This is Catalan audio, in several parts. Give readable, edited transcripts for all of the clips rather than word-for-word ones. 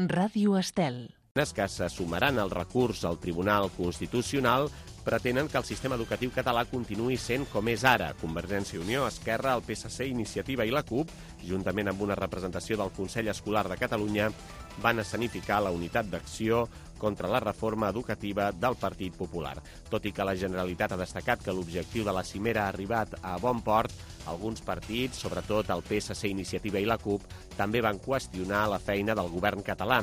Ràdio Estel. Les que se sumaran al recurs al Tribunal Constitucional pretenen que el sistema educatiu català continuï sent com és ara. Convergència i Unió, Esquerra, el PSC, Iniciativa i la CUP, juntament amb una representació del Consell Escolar de Catalunya, van escenificar la unitat d'acció contra la reforma educativa del Partit Popular. Tot i que la Generalitat ha destacat que l'objectiu de la cimera ha arribat a bon port, alguns partits, sobretot el PSC, Iniciativa i la CUP, també van qüestionar la feina del govern català.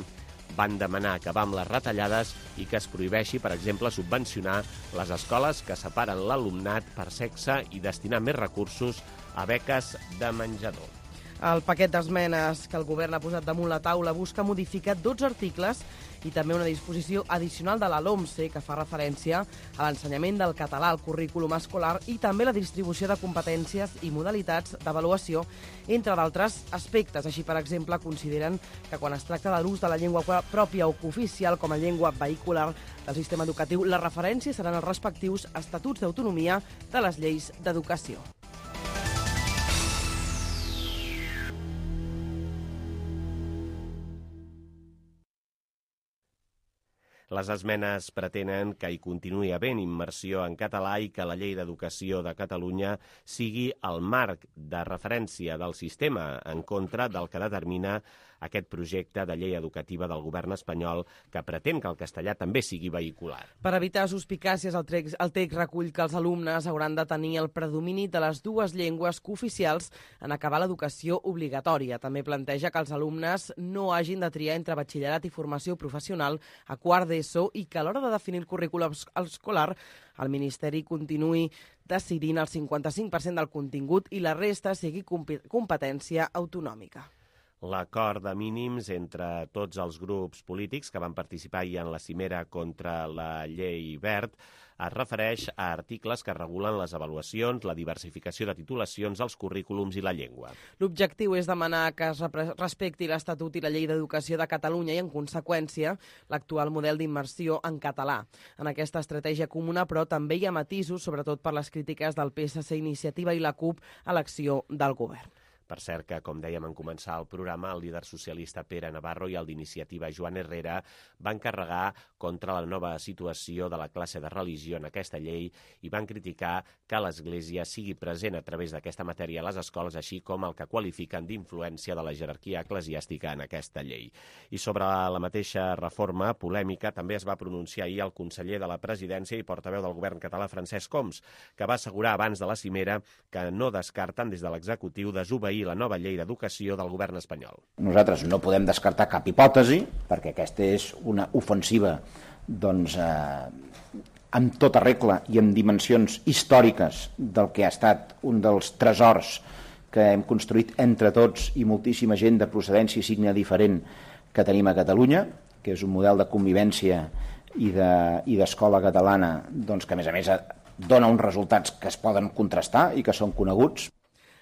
Van demanar acabar amb les retallades i que es prohibeixi, per exemple, subvencionar les escoles que separen l'alumnat per sexe i destinar més recursos a beques de menjador. El paquet d'esmenes que el govern ha posat damunt la taula busca modificar 12 articles i també una disposició addicional de la LOMCE que fa referència a l'ensenyament del català al currículum escolar i també la distribució de competències i modalitats d'avaluació, entre d'altres aspectes. Així, per exemple, consideren que quan es tracta de l'ús de la llengua pròpia o cooficial com a llengua vehicular del sistema educatiu, les referències seran els respectius estatuts d'autonomia de les lleis d'educació. Les esmenes pretenen que hi continuï havent immersió en català i que la Llei d'Educació de Catalunya sigui el marc de referència del sistema en contra del que determina aquest projecte de llei educativa del govern espanyol que pretén que el castellà també sigui vehicular. Per evitar suspicàcies, el text recull que els alumnes hauran de tenir el predomini de les dues llengües cooficials en acabar l'educació obligatòria. També planteja que els alumnes no hagin de triar entre batxillerat i formació professional a quart d'ESO i que a l'hora de definir el currículum escolar el Ministeri continuï decidint el 55% del contingut i la resta sigui competència autonòmica. L'acord de mínims entre tots els grups polítics que van participar ahir en la cimera contra la llei Wert es refereix a articles que regulen les avaluacions, la diversificació de titulacions, els currículums i la llengua. L'objectiu és demanar que es respecti l'Estatut i la Llei d'Educació de Catalunya i, en conseqüència, l'actual model d'immersió en català. En aquesta estratègia comuna, però, també hi ha matisos, sobretot per les crítiques del PSC, Iniciativa i la CUP a l'acció del govern. Per cert que, com dèiem en començar el programa, el líder socialista Pere Navarro i el d'Iniciativa Joan Herrera van carregar contra la nova situació de la classe de religió en aquesta llei i van criticar que l'Església sigui present a través d'aquesta matèria a les escoles, així com el que qualifiquen d'influència de la jerarquia eclesiàstica en aquesta llei. I sobre la mateixa reforma polèmica també es va pronunciar ahir el conseller de la Presidència i portaveu del govern català, Francesc Homs, que va assegurar abans de la cimera que no descarten des de l'executiu desobeir la nova llei d'educació del govern espanyol. Nosaltres no podem descartar cap hipòtesi, perquè aquesta és una ofensiva amb tota regla i amb dimensions històriques del que ha estat un dels tresors que hem construït entre tots i moltíssima gent de procedència i signe diferent que tenim a Catalunya, que és un model de convivència i d'escola catalana que, a més, dona uns resultats que es poden contrastar i que són coneguts.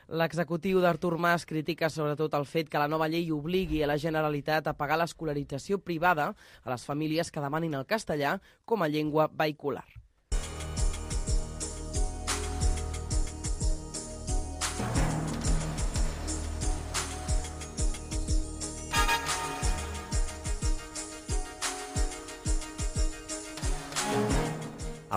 L'executiu d'Artur Mas critica sobretot el fet que la nova llei obligui a la Generalitat a pagar l'escolarització privada a les famílies que demanin el castellà com a llengua vehicular.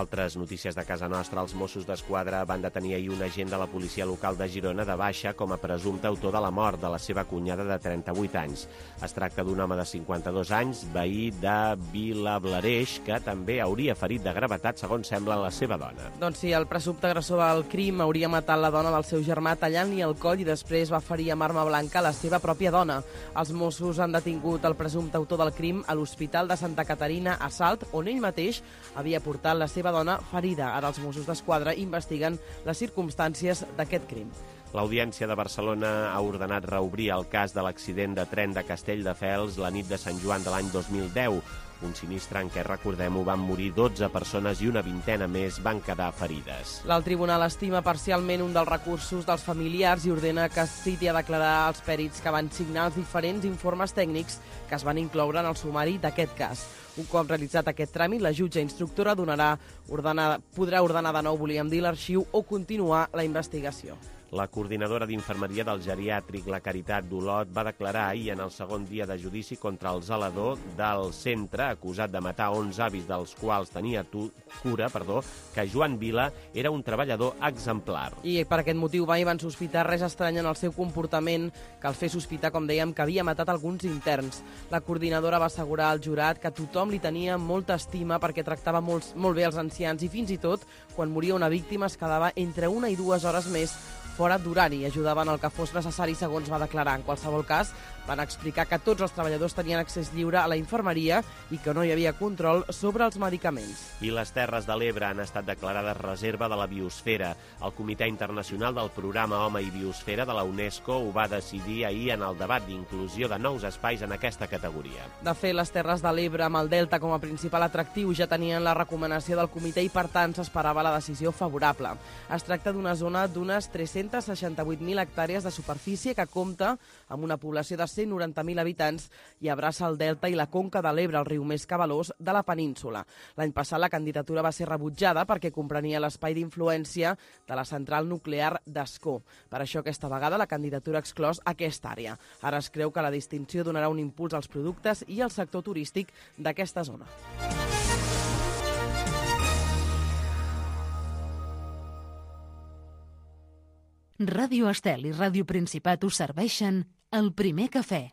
Altres notícies de casa nostra. Els Mossos d'Esquadra van detenir ahir un agent de la policia local de Girona de baixa com a presumpte autor de la mort de la seva cunyada de 38 anys. Es tracta d'un home de 52 anys, veí de Vilablareix, que també hauria ferit de gravetat, segons sembla, la seva dona. Doncs sí, el presumpte agressor del crim hauria matat la dona del seu germà tallant-li el coll i després va ferir amb arma blanca la seva pròpia dona. Els Mossos han detingut el presumpte autor del crim a l'Hospital de Santa Caterina a Salt, on ell mateix havia portat la seva dona ferida. Ara els Mossos d'Esquadra investiguen les circumstàncies d'aquest crim. L'Audiència de Barcelona ha ordenat reobrir el cas de l'accident de tren de Castelldefels la nit de Sant Joan de l'any 2010. Un sinistre en què, recordem-ho, van morir 12 persones i una vintena més van quedar ferides. El tribunal estima parcialment un dels recursos dels familiars i ordena que es citi a declarar els pèrits que van signar els diferents informes tècnics que es van incloure en el sumari d'aquest cas. Un cop realitzat aquest tràmit, la jutge instructora podrà ordenar de nou, volíem dir, l'arxiu o continuar la investigació. La coordinadora d'infermeria del geriàtric, la Caritat d'Olot, va declarar ahir en el segon dia de judici contra el zelador del centre, acusat de matar 11 avis dels quals tenia cura, que Joan Vila era un treballador exemplar. I per aquest motiu mai van sospitar res estrany en el seu comportament que el fer sospitar, com dèiem, que havia matat alguns interns. La coordinadora va assegurar al jurat que tothom li tenia molta estima perquè tractava molt bé els ancians i fins i tot, quan moria una víctima, es quedava entre 1 i 2 hores més fora d'horari i ajudaven el que fos necessari, segons va declarar. En qualsevol cas, van explicar que tots els treballadors tenien accés lliure a la infermeria i que no hi havia control sobre els medicaments. I les Terres de l'Ebre han estat declarades reserva de la biosfera. El Comitè Internacional del Programa Home i Biosfera de la UNESCO ho va decidir ahir en el debat d'inclusió de nous espais en aquesta categoria. De fet, les Terres de l'Ebre, amb el Delta com a principal atractiu, ja tenien la recomanació del comitè i, per tant, s'esperava la decisió favorable. Es tracta d'una zona d'unes 368.000 hectàrees de superfície que compta amb una població de 190.000 habitants i abraça el Delta i la conca de l'Ebre, el riu més cabalós de la península. L'any passat la candidatura va ser rebutjada perquè comprenia l'espai d'influència de la central nuclear d'Ascó. Per això aquesta vegada la candidatura ha exclòs aquesta àrea. Ara es creu que la distinció donarà un impuls als productes i al sector turístic d'aquesta zona. Ràdio Estel i Ràdio Principat us serveixen El Primer Cafè.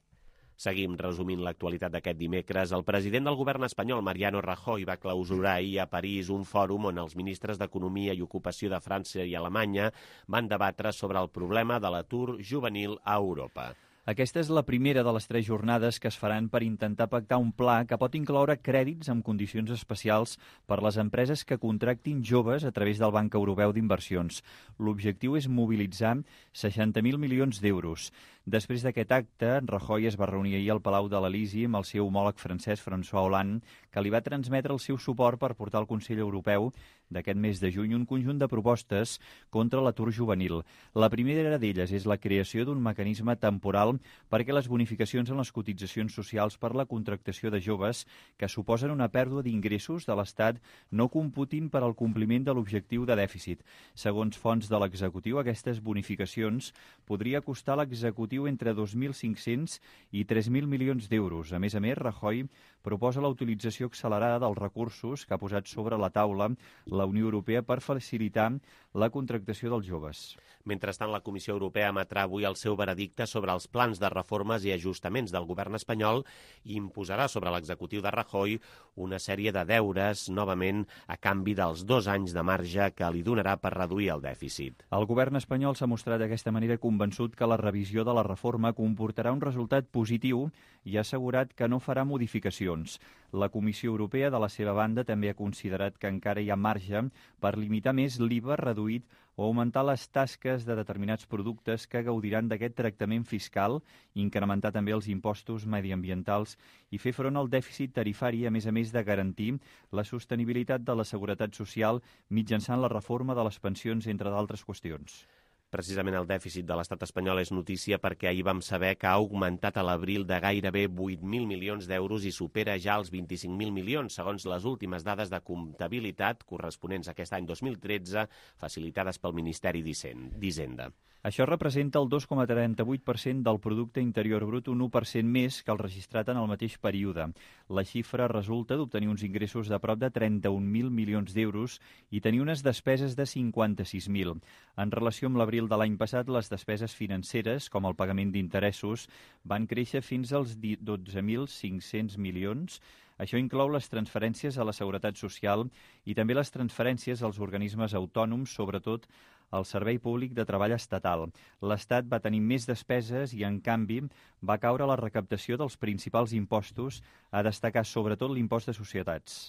Seguim resumint l'actualitat d'aquest dimecres. El president del govern espanyol, Mariano Rajoy, va clausurar ahir a París un fòrum on els ministres d'Economia i Ocupació de França i Alemanya van debatre sobre el problema de l'atur juvenil a Europa. Aquesta és la primera de les 3 jornades que es faran per intentar pactar un pla que pot incloure crèdits amb condicions especials per les empreses que contractin joves a través del Banc Europeu d'Inversions. L'objectiu és mobilitzar 60.000 milions d'euros. Després d'aquest acte, Rajoy es va reunir ahir al Palau de l'Elisi amb el seu homòleg francès François Hollande, que li va transmetre el seu suport per portar al Consell Europeu d'aquest mes de juny un conjunt de propostes contra l'atur juvenil. La primera d'elles és la creació d'un mecanisme temporal perquè les bonificacions en les cotitzacions socials per la contractació de joves que suposen una pèrdua d'ingressos de l'Estat no computin per al compliment de l'objectiu de dèficit. Segons fonts de l'executiu, aquestes bonificacions podria costar a l'executiu entre 2.500 i 3.000 milions d'euros. A més, Rajoy proposa la utilització accelerada dels recursos que ha posat sobre la taula la Unió Europea per facilitar la contractació dels joves. Mentrestant, la Comissió Europea emetrà avui el seu veredicte sobre els plans de reformes i ajustaments del govern espanyol i imposarà sobre l'executiu de Rajoy una sèrie de deures, novament, a canvi dels 2 anys de marge que li donarà per reduir el dèficit. El govern espanyol s'ha mostrat d'aquesta manera convençut que la revisió de la reforma comportarà un resultat positiu i ha assegurat que no farà modificacions. La Comissió Europea, de la seva banda, també ha considerat que encara hi ha marge per limitar més l'IVA reduït o augmentar les tasques de determinats productes que gaudiran d'aquest tractament fiscal, incrementar també els impostos mediambientals i fer front al dèficit tarifari, a més de garantir la sostenibilitat de la seguretat social mitjançant la reforma de les pensions, entre d'altres qüestions. Precisament el dèficit de l'estat espanyol és notícia perquè ahir vam saber que ha augmentat a l'abril de gairebé 8.000 milions d'euros i supera ja els 25.000 milions, segons les últimes dades de comptabilitat corresponents a aquest any 2013, facilitades pel Ministeri d'Hisenda. Això representa el 2,38% del producte interior brut, un 1% més que el registrat en el mateix període. La xifra resulta d'obtenir uns ingressos de prop de 31.000 milions d'euros i tenir unes despeses de 56.000. En relació amb l'abril de l'any passat, les despeses financeres, com el pagament d'interessos, van créixer fins als 12.500 milions. Això inclou les transferències a la Seguretat Social i també les transferències als organismes autònoms, sobretot al Servei Públic de Treball Estatal. L'Estat va tenir més despeses i, en canvi, va caure la recaptació dels principals impostos, a destacar sobretot l'impost de societats.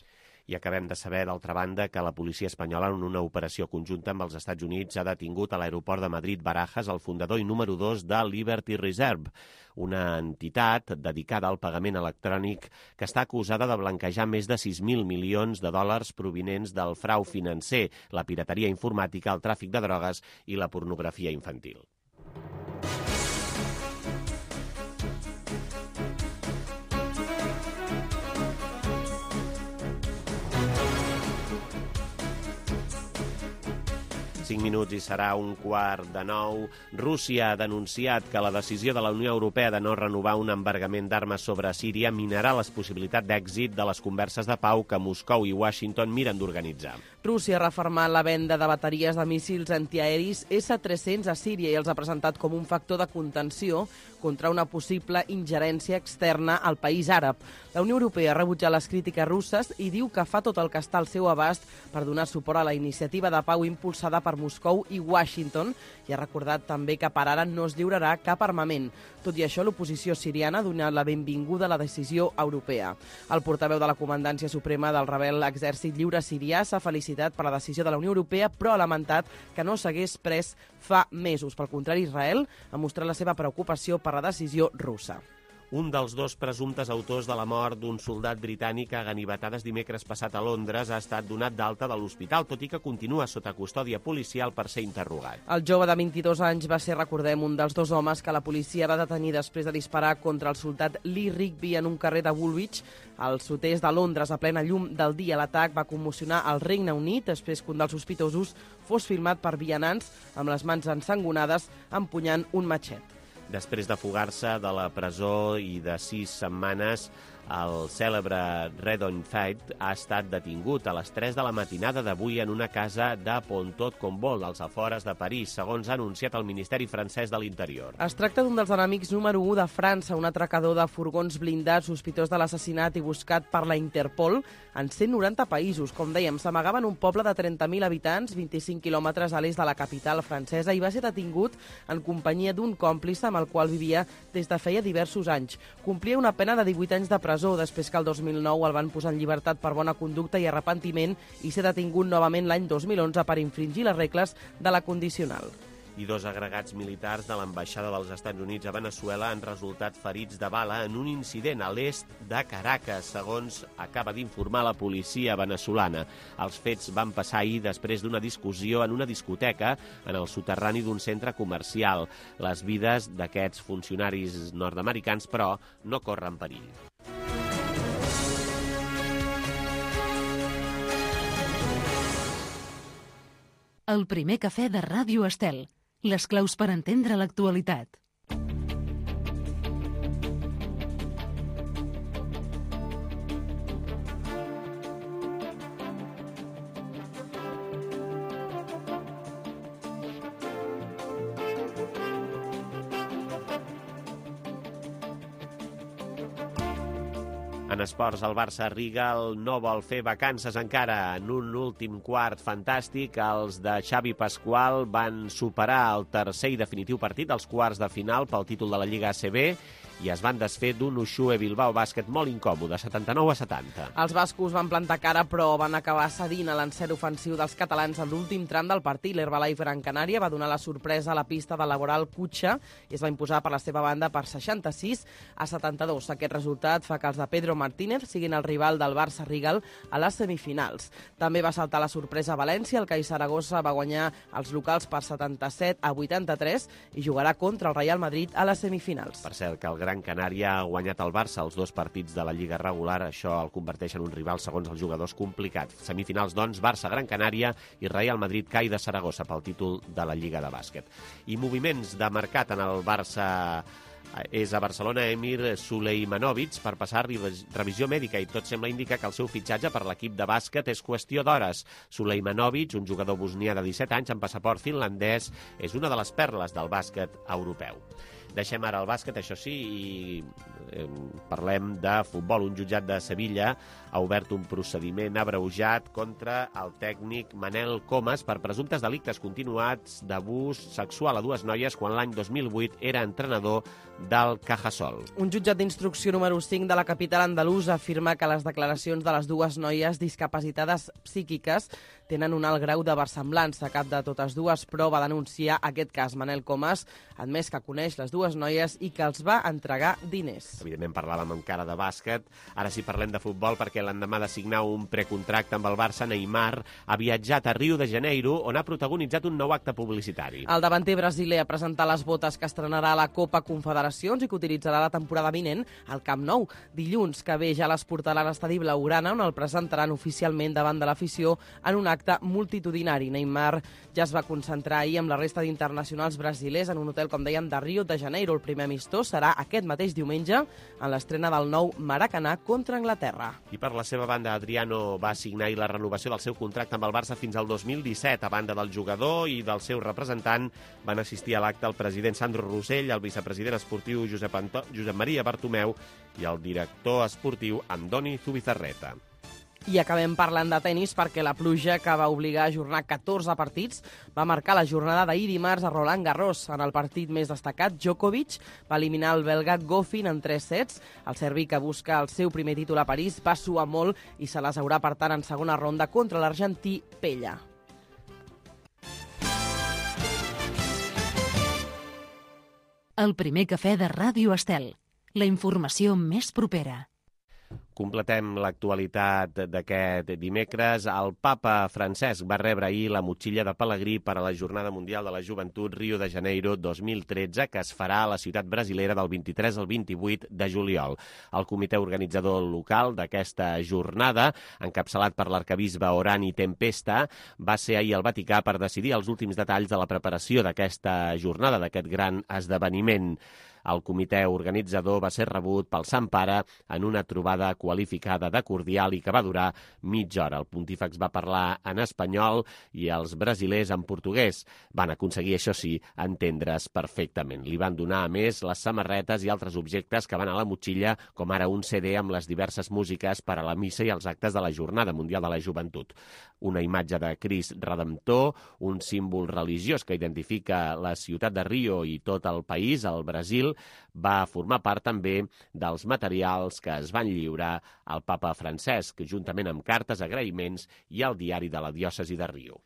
I acabem de saber, d'altra banda, que la policia espanyola, en una operació conjunta amb els Estats Units, ha detingut a l'aeroport de Madrid-Barajas el fundador i número 2 de Liberty Reserve, una entitat dedicada al pagament electrònic que està acusada de blanquejar més de 6.000 milions de dòlars provinents del frau financer, la pirateria informàtica, el tràfic de drogues i la pornografia infantil. 5 minuts i serà 8:45. Rússia ha denunciat que la decisió de la Unió Europea de no renovar un embargament d'armes sobre Síria minarà la possibilitat d'èxit de les converses de pau que Moscou i Washington miren d'organitzar. Rússia ha refermat la venda de bateries de míssils antiaeris S-300 a Síria i els ha presentat com un factor de contenció contra una possible ingerència externa al país àrab. La Unió Europea ha rebutjat les crítiques russes i diu que fa tot el que està al seu abast per donar suport a la iniciativa de pau impulsada per Moscou i Washington i ha recordat també que per ara no es lliurarà cap armament. Tot i això, l'oposició siriana ha donat la benvinguda a la decisió europea. El portaveu de la Comandància Suprema del rebel Exèrcit Lliure Sirià s'ha felicitat per la decisió de la Unió Europea, però ha lamentat que no s'hagués pres fa mesos. Pel contrari, Israel ha mostrat la seva preocupació per la decisió russa. Un dels dos presumptes autors de la mort d'un soldat britànic a ganivetades dimecres passat a Londres ha estat donat d'alta de l'hospital, tot i que continua sota custòdia policial per ser interrogat. El jove de 22 anys va ser, recordem, un dels dos homes que la policia va detenir després de disparar contra el soldat Lee Rigby en un carrer de Woolwich, al sud-est de Londres, a plena llum del dia. L'atac va commocionar el Regne Unit després que un dels sospitosos fos filmat per vianants amb les mans ensangonades empunyant un matxet. Després de fugar-se de la presó i de 6 setmanes, el cèlebre Redon Fait ha estat detingut a les 3 de la matinada d'avui en una casa de Pontot-Combault, als afores de París, segons ha anunciat el Ministeri francès de l'Interior. Es tracta d'un dels enemics número 1 de França, un atracador de furgons blindats sospitós de l'assassinat i buscat per la Interpol en 190 països. Com dèiem, s'amagava en un poble de 30.000 habitants, 25 quilòmetres a l'est de la capital francesa, i va ser detingut en companyia d'un còmplice amb el qual vivia des de feia diversos anys. Complia una pena de 18 anys de presó, després que el 2009 el van posar en llibertat per bona conducta i arrepentiment i ser detingut novament l'any 2011 per infringir les regles de la condicional. I 2 agregats militars de l'ambaixada dels Estats Units a Veneçuela han resultat ferits de bala en un incident a l'est de Caracas, segons acaba d'informar la policia venezolana. Els fets van passar ahir després d'una discussió en una discoteca en el soterrani d'un centre comercial. Les vides d'aquests funcionaris nord-americans, però, no corren perill. El primer cafè de Ràdio Estel. Les claus per entendre l'actualitat. En esports, el Barça Rigal no vol fer vacances encara. En un últim quart fantàstic, els de Xavi Pasqual van superar el tercer i definitiu partit dels quarts de final pel títol de la Lliga ACB i es van desfer d'un Uxue Bilbao Bàsquet molt incòmode, 79-70. Els bascos van plantar cara, però van acabar cedint a l'encert ofensiu dels catalans en l'últim tram del partit. L'Herbalife Gran Canària va donar la sorpresa a la pista de Laboral Cutxa i es va imposar per la seva banda per 66-72. Aquest resultat fa que els de Pedro Martínez siguin el rival del Barça Rigal a les semifinals. També va saltar la sorpresa a València. El CAI Saragossa va guanyar els locals per 77-83 i jugarà contra el Real Madrid a les semifinals. Per cert, que el Gran Canària ha guanyat el Barça els 2 partits de la Lliga regular. Això el converteix en un rival, segons els jugadors, complicat. Semifinals, doncs, Barça-Gran Canària i Real Madrid-CAI de Saragossa pel títol de la Lliga de bàsquet. I moviments de mercat en el Barça. És a Barcelona Emir Suleimanovic per passar revisió mèdica i tot sembla indicar que el seu fitxatge per l'equip de bàsquet és qüestió d'hores. Suleimanovic, un jugador bosnià de 17 anys amb passaport finlandès, és una de les perles del bàsquet europeu. Deixem ara el bàsquet, això sí, i parlem de futbol. Un jutjat de Sevilla ha obert un procediment abreujat contra el tècnic Manel Comas per presumptes delictes continuats d'abús sexual a 2 noies quan l'any 2008 era entrenador del Cajasol. Un jutjat d'instrucció número 5 de la capital andalusa afirma que les declaracions de les 2 noies discapacitades psíquiques tenen un alt grau de versemblança. Cap de totes dues, però va denunciar aquest cas. Manel Comas ha admès que coneix les 2 dues noies i que els va entregar diners. Evidentment parlàvem encara de bàsquet, ara sí parlem de futbol perquè l'endemà de signar un precontracte amb el Barça, Neymar ha viatjat a Rio de Janeiro on ha protagonitzat un nou acte publicitari. El davanter brasiler ha presentat les botes que estrenarà a la Copa Confederacions i que utilitzarà la temporada vinent al Camp Nou. Dilluns que ve ja les portarà a l'estadi blaugrana on el presentaran oficialment davant de l'afició en un acte multitudinari. Neymar ja es va concentrar ahir amb la resta d'internacionals brasilers en un hotel, com dèiem, de Rio de Janeiro. El primer amistós serà aquest mateix diumenge en l'estrena del nou Maracanà contra Anglaterra. I per la seva banda, Adriano va signar la renovació del seu contracte amb el Barça fins al 2017. A banda del jugador i del seu representant, van assistir a l'acte el president Sandro Rosell, el vicepresident esportiu Josep Maria Bartomeu i el director esportiu Andoni Zubizarreta. I acabem parlant de tenis perquè la pluja que va obligar a ajornar 14 partits va marcar la jornada d'ahir dimarts a Roland Garros. En el partit més destacat, Djokovic va eliminar el belga Goffin en 3 sets. El serbi, que busca el seu primer títol a París, va suar molt i se les haurà, per tant, en segona ronda contra l'argentí Pella. El primer cafè de Ràdio Estel. La informació més propera. Completem l'actualitat d'aquest dimecres. El papa Francesc va rebre ahir la motxilla de Pelegrí per a la Jornada Mundial de la Joventut Rio de Janeiro 2013, que es farà a la ciutat brasilera del 23 al 28 de juliol. El comitè organitzador local d'aquesta jornada, encapçalat per l'arquebisbe Orani Tempesta, va ser ahir al Vaticà per decidir els últims detalls de la preparació d'aquesta jornada, d'aquest gran esdeveniment. El comitè organitzador va ser rebut pel Sant Pare en una trobada qualificada de cordial i que va durar mitja hora. El pontífex va parlar en espanyol i els brasilers en portuguès. Van aconseguir, això sí, entendre's perfectament. Li van donar, a més, les samarretes i altres objectes que van a la motxilla, com ara un CD amb les diverses músiques per a la missa i els actes de la Jornada Mundial de la Joventut. Una imatge de Crist Redemptor, un símbol religiós que identifica la ciutat de Rio i tot el país, el Brasil, va formar part també dels materials que es van lliurar al papa Francesc, juntament amb cartes, agraïments i el diari de la diòcesi de Rio.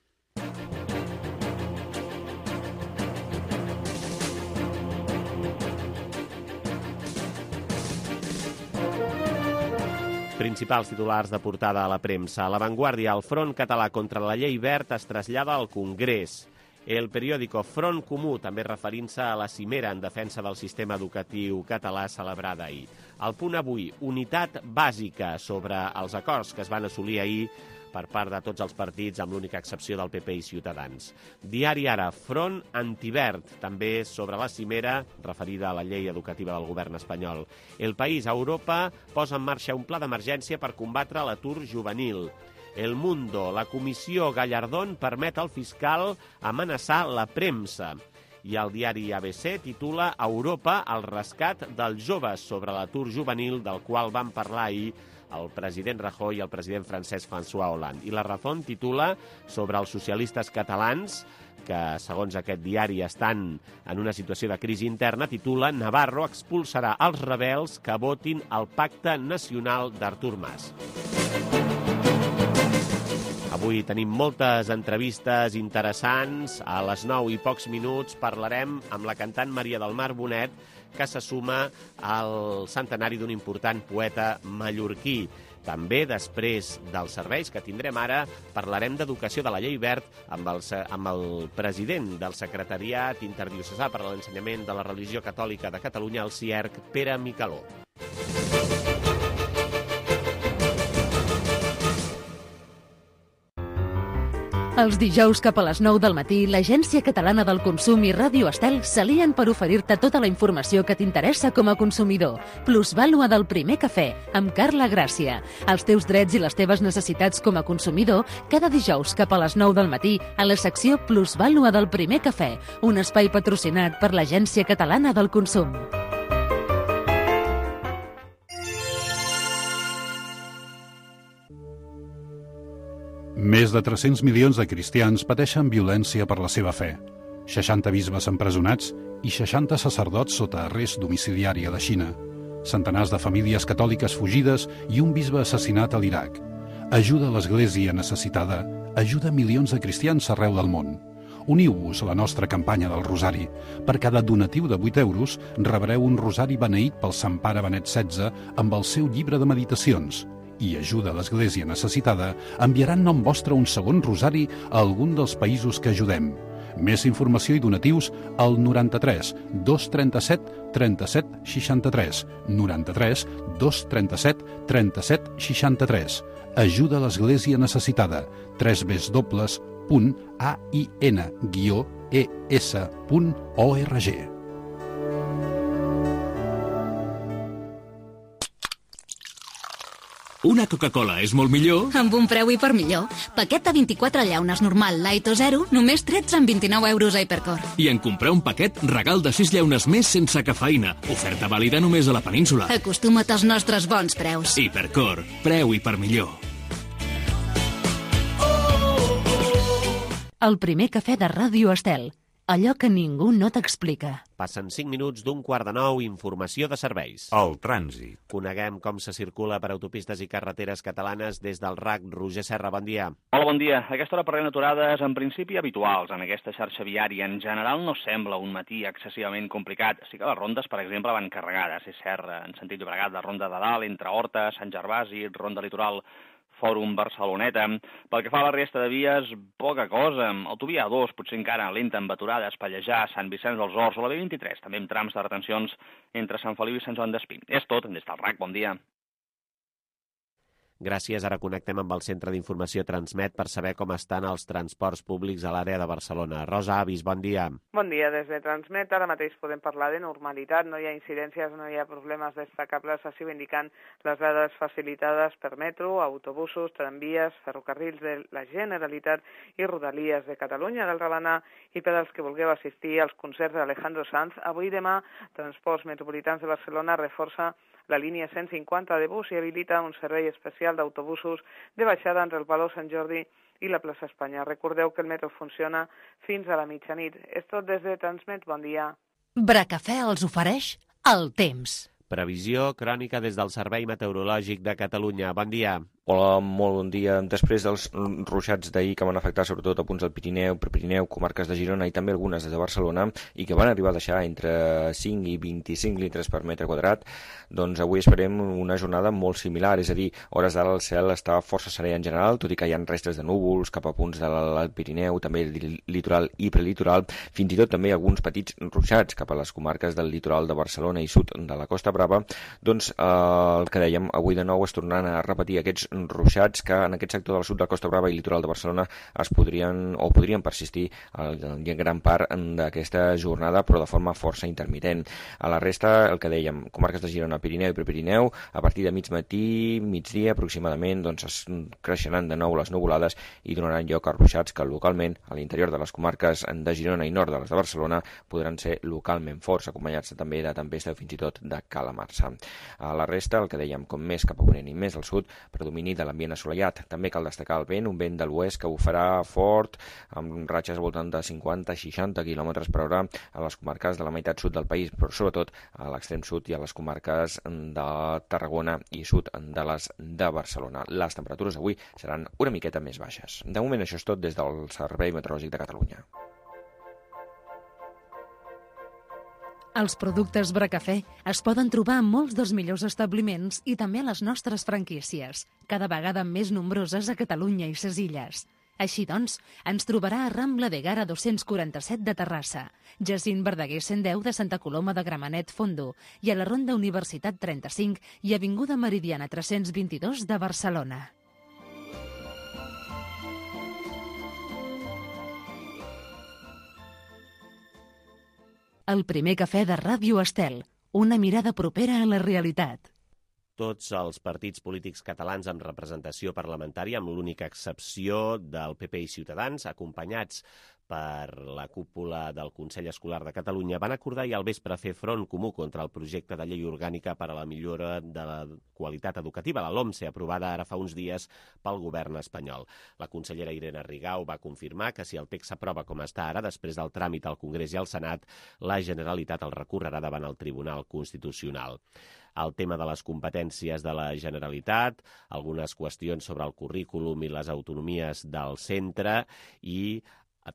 Principals titulars de portada a la premsa. A La Vanguardia, el Front Català contra la Llei Wert es trasllada al Congrés. El periòdico Front Comú, també referint-se a la cimera en defensa del sistema educatiu català celebrada ahir. El Punt Avui, unitat bàsica sobre els acords que es van assolir ahir per part de tots els partits, amb l'única excepció del PP i Ciutadans. Diari Ara, Front Antivert, també sobre la cimera referida a la llei educativa del govern espanyol. El País, Europa posa en marxa un pla d'emergència per combatre l'atur juvenil. El Mundo, la comissió Gallardón permet al fiscal amenaçar la premsa. I el diari ABC titula Europa, el rescat dels joves sobre l'atur juvenil, del qual van parlar ahir el president Rajoy i el president francès François Hollande. I La Razón titula sobre els socialistes catalans, que, segons aquest diari, estan en una situació de crisi interna, titula Navarro expulsarà els rebels que votin el Pacte Nacional d'Artur Mas. Avui tenim moltes entrevistes interessants. A les 9 i pocs minuts parlarem amb la cantant Maria del Mar Bonet, que se suma al centenari d'un important poeta mallorquí. També, després dels serveis que tindrem ara, parlarem d'educació de la Llei Wert amb el president del Secretariat Interdiocesà per a l'Ensenyament de la Religió Catòlica de Catalunya, el CIERC, Pere Micaló. Els dijous cap a les 9 del matí, l'Agència Catalana del Consum i Ràdio Estel s'alien per oferir-te tota la informació que t'interessa com a consumidor. Plusvàlua del primer cafè, amb Carla Gràcia. Els teus drets i les teves necessitats com a consumidor, cada dijous cap a les 9 del matí, a la secció Plusvàlua del primer cafè, un espai patrocinat per l'Agència Catalana del Consum. Més de 300 milions de cristians pateixen violència per la seva fe. 60 bisbes empresonats i 60 sacerdots sota arrest domiciliari a la Xina. Centenars de famílies catòliques fugides i un bisbe assassinat a l'Iraq. Ajuda a l'Església necessitada. Ajuda milions de cristians arreu del món. Uniu-vos a la nostra campanya del Rosari. Per cada donatiu de 8 euros rebreu un rosari beneït pel Sant Pare Benet XVI amb el seu llibre de meditacions. I ajuda a l'Església Necessitada enviarà en nom vostre un segon rosari a algun dels països que ajudem. Més informació i donatius al 93 237 37 63. 93 237 37 63. Ajuda a l'Església Necessitada. www.ain-es.org. Una Coca-Cola és molt millor amb un preu hipermillor. Paquet de 24 llaunes normal, light o zero, només 13,29 euros a Hipercor. i en comprar un paquet, regal de 6 llaunes més sense cafeïna. Oferta vàlida només a la península. Acostuma't als nostres bons preus. Hipercor, preu hipermillor. El primer cafè de Ràdio Estel. Allò que ningú no t'explica. Passen 5 minuts d'un 8:45, informació de serveis. El trànsit. Coneguem com se circula per autopistes i carreteres catalanes des del RAC. Roger Serra, bon dia. Hola, bon dia. A aquesta hora parlem d'aturades en principi habituals en aquesta xarxa viària. En general no sembla un matí excessivament complicat. Sí que les rondes, per exemple, van carregades. És cert, en sentit Llobregat, la ronda de dalt, entre Horta, Sant Gervasi, ronda litoral, Fòrum Barceloneta. Pel que fa a la resta de vies, poca cosa. Autovia A2, potser encara lenta amb aturades, Pallejà, Sant Vicenç dels Horts o la B23, també amb trams de retencions entre Sant Feliu i Sant Joan d'Espí. És tot, des del RAC, bon dia. Gràcies. Ara connectem amb el Centre d'Informació Transmet per saber com estan els transports públics a l'àrea de Barcelona. Rosa Avis, bon dia. Bon dia. Des de Transmet ara mateix podem parlar de normalitat. No hi ha incidències, no hi ha problemes destacables, així ho indiquen les dades facilitades per metro, autobusos, tramvies, ferrocarrils de la Generalitat i Rodalies de Catalunya. D'altra banda, i per als que vulgueu assistir als concerts d'Alejandro Sanz, avui i demà Transports Metropolitans de Barcelona reforça la línia 150 de bus i habilita un servei especial d'autobusos de baixada entre el Palau Sant Jordi i la plaça Espanya. Recordeu que el metro funciona fins a la mitjanit. És tot des de Transmet. Bon dia. Bracafè els ofereix el temps. Previsió crònica des del Servei Meteorològic de Catalunya. Bon dia. Hola, molt bon dia. Després dels ruixats d'ahir que van afectar sobretot a punts del Pirineu, Prepirineu, comarques de Girona i també algunes de Barcelona i que van arribar a deixar entre 5 i 25 litres per metre quadrat, doncs avui esperem una jornada molt similar, és a dir, hores d'ara el cel està força serè en general, tot i que hi ha restes de núvols cap a punts del Pirineu, també litoral i prelitoral, fins i tot també alguns petits ruixats cap a les comarques del litoral de Barcelona i sud de la Costa Brava. Doncs el que dèiem, avui de nou es tornaran a repetir aquests ruixats que en aquest sector del sud de la Costa Brava i litoral de Barcelona podrien persistir en gran part d'aquesta jornada, però de forma força intermitent. A la resta, el que dèiem, comarques de Girona, Pirineu i Prepirineu, a partir de mig matí, migdia aproximadament, doncs es creixeran de nou les nuvolades i donaran lloc a ruixats que localment, a l'interior de les comarques de Girona i nord de les de Barcelona, podran ser localment forts, acompanyats també de tempesta o fins i tot de calamarsa. A la resta, el que dèiem, com més cap a ponent i més al sud, predomini de l'ambient assolellat. També cal destacar el vent, un vent de l'oest que bufarà fort, amb ratxes al voltant de 50-60 km per hora a les comarques de la meitat sud del país, però sobretot a l'extrem sud i a les comarques de Tarragona i sud de les de Barcelona. Les temperatures avui seran una miqueta més baixes. De moment això és tot des del Servei Meteorològic de Catalunya. Els productes Bracafè es poden trobar en molts dels millors establiments i també a les nostres franquícies, cada vegada més nombroses a Catalunya i ses illes. Així doncs, ens trobarà a Rambla de Gara 247 de Terrassa, Jacint Verdaguer 110 de Santa Coloma de Gramenet Fondo i a la Ronda Universitat 35 i Avinguda Meridiana 322 de Barcelona. El primer cafè de Ràdio Estel, una mirada propera a la realitat. Tots els partits polítics catalans amb representació parlamentària, amb l'única excepció del PP i Ciutadans, acompanyats per la cúpula del Consell Escolar de Catalunya, van acordar ahir al vespre fer front comú contra el projecte de llei orgànica per a la millora de la qualitat educativa, la LOMSE, aprovada ara fa uns dies pel govern espanyol. La consellera Irene Rigau va confirmar que si el text s'aprova com està ara, després del tràmit al Congrés i al Senat, la Generalitat el recorrerà davant el Tribunal Constitucional. El tema de les competències de la Generalitat, algunes qüestions sobre el currículum i les autonomies del centre i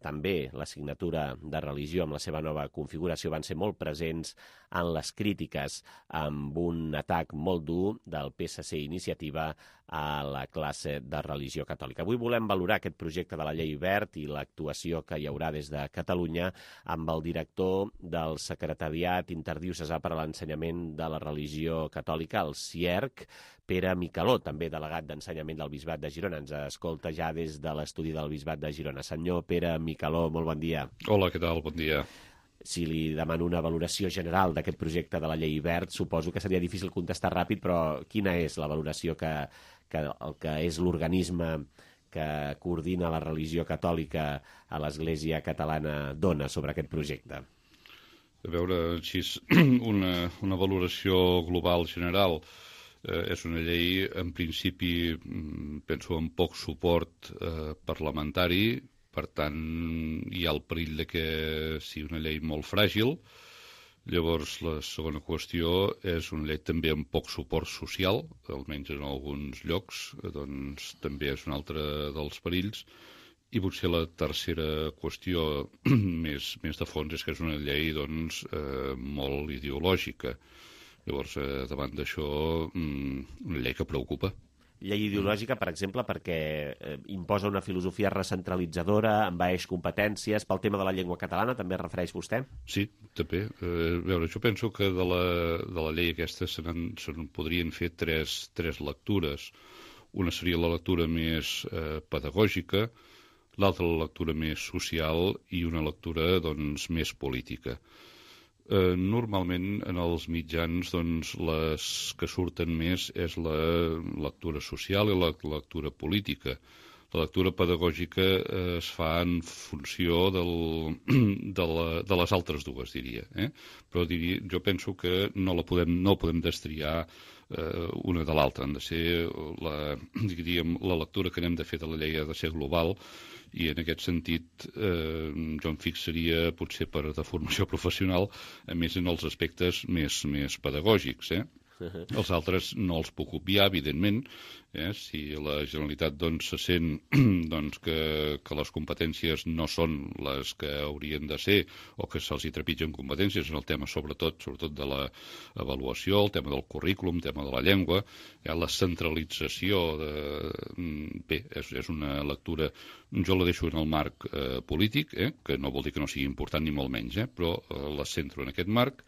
també l'assignatura de religió amb la seva nova configuració van ser molt presents en les crítiques amb un atac molt dur del PSC Iniciativa a la classe de religió catòlica. Avui volem valorar aquest projecte de la llei Wert i l'actuació que hi haurà des de Catalunya amb el director del Secretariat Interdiocesà per a l'Ensenyament de la Religió Catòlica, el CIERC, Pere Micaló, també delegat d'Ensenyament del Bisbat de Girona. Ens escolta ja des de l'estudi del Bisbat de Girona. Senyor Pere Micaló, molt bon dia. Hola, què tal? Bon dia. Si li demano una valoració general d'aquest projecte de la llei Wert, suposo que seria difícil contestar ràpid, però quina és la valoració que el que és l'organisme que coordina la religió catòlica a l'Església catalana dona sobre aquest projecte? A veure, així, una valoració global general. És una llei, en principi, penso, amb poc suport parlamentari, per tant, hi ha el perill de que sigui una llei molt fràgil. Llavors, la segona qüestió és una llei també amb poc suport social, almenys en alguns llocs, doncs també és un altre dels perills. I potser la tercera qüestió més de fons és que és una llei doncs, molt ideològica. Llavors, davant d'això, una llei que preocupa. Llei ideològica, per exemple, perquè imposa una filosofia recentralitzadora, envaeix competències, pel tema de la llengua catalana, també es refereix vostè? Sí, també. A veure, jo penso que de la llei aquesta se'n podrien fer tres lectures. Una seria la lectura més pedagògica, l'altra la lectura més social i una lectura doncs, més política. Normalment en els mitjans doncs, les que surten més és la lectura social i la lectura política. La lectura pedagògica es fa en funció de les altres dues, diria. Però jo penso que no podem destriar una de l'altra. Han de ser la lectura que n'hem de fer de la llei ha de ser global, i en aquest sentit jo em fixaria potser per de formació professional a més en els aspectes més pedagògics. Els altres no els puc obviar, evidentment. Si la Generalitat doncs, se sent doncs, que les competències no són les que haurien de ser o que se'ls hi trepitgen competències en el tema sobretot de l'avaluació, el tema del currículum, el tema de la llengua, la centralització. Bé, és una lectura, jo la deixo en el marc polític, que no vol dir que no sigui important ni molt menys, però la centro en aquest marc.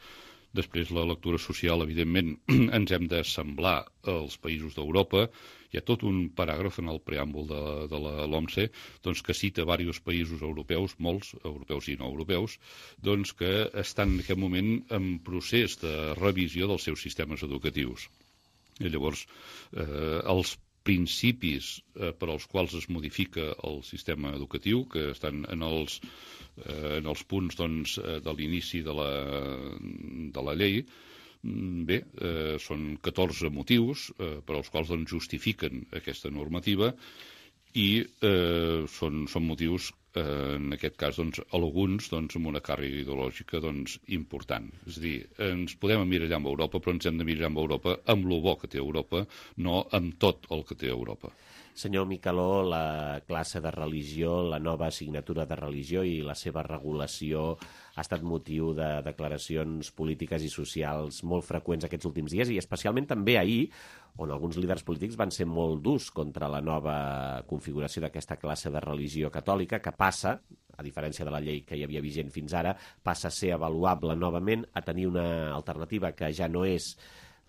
Després, la lectura social, evidentment, ens hem d'assemblar als països d'Europa. Hi ha tot un paràgraf en el preàmbul de la LOMCE doncs, que cita diversos països europeus, molts europeus i no europeus, doncs, que estan en aquest moment en procés de revisió dels seus sistemes educatius. I llavors, els principis per als quals es modifica el sistema educatiu, que estan en els punts doncs, de l'inici de la llei, bé, són 14 motius per als quals doncs, justifiquen aquesta normativa i són motius, en aquest cas, doncs, alguns doncs, amb una càrrega ideològica doncs, important. És a dir, ens podem emmirallar amb Europa, però ens hem d'emmirallar amb Europa amb lo bo que té Europa, no amb tot el que té Europa. Senyor Micaló, la classe de religió, la nova assignatura de religió i la seva regulació ha estat motiu de declaracions polítiques i socials molt freqüents aquests últims dies i especialment també ahir, on alguns líders polítics van ser molt durs contra la nova configuració d'aquesta classe de religió catòlica que passa, a diferència de la llei que hi havia vigent fins ara, passa a ser avaluable novament, a tenir una alternativa que ja no és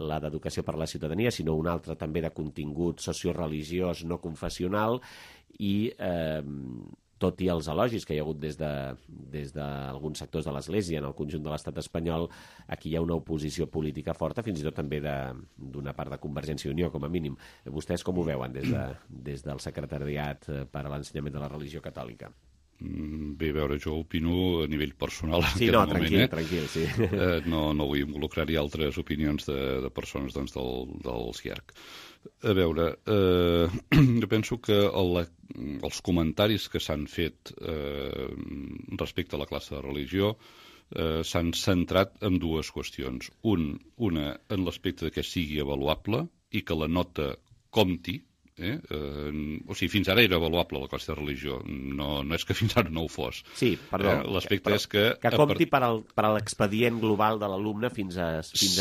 la d'educació per a la ciutadania, sinó una altra també de contingut socioreligiós no confessional i tot i els elogis que hi ha hagut des d'alguns sectors de l'Església en el conjunt de l'estat espanyol, aquí hi ha una oposició política forta, fins i tot també d'una part de Convergència i Unió, com a mínim. Vostès com ho veuen des del Secretariat per a l'Ensenyament de la Religió Catòlica? Bé, a veure, jo opino a nivell personal en aquest moment. Tranquil, sí. No vull involucrar-hi altres opinions de persones doncs, del CIERC. A veure, jo penso que els comentaris que s'han fet respecte a la classe de religió s'han centrat en dues qüestions. Una en l'aspecte que sigui avaluable i que la nota compti, O sigui, fins ara era avaluable la classe de religió, no és que fins ara no ho fos. Sí, perdó. L'aspecte és que... Que compti per a l'expedient global de l'alumne fins a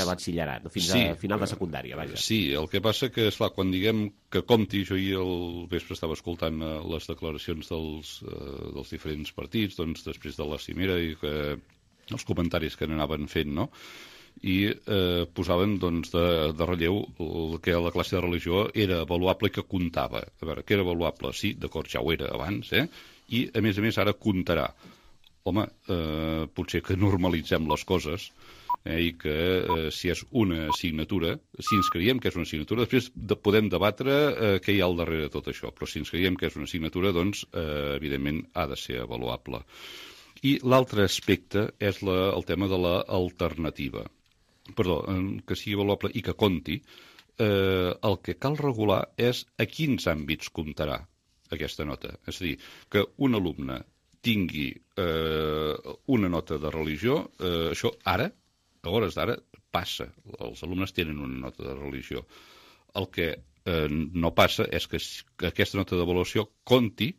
batxillerat, fins a final de secundària, vaja. Sí, el que passa que, esclar, quan diguem que compti, jo ahir al vespre estava escoltant les declaracions dels diferents partits, doncs després de la cimera i els comentaris que n'anaven fent, no?, i posaven doncs, de relleu que la classe de religió era avaluable i que comptava. A veure, que era avaluable? Sí, d'acord, ja ho era abans, i a més ara comptarà. Home, potser que normalitzem les coses i que si és una assignatura, si ens creiem que és una assignatura, després podem debatre què hi ha al darrere de tot això, però si ens creiem que és una assignatura, doncs, evidentment, ha de ser avaluable. I l'altre aspecte és el tema de l'alternativa. Perdó, que sigui avaluable i que compti, el que cal regular és a quins àmbits comptarà aquesta nota. És a dir, que un alumne tingui una nota de religió, això ara, a hores d'ara, passa. Els alumnes tenen una nota de religió. El que no passa és que aquesta nota d'avaluació compti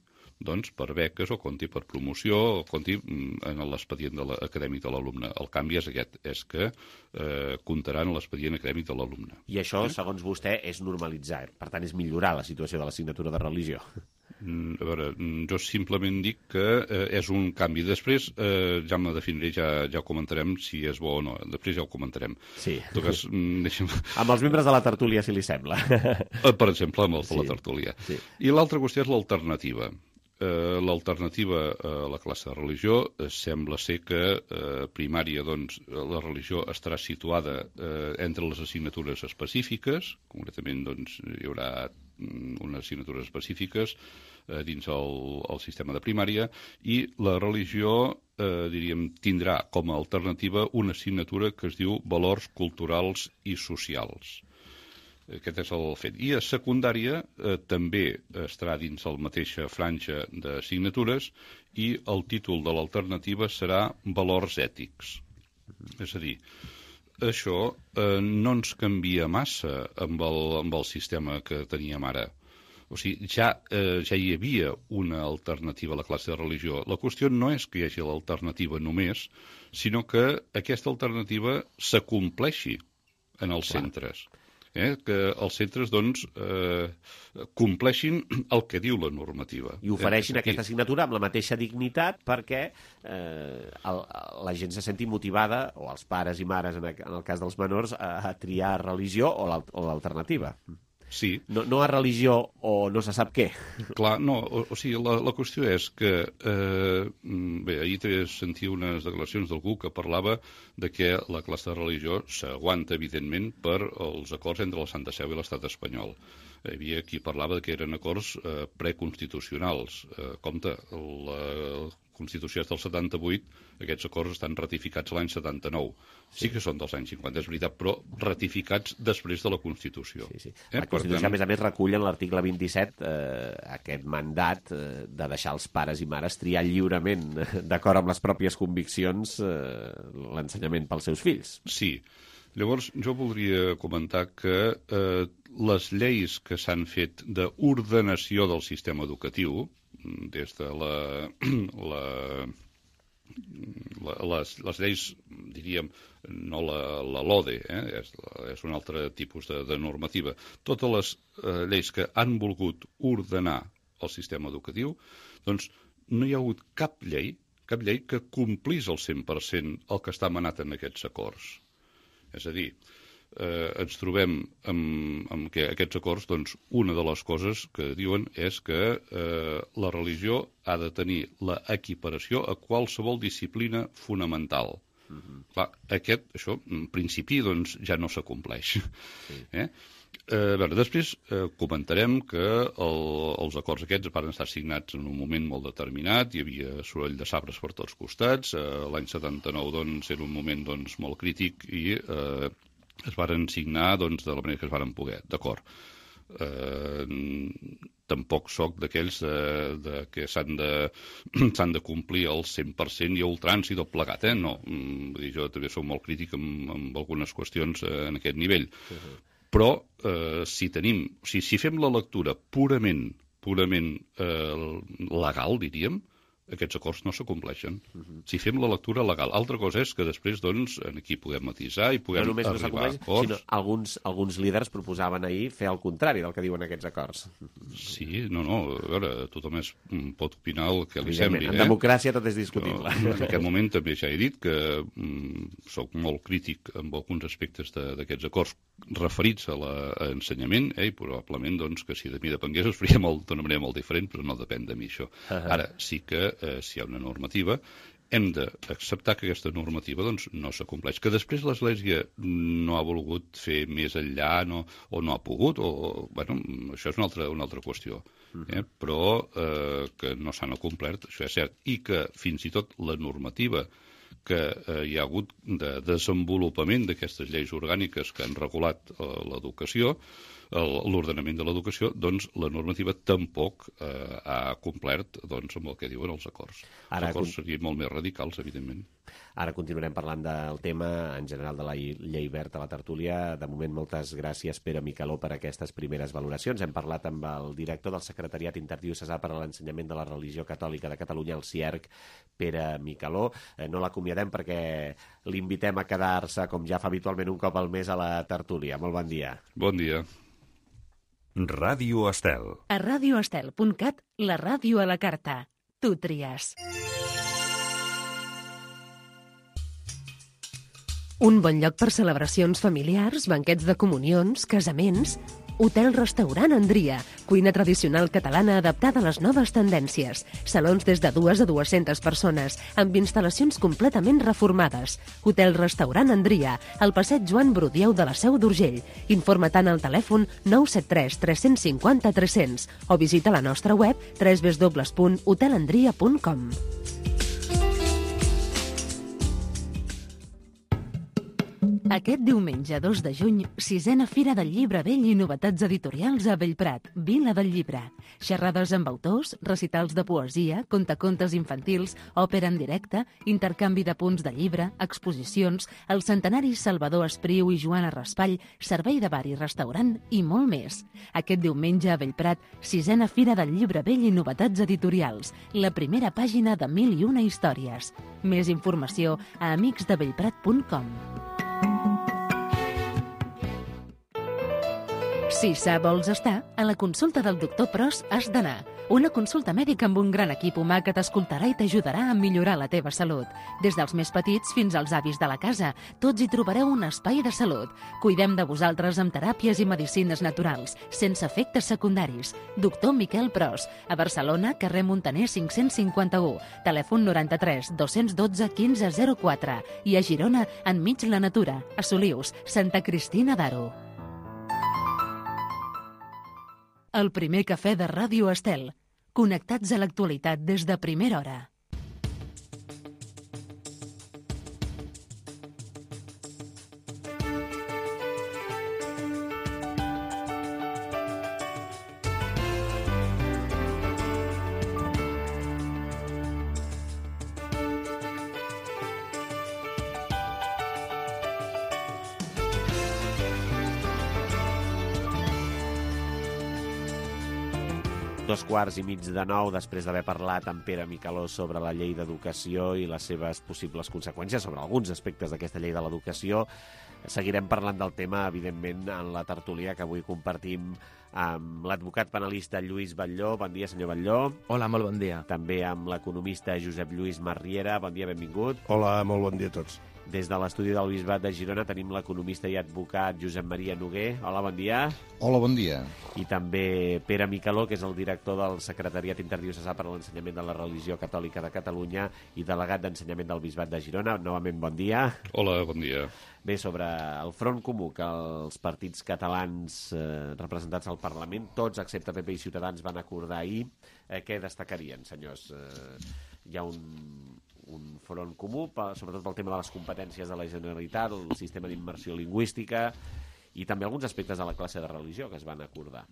doncs, per beques o compti per promoció o compti en l'expedient acadèmic de l'alumne. El canvi és aquest, és que comptarà en l'expedient acadèmic de l'alumne. I això, segons vostè, és normalitzar. Per tant, és millorar la situació de l'assignatura de religió. A veure, jo simplement dic que és un canvi. Després ja me definiré, ja ho comentarem si és bo o no. Després ja ho comentarem. Sí. Cas, amb els membres de la tertúlia, si li sembla. Per exemple, amb els de la tertúlia. Sí. I l'altra qüestió és l'alternativa. L'alternativa a la classe de religió sembla ser que primària, doncs, la religió estarà situada entre les assignatures específiques, concretament doncs, hi haurà unes assignatures específiques dins el sistema de primària, i la religió, diríem, tindrà com a alternativa una assignatura que es diu Valors Culturals i Socials. Aquest és el fet. I a secundària també estarà dins la mateixa franja d'assignatures i el títol de l'alternativa serà Valors Ètics. És a dir, això no ens canvia massa amb el sistema que teníem ara. O sigui, ja hi havia una alternativa a la classe de religió. La qüestió no és que hi hagi l'alternativa només, sinó que aquesta alternativa s'acompleixi en els centres. Que els centres doncs, compleixin el que diu la normativa. I ofereixin aquesta assignatura amb la mateixa dignitat perquè la gent se senti motivada, o els pares i mares, en el cas dels menors, a triar religió o l'alternativa. Sí. No a religió o no se sap què. Clar, no, o sigui, la qüestió és que ahir sentia unes declaracions d'algú que parlava de que la classe de religió s'aguanta, evidentment, per els acords entre la Santa Seu i l'Estat espanyol. Hi havia qui parlava que eren acords preconstitucionals. Compte, la Constitució és del 78, aquests acords estan ratificats l'any 79. Sí que són dels anys 50, és veritat, però ratificats després de la Constitució. Sí. La Constitució, a més, recull en l'article 27 aquest mandat de deixar els pares i mares triar lliurement, d'acord amb les pròpies conviccions, l'ensenyament pels seus fills. Sí. Llavors, jo voldria comentar que les lleis que s'han fet d'ordenació del sistema educatiu, des de les lleis, diríem, no la LODE, és un altre tipus de normativa. Totes les lleis que han volgut ordenar el sistema educatiu, doncs no hi ha hagut cap llei que complís al 100% el que està manat en aquests acords. És a dir, ens trobem amb que aquests acords, doncs, una de les coses que diuen és que la religió ha de tenir l'equiparació a qualsevol disciplina fonamental. Clar, això, en principi, doncs, ja no s'acompleix. Després comentarem que els acords aquests van estar signats en un moment molt determinat, hi havia soroll de sabres per tots costats, l'any 79 doncs, era un moment doncs, molt crític i es varen signar doncs, de la manera que es varen poder, d'acord. Tampoc soc d'aquells que s'han de complir el 100% i a ultrança i tot plegat, no. Jo també soc molt crític amb algunes qüestions en aquest nivell. Però si fem la lectura purament legal, diríem, aquests acords no s'acompleixen. Si fem la lectura legal. Altra cosa és que després, doncs, aquí podem matisar i podem arribar a acords. Sinó alguns líders proposaven ahir fer el contrari del que diuen aquests acords. Sí, a veure, tothom pot opinar el que li sembli. En democràcia tot és discutible. En aquest moment també ja he dit que soc molt crític amb alguns aspectes d'aquests acords referits a l'ensenyament, i probablement doncs, que si de mi depengués es faria d'una manera molt diferent, però no depèn de mi això. Ara sí que si hi ha una normativa, hem d'acceptar que aquesta normativa doncs, no s'acompleix. Que després l'Església no ha volgut fer més enllà o no ha pogut, això és una altra qüestió. Però que no s'han acomplert, això és cert. I que fins i tot la normativa que hi ha hagut de desenvolupament d'aquestes lleis orgàniques que han regulat l'educació, l'ordenament de l'educació, doncs la normativa tampoc ha complert amb el que diuen els acords. Els acords serien molt més radicals, evidentment. Ara continuarem parlant del tema en general de la llei Wert a la tertúlia. De moment, moltes gràcies, Pere Micaló, per aquestes primeres valoracions. Hem parlat amb el director del Secretariat Interdiocesà per a l'Ensenyament de la Religió Catòlica de Catalunya, el CIERC, Pere Micaló. No l'acomiadem perquè l'invitem a quedar-se, com ja fa habitualment, un cop al mes a la tertúlia. Molt bon dia. Bon dia. Ràdio Estel. A radioestel.cat, la ràdio a la carta. Tu tries. Un bon lloc per celebracions familiars, banquets de comunions, casaments... Hotel-restaurant Andria, cuina tradicional catalana adaptada a les noves tendències. Salons des de 2 a 200 persones, amb instal·lacions completament reformades. Hotel-restaurant Andria, al passeig Joan Brudieu de la Seu d'Urgell. Informa-te'n al telèfon 973 350 300 o visita la nostra web www.hotelandria.com. Aquest diumenge 2 de juny, 6ª Fira del Llibre Vell i novetats editorials a Bellprat, Vila del Llibre. Xerrades amb autors, recitals de poesia, contacontes infantils, òpera en directe, intercanvi de punts de llibre, exposicions, el centenari Salvador Espriu i Joana Raspall, servei de bar i restaurant i molt més. Aquest diumenge a Bellprat, 6ª Fira del Llibre Vell i novetats editorials, la primera pàgina de 1001 històries. Més informació a amicsdebellprat.com. Si vols estar, a la consulta del doctor Pros has d'anar. Una consulta mèdica amb un gran equip humà que t'escoltarà i t'ajudarà a millorar la teva salut. Des dels més petits fins als avis de la casa, tots hi trobareu un espai de salut. Cuidem de vosaltres amb teràpies i medicines naturals, sense efectes secundaris. Doctor Miquel Pros, a Barcelona, carrer Montaner 551, telèfon 93 212 1504 i a Girona, enmig la natura, a Solius, Santa Cristina d'Aro. El primer cafè de Ràdio Estel. Connectats a l'actualitat des de primera hora. Dos quarts i mig de 9, després d'haver parlat amb Pere Micaló sobre la llei d'educació i les seves possibles conseqüències, sobre alguns aspectes d'aquesta llei de l'educació. Seguirem parlant del tema, evidentment, en la tertúlia que avui compartim amb l'advocat penalista Lluís Batlló. Bon dia, senyor Batlló. Hola, molt bon dia. També amb l'economista Josep Lluís Marriera. Bon dia, benvingut. Hola, molt bon dia a tots. Des de l'estudi del Bisbat de Girona tenim l'economista i advocat Josep Maria Noguer. Hola, bon dia. Hola, bon dia. I també Pere Micaló, que és el director del Secretariat Interdiocesà per a l'Ensenyament de la Religió Catòlica de Catalunya i delegat d'Ensenyament del Bisbat de Girona. Novament, bon dia. Hola, bon dia. Bé, sobre el front comú que els partits catalans representats al Parlament, tots excepte PP i Ciutadans, van acordar ahir, què destacarien, senyors? Hi ha un front comú, sobretot pel tema de les competències de la Generalitat, el sistema d'immersió lingüística i també alguns aspectes de la classe de religió que es van acordar.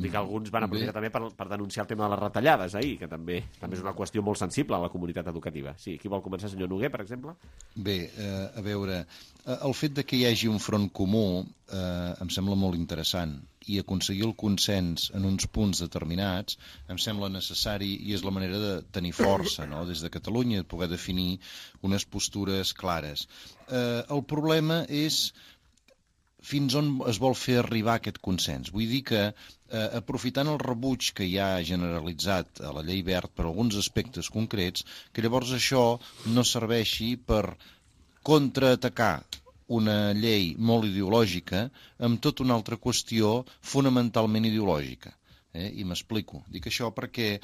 Tot i que alguns van aprofitar també per denunciar el tema de les retallades ahir, que també és una qüestió molt sensible a la comunitat educativa. Sí, qui vol començar, senyor Noguer, per exemple? Bé, a veure, el fet de que hi hagi un front comú em sembla molt interessant, i aconseguir el consens en uns punts determinats em sembla necessari i és la manera de tenir força, no?, des de Catalunya, de poder definir unes postures clares. El problema és fins on es vol fer arribar aquest consens. Vull dir que, aprofitant el rebuig que hi ha generalitzat a la llei Wert per alguns aspectes concrets, que llavors això no serveixi per contraatacar una llei molt ideològica amb tota una altra qüestió fonamentalment ideològica. I m'explico. Dic això perquè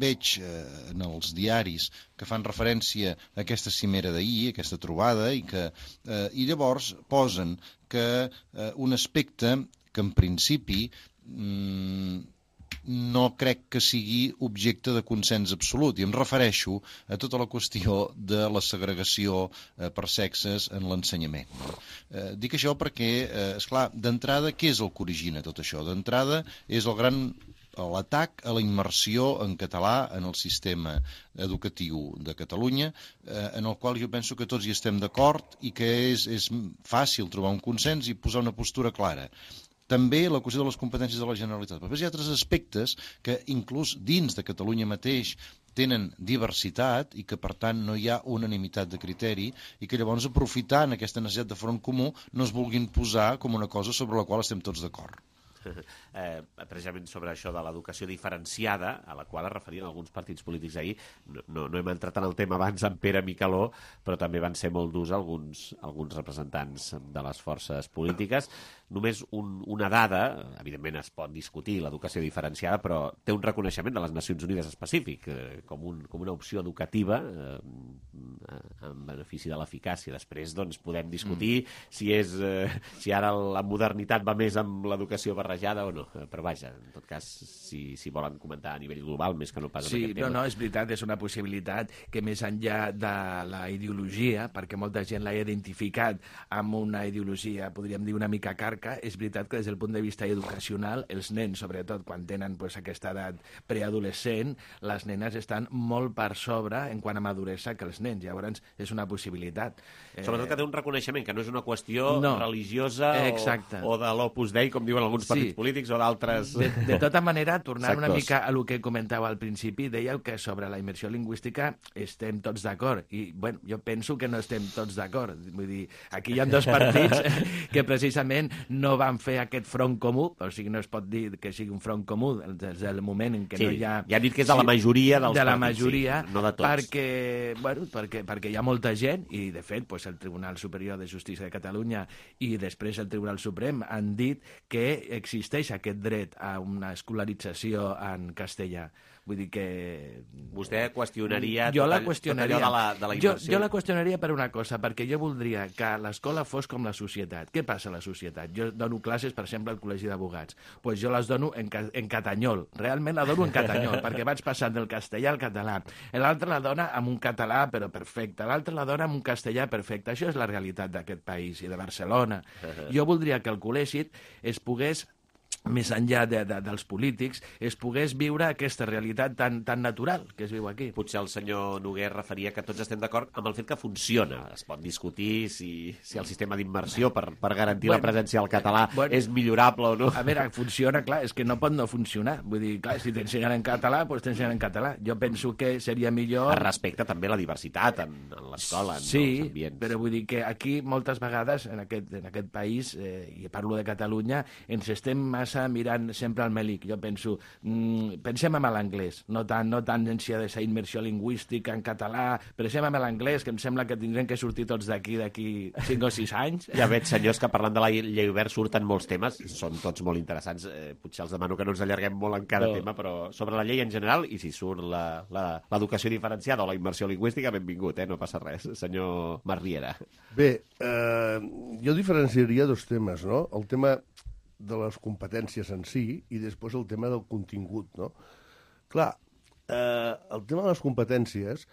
veig en els diaris que fan referència a aquesta cimera d'ahir, aquesta trobada, i llavors posen que un aspecte que en principi no crec que sigui objecte de consens absolut, i em refereixo a tota la qüestió de la segregació per sexes en l'ensenyament. Dic això perquè, esclar, d'entrada, què és el que origina tot això? D'entrada és l'atac a la immersió en català en el sistema educatiu de Catalunya, en el qual jo penso que tots hi estem d'acord i que és fàcil trobar un consens i posar una postura clara. També la qüestió de les competències de la Generalitat. Però hi ha altres aspectes que inclús dins de Catalunya mateix tenen diversitat i que per tant no hi ha unanimitat de criteri i que llavors aprofitant aquesta necessitat de front comú no es vulguin posar com una cosa sobre la qual estem tots d'acord. Precisament sobre això de l'educació diferenciada, a la qual es referien alguns partits polítics ahir. No hem entrat en el tema abans amb Pere Micaló, però també van ser molt durs alguns representants de les forces polítiques. Només una dada, evidentment es pot discutir l'educació diferenciada, però té un reconeixement de les Nacions Unides específic, com una opció educativa en benefici de l'eficàcia. Després doncs, podem discutir si ara la modernitat va més amb l'educació barrejada o no, però vaja, en tot cas, si volen comentar a nivell global, més que no pas en aquest tema. No, és veritat, és una possibilitat que més enllà de la ideologia, perquè molta gent l'ha identificat amb una ideologia, podríem dir, una mica carca, és veritat que des del punt de vista educacional, els nens, sobretot quan tenen aquesta edat preadolescent, les nenes estan molt per sobre en quant a maduresa que els nens, llavors és una possibilitat. Sobretot que té un reconeixement, que no és una qüestió religiosa o de l'Opus Dei, com diuen alguns partits polítics o d'altres... De tota manera, tornant una mica a el que comentava al principi, dèieu que sobre la immersió lingüística estem tots d'acord, i bueno, jo penso que no estem tots d'acord. Vull dir, aquí hi ha dos partits que precisament no van fer aquest front comú, o sigui, no es pot dir que sigui un front comú des del moment en què no hi ha... Ja han dit que és de la majoria dels partits, de la majoria, no de tots. Perquè hi ha molta gent, i de fet el Tribunal Superior de Justícia de Catalunya i després el Tribunal Suprem han dit que existeix aquest dret a una escolarització en castellà. Vull dir que... Vostè qüestionaria jo la qüestionaria de la immersió? Jo la qüestionaria per una cosa, perquè jo voldria que l'escola fos com la societat. Què passa a la societat? Jo dono classes, per exemple, al Col·legi d'Advocats. Doncs jo les dono en catanyol. Realment la dono en catanyol, perquè vaig passant del castellà al català. L'altre la dona amb un català, però perfecte. L'altre la dona amb un castellà perfecte. Això és la realitat d'aquest país i de Barcelona. Jo voldria que el col·legi es pogués, més enllà dels polítics, es pogués viure aquesta realitat tan natural que es viu aquí. Potser el senyor Noguer referia que tots estem d'acord amb el fet que funciona. Es pot discutir si el sistema d'immersió per garantir la presència del català és millorable o no. A veure, funciona, clar, és que no pot no funcionar. Vull dir, clar, si t'ensenyen en català, doncs t'ensenyen en català. Jo penso que seria millor... Es respecta també la diversitat en l'escola, en els ambients. Sí, però vull dir que aquí moltes vegades, en aquest país, i parlo de Catalunya, ens estem massa mirant sempre al melic. Jo penso, pensem en l'anglès, no tant en si ha de ser immersió lingüística en català, pensem en l'anglès, que em sembla que tindrem que sortir tots d'aquí 5 o 6 anys. Ja veig, senyors, que parlant de la llei Wert surten molts temes, són tots molt interessants. Potser els demano que no ens allarguem molt en cada tema, però sobre la llei en general, i si surt l'educació diferenciada o la immersió lingüística, benvingut, no passa res. Senyor Marriera. Bé, jo diferenciaria dos temes, no? El tema de les competències en si i després el tema del contingut, no? Clar, el tema de les competències,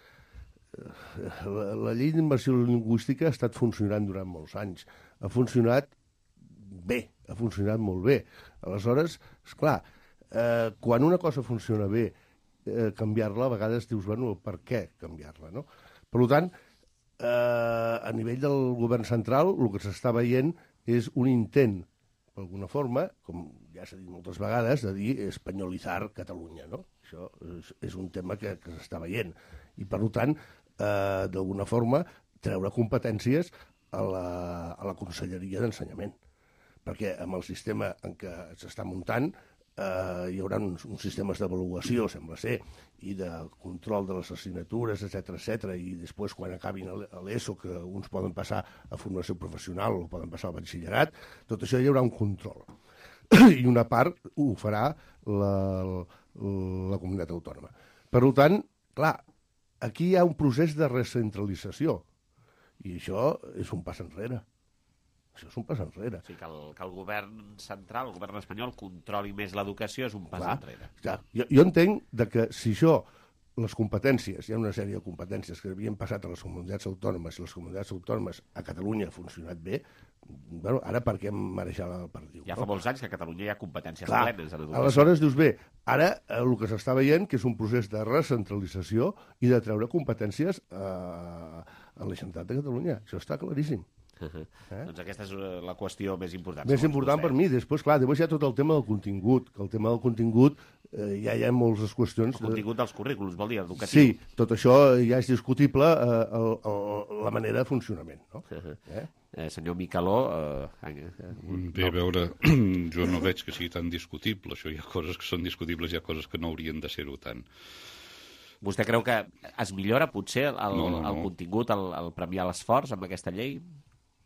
la llei d'immersió lingüística ha estat funcionant durant molts anys. Ha funcionat, bé, ha funcionat molt bé. Aleshores, esclar, quan una cosa funciona bé, canviar-la, a vegades dius, bueno, per què canviar-la, no? Per tant, a nivell del govern central, el que s'està veient és un intent, d'alguna forma, com ja s'ha dit moltes vegades, de dir espanyolitzar Catalunya, no? Això és un tema que s'està veient. I, per tant, d'alguna forma, treure competències a la Conselleria d'Ensenyament. Perquè amb el sistema en què s'està muntant hi haurà uns sistemes d'avaluació, sembla ser, i de control de les assignatures, etc, i després, quan acabin l'ESO, que uns poden passar a formació professional o poden passar al batxillerat, tot això hi haurà un control. I una part ho farà la comunitat autònoma. Per tant, clar, aquí hi ha un procés de recentralització, i això és un pas enrere. Això és un pas enrere. O sigui, que el govern central, el govern espanyol, controli més l'educació és un pas enrere. Clar. Jo entenc que si això, les competències, hi ha una sèrie de competències que havien passat a les comunitats autònomes, i les comunitats autònomes a Catalunya ha funcionat bé, bueno, ara per què marejar la perdiu? Ja fa molts anys que a Catalunya hi ha competències plenes en educació. Aleshores dius, bé, ara el que s'està veient que és un procés de recentralització i de treure competències a la Generalitat de Catalunya. Això està claríssim. Doncs aquesta és la qüestió més important. Més important per mi. Després hi ha tot el tema del contingut, que el tema del contingut ja hi ha moltes qüestions. El contingut dels currículums, vol dir, educatiu. Sí, tot això ja és discutible la manera de funcionament. No? Senyor Micaló... Bé, a veure, jo no veig que sigui tan discutible. Això hi ha coses que són discutibles, hi ha coses que no haurien de ser-ho tant. Vostè creu que es millora potser el contingut, el premiar l'esforç amb aquesta llei?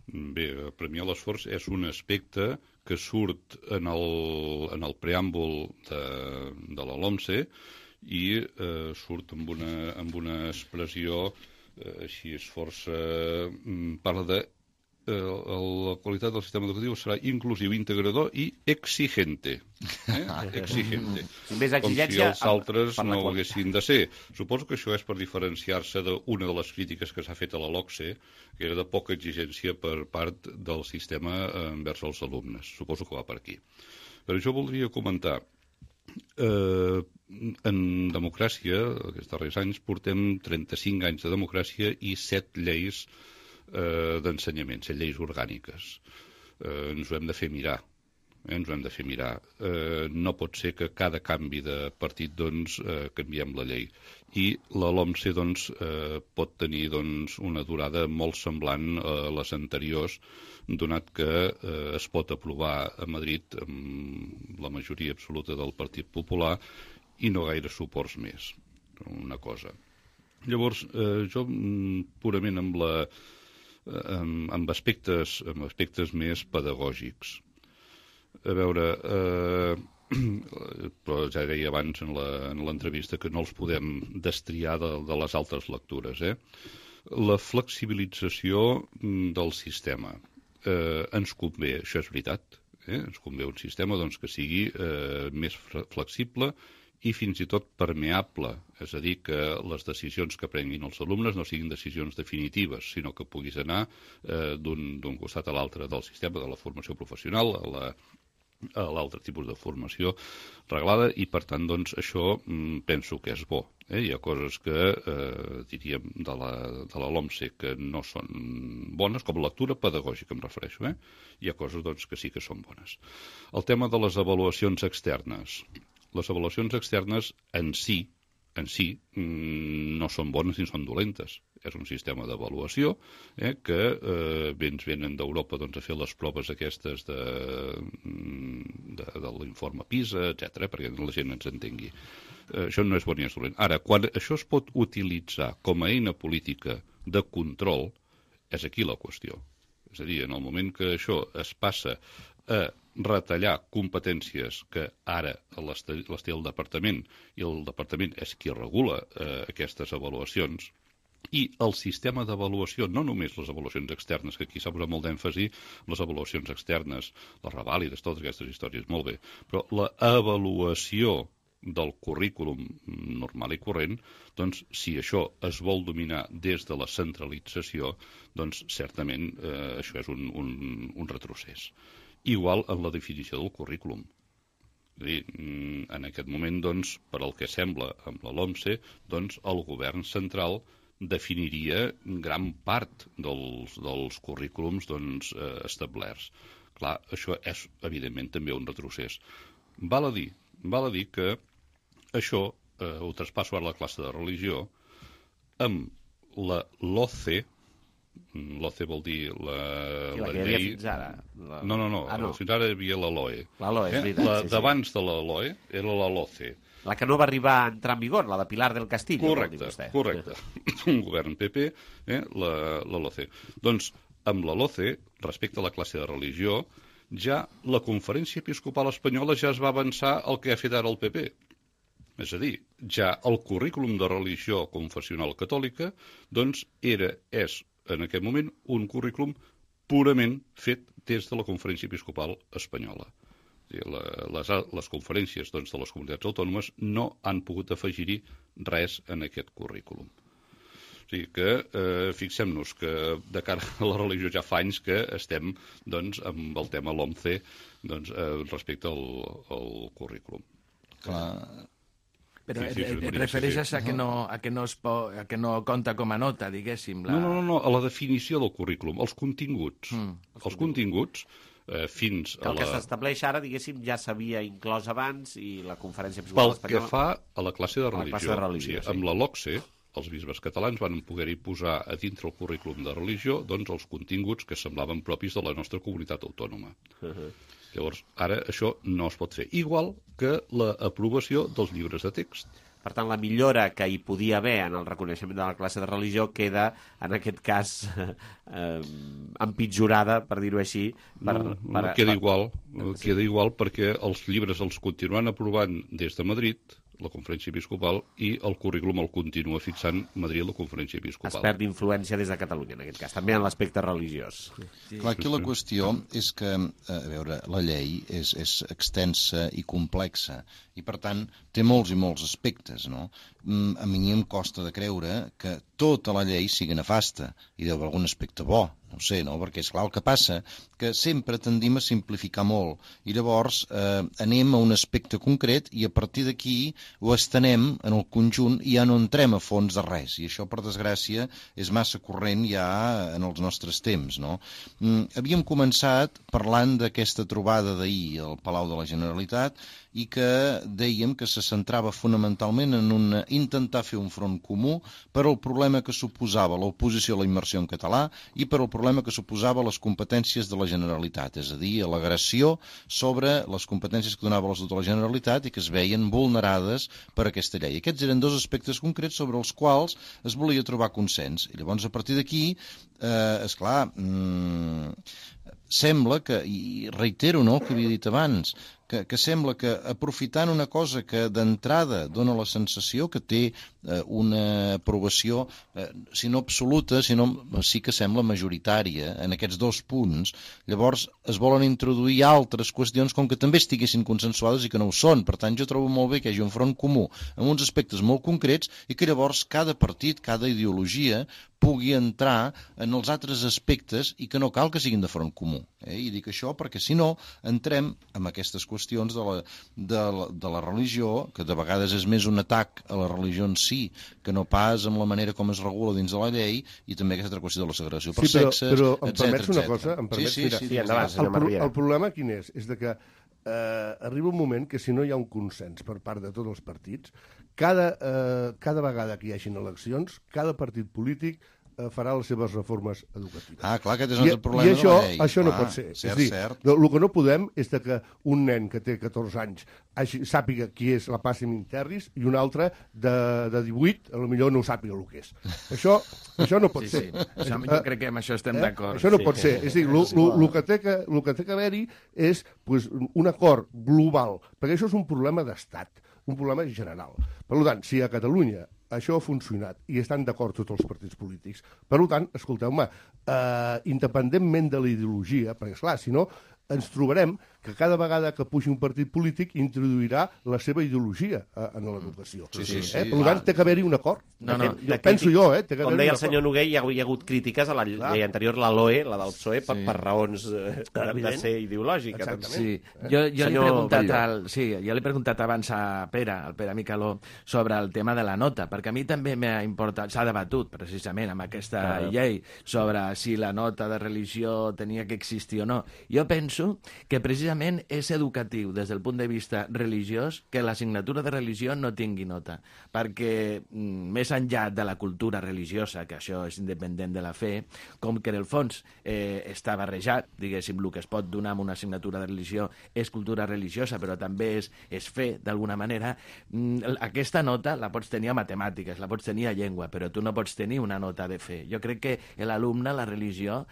Bé, premiar l'esforç és un aspecte que surt en el preàmbul de la LOMCE i surt amb una expressió així és força... parla de la qualitat del sistema educatiu serà inclusiu, integrador i exigente. Exigente. Com si els altres no ho haguessin de ser. Suposo que això és per diferenciar-se d'una de les crítiques que s'ha fet a la LOCSE, que era de poca exigència per part del sistema envers els alumnes. Suposo que va per aquí. Per això voldria comentar en democràcia, aquests darrers anys, portem 35 anys de democràcia i 7 lleis d'ensenyament, 7 lleis orgàniques. Ens ho hem de fer mirar. No pot ser que cada canvi de partit canviem la llei. I la LOMCE pot tenir una durada molt semblant a les anteriors, donat que es pot aprovar a Madrid amb la majoria absoluta del Partit Popular i no gaire suports més. Una cosa. Llavors, jo purament amb aspectes més pedagògics. A veure, però ja deia abans en l'entrevista que no els podem destriar de les altres lectures. La flexibilització del sistema ens convé, això és veritat, ens convé un sistema que sigui més flexible i fins i tot permeable, és a dir, que les decisions que prenguin els alumnes no siguin decisions definitives, sinó que puguis anar d'un costat a l'altre del sistema de la formació professional a l'altre tipus de formació reglada i, per tant, això penso que és bo. Hi ha coses que, diríem, de la LOMCE que no són bones, com lectura pedagògica em refereixo. Hi ha coses que sí que són bones. El tema de les avaluacions externes. Les avaluacions externes en si no són bones ni són dolentes. És un sistema d'avaluació que ens venen d'Europa a fer les proves aquestes de l'informe PISA, etc, perquè la gent ens entengui. Això no és bon ni és dolent. Ara, quan això es pot utilitzar com a eina política de control, és aquí la qüestió. És a dir, en el moment que això es passa a retallar competències que ara les té el departament i el departament és qui regula aquestes avaluacions i el sistema d'avaluació, no només les avaluacions externes, que aquí s'ha posat molt d'èmfasi, les avaluacions externes, les revàlides, totes aquestes històries, molt bé, però l'avaluació del currículum normal i corrent, si això es vol dominar des de la centralització, certament això és un retrocés. igual en la definició del currículum. És a dir, en aquest moment, doncs, per al que sembla amb la LOMCE, doncs, el govern central definiria gran part dels currículums doncs, establerts. Clar, això és, evidentment, també un retrocés. Val a dir que això ho traspasso a la classe de religió amb la LOCE. L'OCE vol dir la que hi havia fins ara. No. Fins ara hi havia la LOE. La LOE, és veritat. D'abans de la LOE era la LOCE. La que no va arribar a entrar en vigor, la de Pilar del Castillo. Correcte. Un govern PP, la LOCE. Doncs, amb la LOCE, respecte a la classe de religió, ja la Conferència Episcopal Espanyola ja es va avançar el que ha fet ara el PP. És a dir, ja el currículum de religió confessional catòlica doncs és en aquest moment un currículum purament fet des de la Conferència Episcopal Espanyola. Les conferències doncs, de les comunitats autònomes no han pogut afegir-hi res en aquest currículum. O sigui que fixem-nos que de cara a la religió ja fa anys que estem doncs, amb el tema LOMCE doncs, respecte al currículum. Clar. Però et refereixes a que no compta com a nota, diguéssim? No, a la definició del currículum, els continguts. Els continguts, fins a el que s'estableix ara, diguéssim, ja s'havia inclòs abans i la Conferència Episcopal Espanyola... Pel que fa a la classe de religió, amb la LOCSE, els bisbes catalans van poder-hi posar a dintre el currículum de religió doncs, els continguts que semblaven propis de la nostra comunitat autònoma. Llavors, ara això no es pot fer. Igual que l'aprovació dels llibres de text. Per tant, la millora que hi podia haver en el reconeixement de la classe de religió queda, en aquest cas, empitjorada, per dir-ho així. Queda igual perquè els llibres els continuen aprovant des de Madrid, la Conferència Episcopal, i el currículum el continua fixant Madrid, la Conferència Episcopal. Es perd influència des de Catalunya, en aquest cas, també en l'aspecte religiós. Clar, aquí la qüestió és que, a veure, la llei és extensa i complexa, i per tant té molts i molts aspectes, no? A mi em costa de creure que tota la llei sigui nefasta, i deu haver algun aspecte bo, no ho sé, no? Perquè, esclar, el que passa que sempre tendim a simplificar molt, i llavors anem a un aspecte concret i a partir d'aquí ho estenem en el conjunt i ja no entrem a fons de res, i això, per desgràcia, és massa corrent ja en els nostres temps, no? Havíem començat parlant d'aquesta trobada d'ahir al Palau de la Generalitat i que dèiem que se centrava fonamentalment en intentar fer un front comú per al problema que suposava l'oposició a la immersió en català i per al problema que suposava les competències de la Generalitat, és a dir, l'agressió sobre les competències que donava l'Estatut de la Generalitat i que es veien vulnerades per aquesta llei. Aquests eren dos aspectes concrets sobre els quals es volia trobar consens. I llavors, a partir d'aquí, esclar, sembla que, i reitero el que havia dit abans, que sembla que aprofitant una cosa que d'entrada dona la sensació que té una aprovació, si no absoluta, sinó sí que sembla majoritària en aquests dos punts, llavors es volen introduir altres qüestions com que també estiguessin consensuades i que no ho són. Per tant, jo trobo molt bé que hi hagi un front comú en uns aspectes molt concrets i que llavors cada partit, cada ideologia pugui entrar en els altres aspectes i que no cal que siguin de front comú. I dic això perquè si no entrem en aquestes qüestions de la religió, que de vegades és més un atac a la religió en si que no pas amb la manera com es regula dins de la llei i també aquesta altra qüestió de la segregació per sexes, però em permets una cosa? El problema quin és? És de que arriba un moment que si no hi ha un consens per part de tots els partits, cada vegada que hi hagin eleccions, cada partit polític farà les seves reformes educatives. Ah, clar, aquest és el problema de la llei. I això no pot ser. Cert. El que no podem és que un nen que té 14 anys sàpiga qui és la Pàssim Interris i un altre de 18 potser no sàpiga el que és. Això no pot ser. Jo crec que amb això estem d'acord. Això no pot ser. És a dir, el que té que haver-hi és un acord global, perquè això és un problema d'estat, un problema general. Per tant, si a Catalunya això ha funcionat i estan d'acord tots els partits polítics, per tant, escolteu-me, independentment de la ideologia, perquè, esclar, si no, ens trobarem que cada vegada que pugi un partit polític introduirà la seva ideologia en l'educació. Sí. Per tant, té que haver-hi un acord. Penso jo, té que com haver-hi deia un el senyor Noguer, hi ha hagut crítiques a la llei anterior, la LOE, la del PSOE, per raons de ser ideològica. Sí. Jo li he preguntat abans al Pere Micaló, sobre el tema de la nota, perquè a mi també m'ha importat, s'ha debatut precisament amb aquesta llei sobre si la nota de religió tenia que existir o no. Jo penso que precisament és educatiu des del punt de vista religiós que l'assignatura de religió no tingui nota, perquè més enllà de la cultura religiosa, que això és independent de la fe, com que en el fons està barrejat, diguéssim, el que es pot donar amb una assignatura de religió és cultura religiosa, però també és fe, d'alguna manera, aquesta nota la pots tenir a matemàtiques, la pots tenir a llengua, però tu no pots tenir una nota de fe. Jo crec que l'alumne, la religió,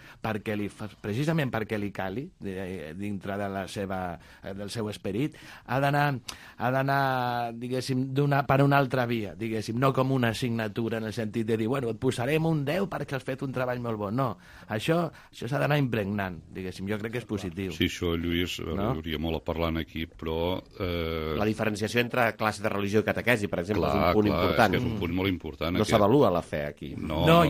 precisament perquè li cali, dintre de del seu esperit, ha d'anar, diguéssim, per una altra via, diguéssim, no com una assignatura en el sentit de dir, bueno, et posarem un 10 perquè has fet un treball molt bo. No, això s'ha d'anar impregnant, diguéssim, jo crec que és positiu. Sí, això, Lluís, hi hauria molt a parlar aquí, però... La diferenciació entre classe de religió i catequesi, per exemple, és un punt important. És que és un punt molt important. No s'avalua la fe aquí. No,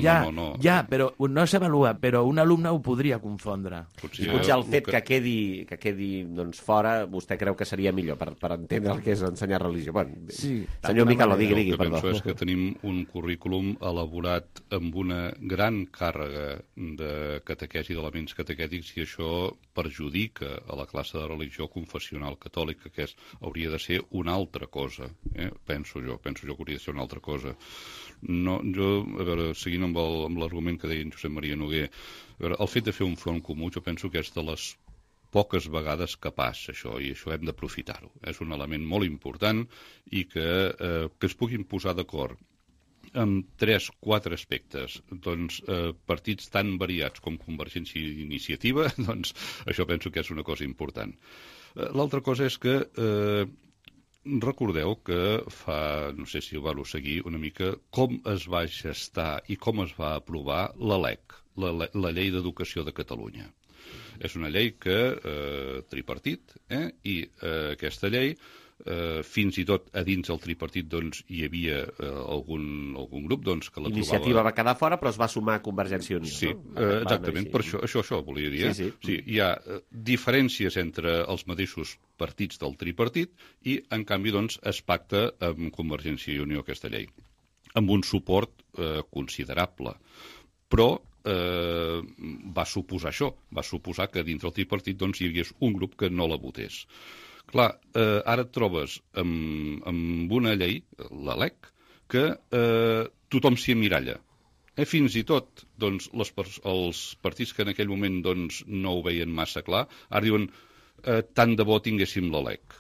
però no s'avalua, però un alumne ho podria confondre. Potser el fet que quedi fora, vostè creu que seria millor per entendre el que és ensenyar religió. Bueno, senyor Micaló, digui, perdó. El que penso és que tenim un currículum elaborat amb una gran càrrega de catequesi, d'elements catequètics, i això perjudica a la classe de religió confessional catòlica, que hauria de ser una altra cosa. Penso jo que hauria de ser una altra cosa. No, a veure, seguint amb l'argument que deia en Josep Maria Noguer, el fet de fer un front comú jo penso que és de les poques vegades que passa això, i això hem d'aprofitar-ho. És un element molt important i que es puguin posar d'acord amb 3-4 aspectes, partits tan variats com Convergència i Iniciativa, això penso que és una cosa important. L'altra cosa és que recordeu que no sé si ho vau seguir una mica, com es va gestar i com es va aprovar la LEC, la Llei d'Educació de Catalunya. És una llei que tripartit, i aquesta llei, fins i tot a dins del tripartit hi havia algun grup que la trobava... Iniciativa va quedar fora, però es va sumar a Convergència i Unió. Sí, exactament, per això volia dir. Sí, hi ha diferències entre els mateixos partits del tripartit i, en canvi, es pacta amb Convergència i Unió aquesta llei, amb un suport considerable. Però va suposar això, va suposar que dins del tripartit hi hagués un grup que no la votés. Clar, ara et trobes amb una llei, la LEC, que tothom s'hi emmiralla. Fins i tot els partits que en aquell moment no ho veien massa clar, ara diuen tant de bo tinguéssim la LEC.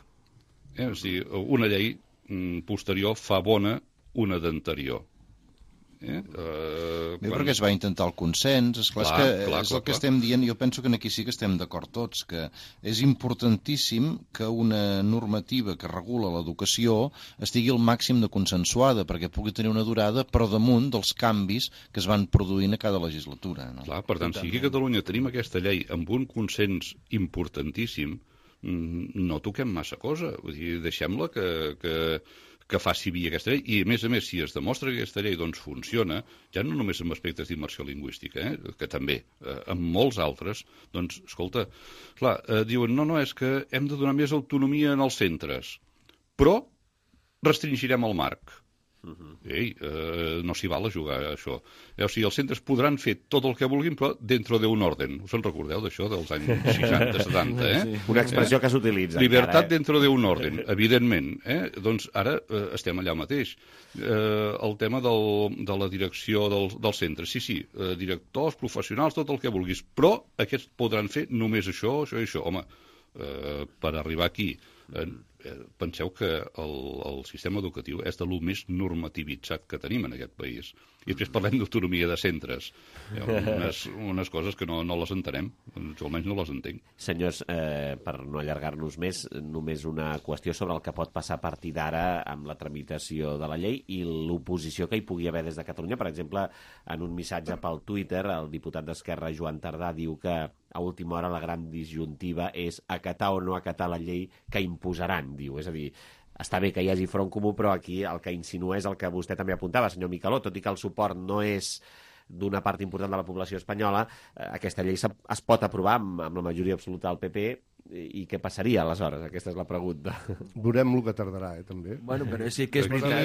És a dir, una llei posterior fa bona una d'anterior. Perquè es va intentar el consens, és el que estem dient. Jo penso que aquí sí que estem d'acord tots, que és importantíssim que una normativa que regula l'educació estigui al màxim de consensuada, perquè pugui tenir una durada per damunt dels canvis que es van produint a cada legislatura. Clar, per tant, si aquí a Catalunya tenim aquesta llei amb un consens importantíssim, no toquem massa cosa. Vull dir, deixem-la que faci via aquesta llei, i a més, si es demostra que aquesta llei funciona, ja no només en aspectes d'immersió lingüística, que també, en molts altres, escolta, clar, diuen, no, és que hem de donar més autonomia en els centres, però restringirem el marc. Ei, no s'hi val a jugar a això. O sigui, els centres podran fer tot el que vulguin, però dentro d'un orden. Us en recordeu d'això, dels anys 60-70, Una expressió que s'utilitza. Libertat dentro d'un orden, evidentment. Doncs ara estem allà mateix. El tema de la direcció dels centres. Sí, directors, professionals, tot el que vulguis, però aquests podran fer només això i això. Home, per arribar aquí... Penseu que el sistema educatiu és de lo més normativitzat que tenim en aquest país. I després parlem d'autonomia de centres. Hi ha unes coses que no les entenem, jo almenys no les entenc. Senyors, per no allargar-nos més, només una qüestió sobre el que pot passar a partir d'ara amb la tramitació de la llei i l'oposició que hi pugui haver des de Catalunya. Per exemple, en un missatge pel Twitter, el diputat d'Esquerra, Joan Tardà, diu que a última hora la gran disjuntiva és acatar o no acatar la llei que imposaran, diu. És a dir, està bé que hi hagi front comú, però aquí el que insinua és el que vostè també apuntava, senyor Micaló, tot i que el suport no és d'una part important de la població espanyola, aquesta llei es pot aprovar amb la majoria absoluta del PP, i què passaria aleshores? Aquesta és la pregunta. Veurem el que tardarà, també. Bueno, però sí que és veritat.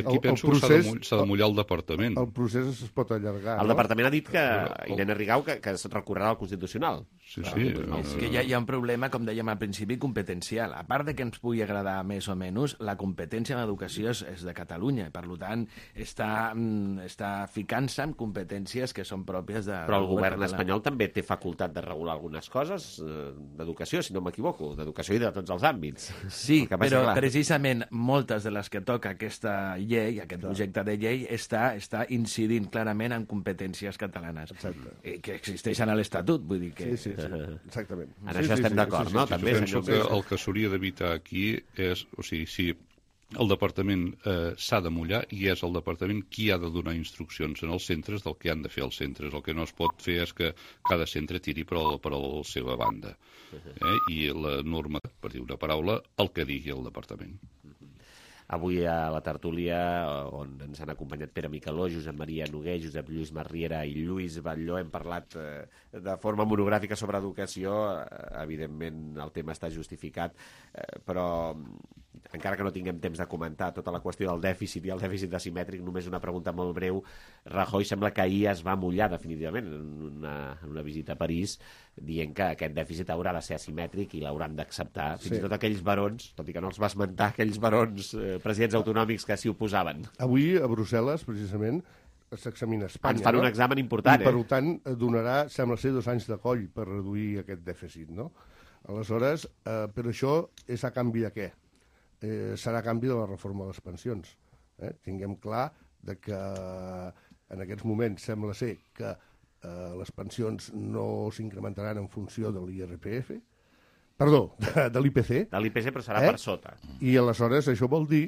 Aquí penso que s'ha de mullar el departament. El procés es pot allargar. El departament ha dit que, Irene Rigau, que es recorrerà al Constitucional. Sí. És que hi ha un problema, com dèiem al principi, competencial. A part de que ens pugui agradar més o menys, la competència en l'educació és de Catalunya. Per tant, està ficant-se en competències que són pròpies de... Però el govern espanyol també té facultat de regular algunes coses d'educació, si no m'equivoco, d'educació i de tots els àmbits. Sí, però precisament moltes de les que toca aquesta llei, aquest projecte de llei, està incidint clarament en competències catalanes, que existeixen a l'Estatut, vull dir que... Sí, exactament. En això estem d'acord, no? Jo penso que el que s'hauria d'evitar aquí és, o sigui, si el departament s'ha de mullar i és el departament qui ha de donar instruccions en els centres del que han de fer els centres. El que no es pot fer és que cada centre tiri per la seva banda. I la norma, per dir una paraula, el que digui el departament. Avui a la tertúlia, on ens han acompanyat Pere Micaló, Josep Maria Noguer, Josep Lluís Marriera i Lluís Batlló, hem parlat de forma monogràfica sobre educació. Evidentment el tema està justificat, però encara que no tinguem temps de comentar tota la qüestió del dèficit i el dèficit asimètric, només una pregunta molt breu. Rajoy sembla que ahir es va mullar definitivament en una visita a París, dient que aquest dèficit haurà de ser asimètric i l'hauran d'acceptar. Fins i tot aquells barons, tot i que no els va esmentar, aquells barons presidents autonòmics que s'hi oposaven. Avui a Brussel·les, precisament, s'examina Espanya. Ens fan un examen important, I, per tant, donarà, sembla ser, 2 anys de coll per reduir aquest dèficit, no? Aleshores, però això és a canvi de què? Serà a canvi de la reforma de les pensions. Tinguem clar que en aquests moments sembla ser que les pensions no s'incrementaran en funció de l'IRPF, perdó, de l'IPC. De l'IPC, però serà per sota. I aleshores això vol dir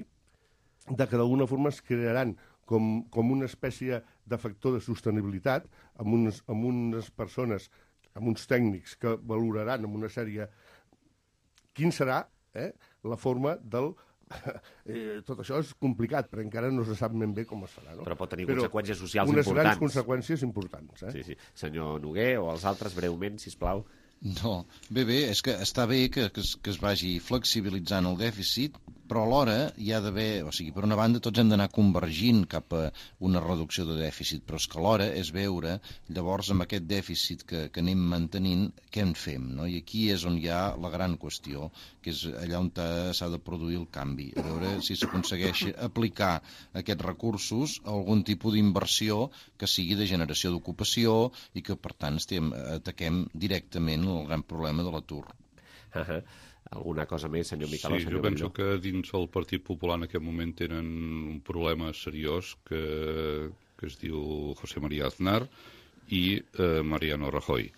que d'alguna forma es crearan com una espècie de factor de sostenibilitat amb unes persones, amb uns tècnics que valoraran amb una sèrie quin serà la forma del... tot això és complicat, però encara no se sap ben bé com es farà. No? Però pot tenir conseqüències socials importants. Unes grans conseqüències importants. Sí. Senyor Noguer, o els altres, breument, sisplau. No, bé, és que està bé que es vagi flexibilitzant el dèficit, però alhora hi ha d'haver, o sigui, per una banda tots hem d'anar convergint cap a una reducció de dèficit, però és que alhora és veure llavors amb aquest dèficit que anem mantenint què en fem, no? I aquí és on hi ha la gran qüestió, que és allà on s'ha de produir el canvi, a veure si s'aconsegueix aplicar aquests recursos a algun tipus d'inversió que sigui de generació d'ocupació i que per tant ataquem directament el gran problema de l'atur. Alguna cosa més, senyor Micaló? Sí, jo penso que dins el Partit Popular en aquest moment tenen un problema seriós que es diu José María Aznar i Mariano Rajoy.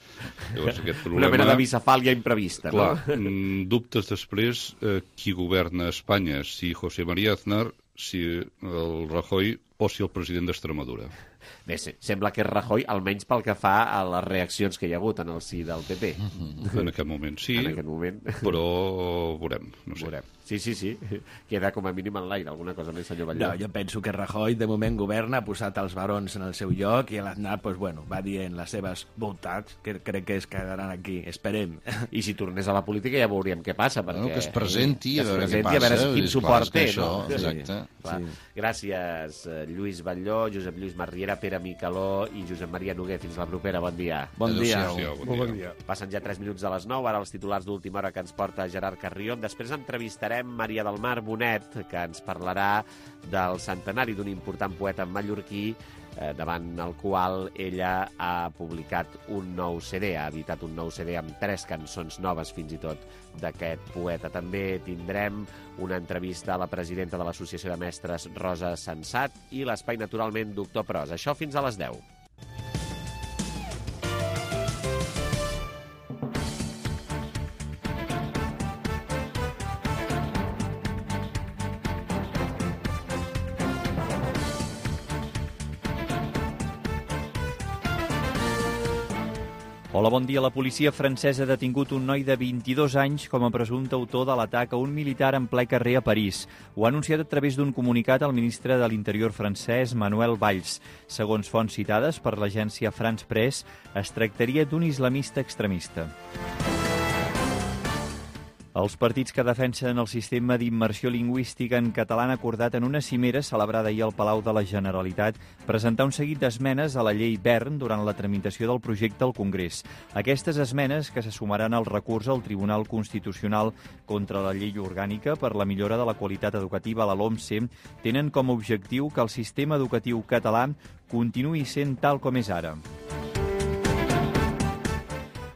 Llavors, aquest problema... Una mena de bicefàlia imprevista, no? Clar, dubtes després qui governa Espanya, si José María Aznar, si el Rajoy o si el president d'Extremadura. Bé, sembla que és Rajoy, almenys pel que fa a les reaccions que hi ha hagut en el si del PP. En aquest moment sí, però veurem. No sé. Veurem. Sí. Queda com a mínim en l'aire. Alguna cosa més, senyor Batlló? No, jo penso que Rajoy de moment governa, ha posat els barons en el seu lloc i l'Aznar va dient les seves voltats, que crec que es quedaran aquí. Esperem. I si tornés a la política ja veuríem què passa. Perquè... que es presenti, a veure què passa. A veure quin suport té. Exacte. Gràcies, Lluís Batlló, Josep Lluís Marriera, Pere Micaló i Josep Maria Noguer. Fins la propera. Bon dia. Bon dia. Bon dia. Passen ja 3 minuts de les 9. Ara els titulars d'última hora que ens porta Gerard Carrion. Després entrevistarem Maria del Mar Bonet, que ens parlarà del centenari d'un important poeta mallorquí, davant el qual ella ha publicat un nou CD, ha editat un nou CD amb 3 cançons noves fins i tot d'aquest poeta. També tindrem una entrevista a la presidenta de l'Associació de Mestres, Rosa Sensat, i l'espai, naturalment, Doctor Pros. Això fins a les 10. Hola, bon dia. La policia francesa ha detingut un noi de 22 anys com a presumpte autor de l'atac a un militar en ple carrer a París. Ho ha anunciat a través d'un comunicat el ministre de l'Interior francès, Manuel Valls. Segons fonts citades per l'agència France Press, es tractaria d'un islamista extremista. Els partits que defensen el sistema d'immersió lingüística en català han acordat en una cimera celebrada ahir al Palau de la Generalitat presentar un seguit d'esmenes a la llei Wern durant la tramitació del projecte al Congrés. Aquestes esmenes, que se sumaran al recurs al Tribunal Constitucional contra la llei orgànica per la millora de la qualitat educativa a la LOMCE, tenen com a objectiu que el sistema educatiu català continuï sent tal com és ara.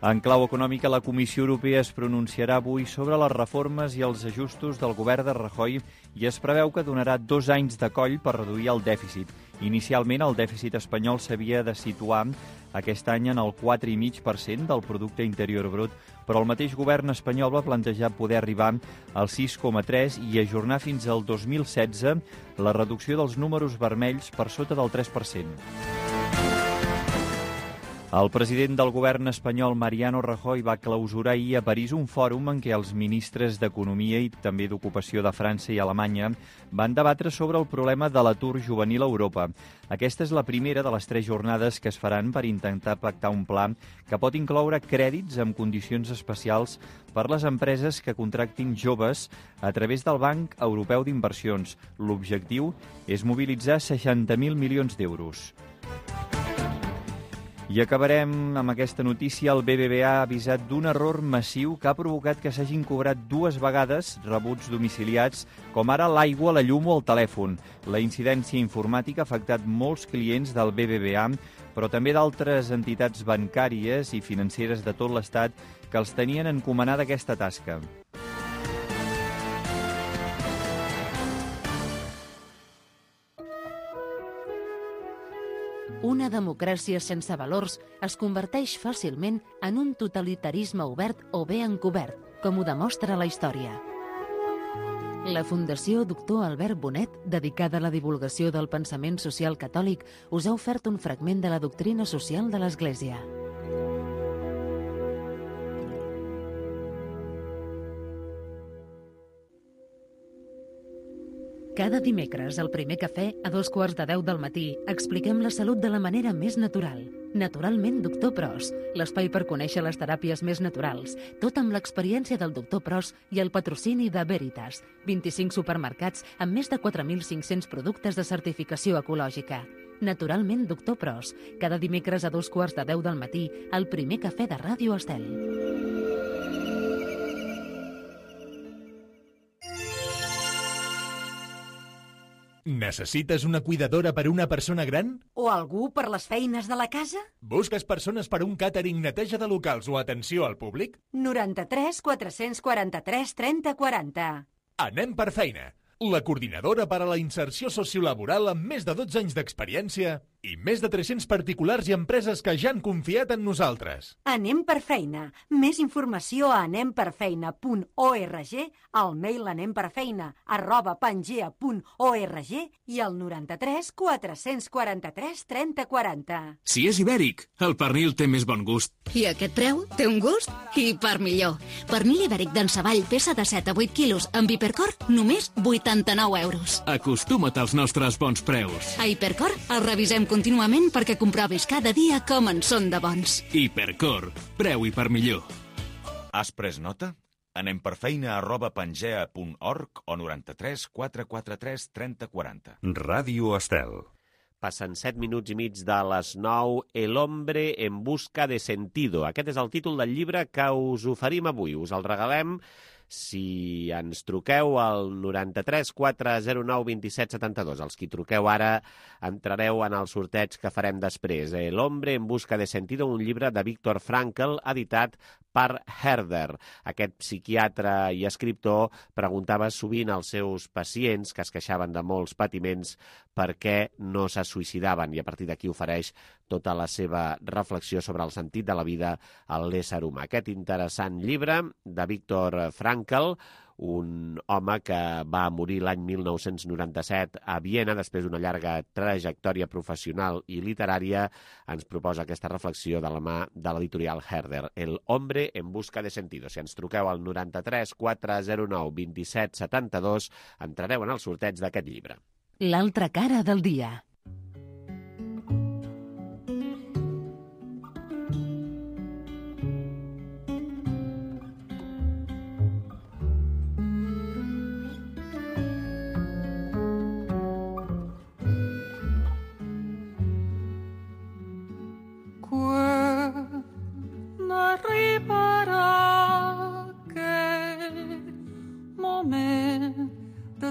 En clau econòmica, la Comissió Europea es pronunciarà avui sobre les reformes i els ajustos del govern de Rajoy i es preveu que donarà 2 anys de coll per reduir el dèficit. Inicialment, el dèficit espanyol s'havia de situar aquest any en el 4,5% del producte interior brut, però el mateix govern espanyol va plantejar poder arribar al 6,3% i ajornar fins al 2016 la reducció dels números vermells per sota del 3%. El president del govern espanyol, Mariano Rajoy, va clausurar ahir a París un fòrum en què els ministres d'Economia i també d'Ocupació de França i Alemanya van debatre sobre el problema de l'atur juvenil a Europa. Aquesta és la primera de les 3 jornades que es faran per intentar pactar un pla que pot incloure crèdits amb condicions especials per les empreses que contractin joves a través del Banc Europeu d'Inversions. L'objectiu és mobilitzar 60.000 milions d'euros. I acabarem amb aquesta notícia. El BBVA ha avisat d'un error massiu que ha provocat que s'hagin cobrat 2 vegades rebuts domiciliats, com ara l'aigua, la llum o el telèfon. La incidència informàtica ha afectat molts clients del BBVA, però també d'altres entitats bancàries i financeres de tot l'Estat que els tenien encomanada aquesta tasca. Una democràcia sense valors es converteix fàcilment en un totalitarisme obert o bé encobert, com ho demostra la història. La Fundació Doctor Albert Bonet, dedicada a la divulgació del pensament social catòlic, us ha ofert un fragment de la doctrina social de l'Església. Cada dimecres, al primer cafè, a 9:15 del matí, expliquem la salut de la manera més natural. Naturalment, Doctor Pros, l'espai per conèixer les teràpies més naturals, tot amb l'experiència del Doctor Pros i el patrocini de Veritas, 25 supermercats amb més de 4.500 productes de certificació ecològica. Naturalment, Doctor Pros, cada dimecres a 9:15 del matí, al primer cafè de Ràdio Estel. Necessites una cuidadora per una persona gran? O algú per les feines de la casa? Busques persones per un càtering, neteja de locals o atenció al públic? 93 443 30 40. Anem per feina. La coordinadora per a la inserció sociolaboral amb més de 12 anys d'experiència i més de 300 particulars i empreses que ja han confiat en nosaltres. Anem per feina. Més informació a anemperfeina.org, al mail anemperfeina@pangea.org i al 93 443 30 40. Si és ibèric, el pernil té més bon gust. I aquest preu té un gust i per millor. Pernil ibèric d'Ensavall, peça de 7 a 8 quilos, amb Hipercor, només 89 euros. Acostuma't als nostres bons preus. A Hipercor el revisem contínuament perquè comprovis cada dia com en són de bons. Hipercor, preu i per millor. Has pres nota? anemperfeina@pangea.org o 93 443 30 40. Ràdio Estel. Passen 7 minuts i mig de les 9. El hombre en busca de sentido. Aquest és el títol del llibre que us oferim avui. Us el regalem si ens truqueu al 93 409 27 72. Els qui truqueu ara entrareu en el sorteig que farem després. El hombre en busca de sentido, un llibre de Viktor Frankl, editat per Herder. Aquest psiquiatre i escriptor preguntava sovint als seus pacients, que es queixaven de molts patiments, per què no se suïcidaven, i a partir d'aquí ofereix tota la seva reflexió sobre el sentit de la vida a l'ésser humà. Aquest interessant llibre de Viktor Frankl, un home que va morir l'any 1997 a Viena després d'una llarga trajectòria professional i literària, ens proposa aquesta reflexió de la mà de l'editorial Herder, El hombre en busca de sentido. Si ens truqueu al 93 409 27 72, entrareu en el sorteig d'aquest llibre. L'altra cara del dia.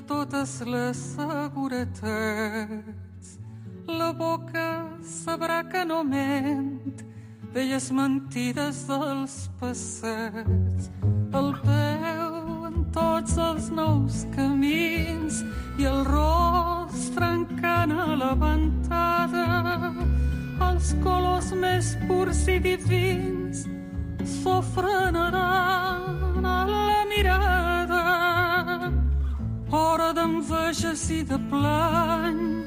Totes les seguretats, la boca sabrà que no ment, velles mentides dels passats, el peu en tots els nous camins i el rostre encant a la ventada, els colors més purs i divins s'ofrenaran a la mirada. Hora d'enveges i de plany,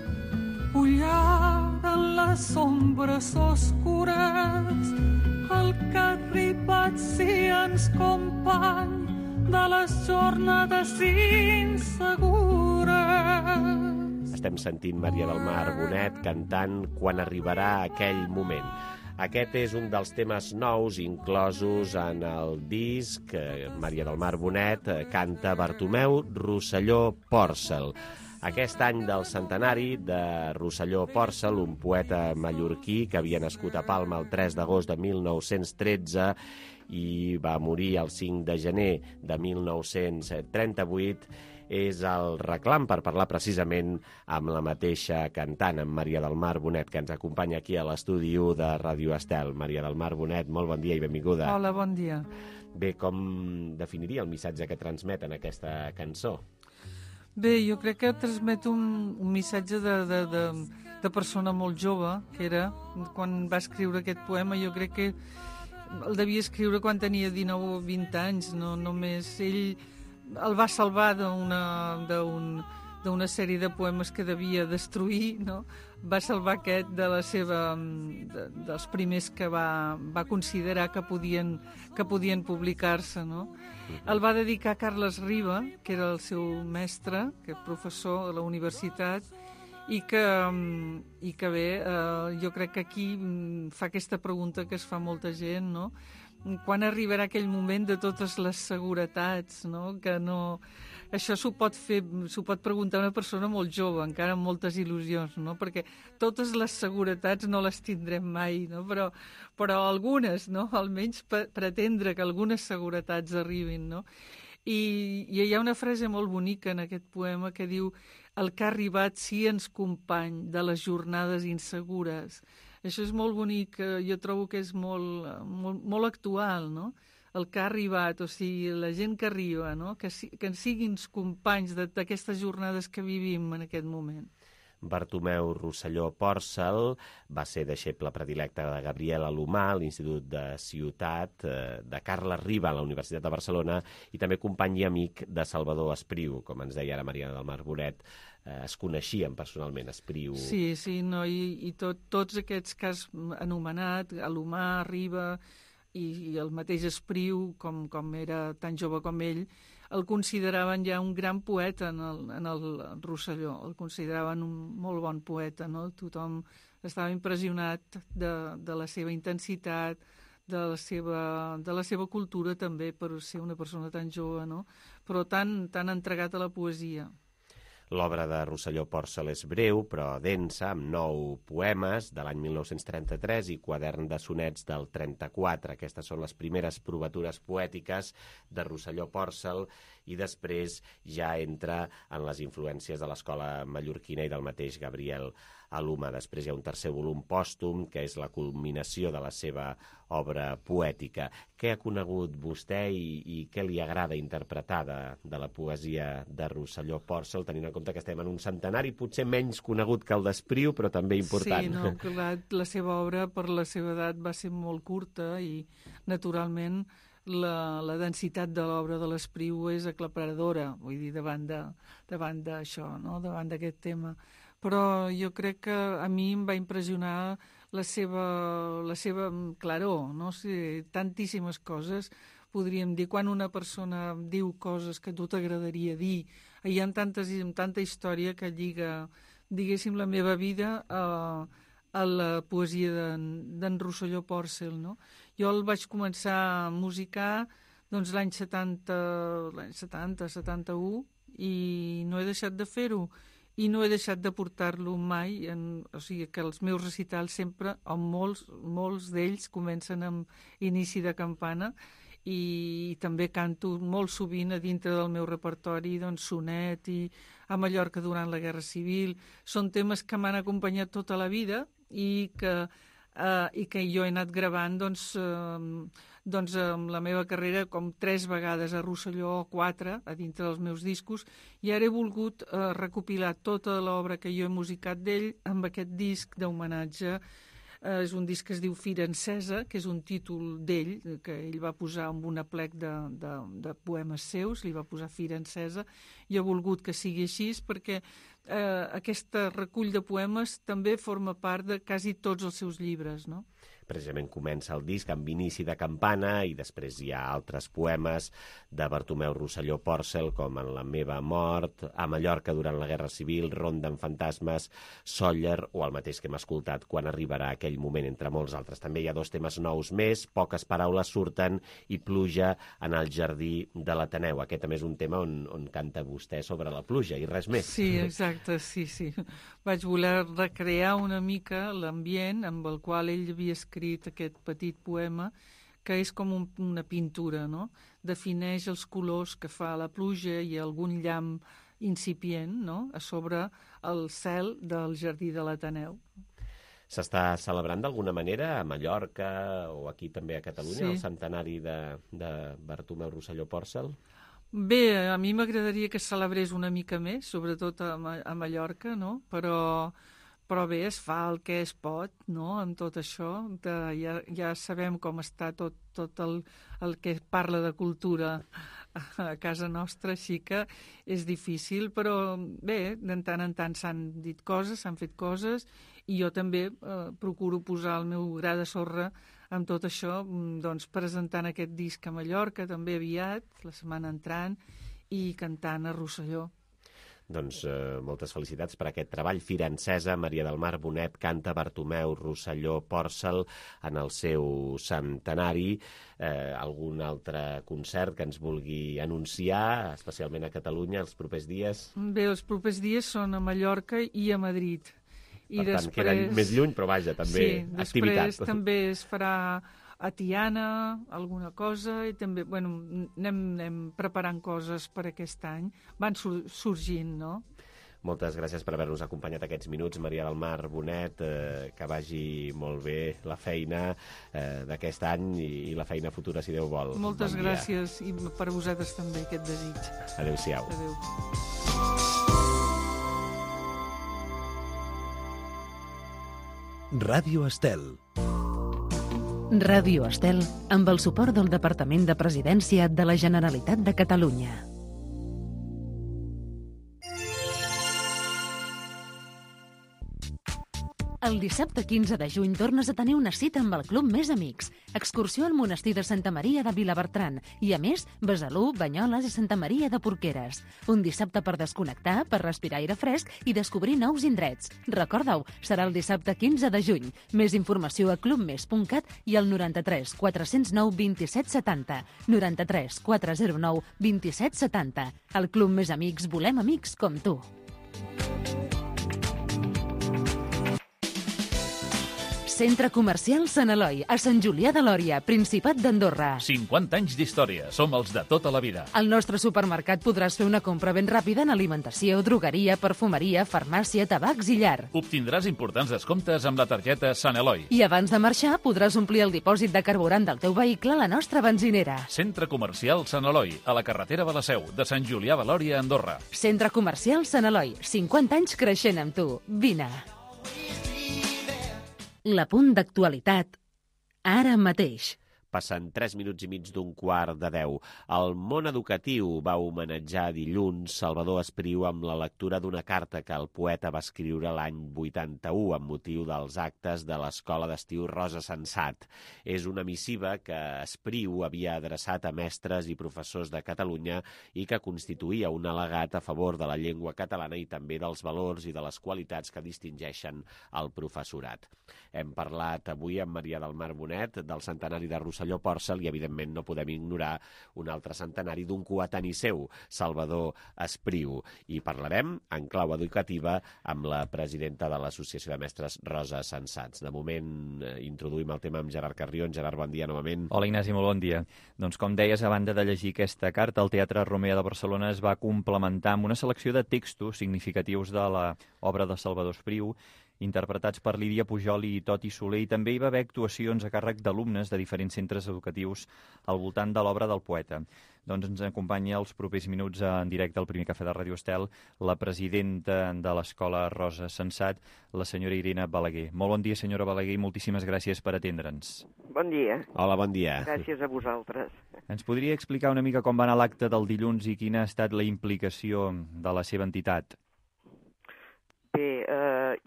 ullada en les ombres oscures, el que ha arribat si ens company de les jornades insegures. Estem sentint Maria del Mar Bonet cantant Quan arribarà aquell moment. Aquest és un dels temes nous inclosos en el disc. Maria del Mar Bonet canta Bartomeu Rosselló Pòrcel. Aquest any del centenari de Rosselló Pòrcel, un poeta mallorquí que havia nascut a Palma el 3 d'agost de 1913 i va morir el 5 de gener de 1938, és el reclam per parlar precisament amb la mateixa cantant, amb Maria del Mar Bonet, que ens acompanya aquí a l'estudi 1 de Ràdio Estel. Maria del Mar Bonet, molt bon dia i benvinguda. Hola, bon dia. Bé, com definiria el missatge que transmet en aquesta cançó? Bé, jo crec que transmet un missatge de persona molt jove, que era, quan va escriure aquest poema, jo crec que el devia escriure quan tenia 19 o 20 anys, no només ell el va salvar d'una sèrie de poemes que devia destruir, no? Va salvar aquest dels primers que va considerar que podien publicar-se, no? El va dedicar a Carles Riba, que era el seu mestre, que és professor de la universitat, i que bé, jo crec que aquí fa aquesta pregunta que es fa molta gent, no? Quan arribarà aquell moment de totes les seguretats, no? Que no... Això s'ho pot preguntar una persona molt jove, encara amb moltes il·lusions, no? Perquè totes les seguretats no les tindrem mai, no? Però algunes, no? Almenys pretendre que algunes seguretats arribin, no? I hi ha una frase molt bonica en aquest poema que diu: el que ha arribat sí ens company de les jornades insegures. Això és molt bonic, jo trobo que és molt actual, no? El que ha arribat, o sigui, la gent que arriba, no? Que siguin companys d'aquestes jornades que vivim en aquest moment. Bartomeu Rosselló Pòrcel va ser deixeble predilecte de Gabriel Alomar a l'Institut de Ciutat, de Carles Riba a la Universitat de Barcelona, i també company i amic de Salvador Espriu, com ens deia ara Maria del Mar Bonet. Es coneixien personalment, Espriu. Sí, no, i tots aquests que has anomenat, Alomar, Riba i el mateix Espriu, com era tan jove com ell, el consideraven ja un gran poeta en el Rosselló, el consideraven un molt bon poeta, no? Tothom estava impressionat de la seva intensitat, de la seva cultura també, per ser una persona tan jove, no? Però tan entregat a la poesia. L'obra de Rosselló Pòrcel és breu, però densa, amb 9 poemes de l'any 1933 i quadern de sonets del 34. Aquestes són les primeres provatures poètiques de Rosselló Pòrcel i després ja entra en les influències de l'escola mallorquina i del mateix Gabriel Aluma. Després hi ha un tercer volum pòstum, que és la culminació de la seva obra poètica. Què ha conegut vostè i què li agrada interpretar de la poesia de Rosselló Pòrcel, tenint en compte que estem en un centenari potser menys conegut que el d'Espriu, però també important? Sí, no, clar, la seva obra, per la seva edat, va ser molt curta i, naturalment, la densitat de l'obra de l'Espriu és aclaparadora, vull dir, davant d'això, no? Davant d'aquest tema. Però jo crec que a mi em va impressionar la seva claror, no? O sigui, tantíssimes coses, podríem dir, quan una persona diu coses que a tu t'agradaria dir, hi ha tanta història que lliga, diguéssim, la meva vida a la poesia d'en Rosselló Pòrcel, no? Jo el vaig començar a musicar doncs, l'any 70, 71, i no he deixat de fer-ho. I no he deixat de portar-lo mai, o sigui que els meus recitals sempre, o molts d'ells, comencen amb inici de campana, i també canto molt sovint a dintre del meu repertori, doncs, Sonet i a Mallorca durant la Guerra Civil. Són temes que m'han acompanyat tota la vida i que jo he anat gravant doncs amb la meva carrera com 3 vegades a Rosselló o 4 a dintre dels meus discos, i ara he volgut recopilar tota l'obra que jo he musicat d'ell amb aquest disc d'homenatge. És un disc que es diu Fira Encesa, que és un títol d'ell, que ell va posar amb un aplec de poemes seus, li va posar Fira Encesa, i he volgut que sigui així perquè aquest recull de poemes també forma part de quasi tots els seus llibres, no? Precisament comença el disc amb inici de campana i després hi ha altres poemes de Bartomeu Rosselló Pòrcel, com En la meva mort, A Mallorca durant la Guerra Civil, Ronda amb fantasmes, Sóller, o el mateix que hem escoltat, Quan arribarà aquell moment, entre molts altres. També hi ha 2 temes nous més, Poques paraules surten i Pluja en el jardí de l'Ateneu. Aquest també és un tema on canta vostè sobre la pluja i res més. Sí, exacte, sí. Vaig voler recrear una mica l'ambient amb el qual ell havia escrit aquest petit poema, que és com una pintura, no? Defineix els colors que fa la pluja i algun llamp incipient, no?, a sobre el cel del jardí de l'Ateneu. S'està celebrant d'alguna manera a Mallorca o aquí també a Catalunya el centenari de Bartomeu Rosselló Pòrcel? Bé, a mi m'agradaria que es celebrés una mica més, sobretot a Mallorca, no? Però bé, es fa el que es pot, no?, amb tot això. Ja sabem com està tot el que parla de cultura a casa nostra, així que és difícil, però bé, de tant en tant s'han dit coses, s'han fet coses, i jo també procuro posar el meu gra de sorra amb tot això, doncs presentant aquest disc a Mallorca, també aviat, la setmana entrant, i cantant a Rosselló. Doncs moltes felicitats per aquest treball. Fira Encesa, Maria del Mar Bonet canta Bartomeu Rosselló Pòrcel en el seu centenari. Algun altre concert que ens vulgui anunciar, especialment a Catalunya, els propers dies? Bé, els propers dies són a Mallorca i a Madrid. Per tant, queda més lluny, però vaja, també activitat. Després també es farà a Tiana alguna cosa, i també, bueno, anem preparant coses per aquest any. Van sorgint, no? Moltes gràcies per haver-nos acompanyat aquests minuts, Maria del Mar Bonet, que vagi molt bé la feina d'aquest any i la feina futura, si Déu vol. Moltes gràcies, i per vosaltres també aquest desig. Adéu-siau. Adéu. Ràdio Estel. Ràdio Estel, amb el suport del Departament de Presidència de la Generalitat de Catalunya. El dissabte 15 de juny tornes a tenir una cita amb el Club Més Amics. Excursió al monestir de Santa Maria de Vilabertran i, a més, Besalú, Banyoles i Santa Maria de Porqueres. Un dissabte per desconnectar, per respirar aire fresc i descobrir nous indrets. Recorda-ho, serà el dissabte 15 de juny. Més informació a clubmes.cat i al 93 409 27 70. 93 409 27 70. Al Club Més Amics volem amics com tu. Centre Comercial Sant Eloi, a Sant Julià de Lòria, Principat d'Andorra. 50 anys d'història. Som els de tota la vida. Al nostre supermercat podràs fer una compra ben ràpida en alimentació, drogueria, perfumeria, farmàcia, tabacs i llar. Obtindràs importants descomptes amb la targeta Sant Eloi. I abans de marxar podràs omplir el dipòsit de carburant del teu vehicle a la nostra benzinera. Centre Comercial Sant Eloi, a la carretera de la Seu, de Sant Julià de Lòria, Andorra. Centre Comercial Sant Eloi, 50 anys creixent amb tu. Vine. L'apunt d'actualitat, ara mateix. Passen 3 minuts i mig d'un quart de 10. El món educatiu va homenatjar dilluns Salvador Espriu amb la lectura d'una carta que el poeta va escriure l'any 81 amb motiu dels actes de l'Escola d'Estiu Rosa Sensat. És una missiva que Espriu havia adreçat a mestres i professors de Catalunya i que constituïa un al·legat a favor de la llengua catalana i també dels valors i de les qualitats que distingeixen el professorat. Hem parlat avui amb Maria del Mar Bonet del centenari de Rosselló Pòrcel i, evidentment, no podem ignorar un altre centenari d'un coetani seu, Salvador Espriu. I parlarem, en clau educativa, amb la presidenta de l'Associació de Mestres, Rosa Sensats. De moment, introduïm el tema amb Gerard Carrió. Gerard, bon dia novament. Hola, Ignasi, molt bon dia. Doncs, com deies, a banda de llegir aquesta carta, el Teatre Romea de Barcelona es va complementar amb una selecció de textos significatius de l'obra de Salvador Espriu, interpretats per Lídia Pujol i Toti Soler, i també hi va haver actuacions a càrrec d'alumnes de diferents centres educatius al voltant de l'obra del poeta. Doncs ens acompanya els propers minuts en directe al primer cafè de Ràdio Estel la presidenta de l'Escola Rosa Sensat, la senyora Irene Balaguer. Molt bon dia, senyora Balaguer, i moltíssimes gràcies per atendre'ns. Bon dia. Hola, bon dia. Gràcies a vosaltres. Ens podria explicar una mica com va anar l'acte del dilluns i quina ha estat la implicació de la seva entitat? Bé,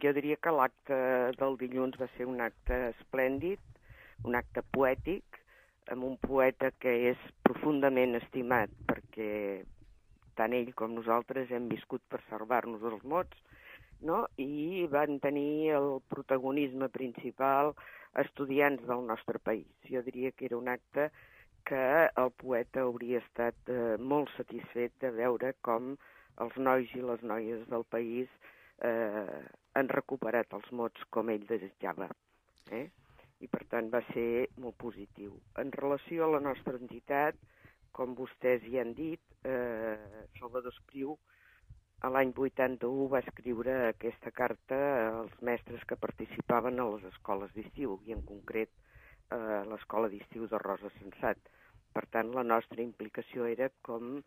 jo diria que l'acte del dilluns va ser un acte esplèndid, un acte poètic, amb un poeta que és profundament estimat, perquè tant ell com nosaltres hem viscut per salvar-nos els mots, no? I van tenir el protagonisme principal estudiants del nostre país. Jo diria que era un acte que el poeta hauria estat molt satisfet de veure com els nois i les noies del país han recuperat els mots com ell desitjava. I per tant va ser molt positiu. En relació a la nostra entitat, com vostès hi han dit, Salvador Espriu a l'any 81 va escriure aquesta carta als mestres que participaven a les escoles d'estiu, i en concret a l'escola d'estiu de Rosa Sensat. Per tant, la nostra implicació era com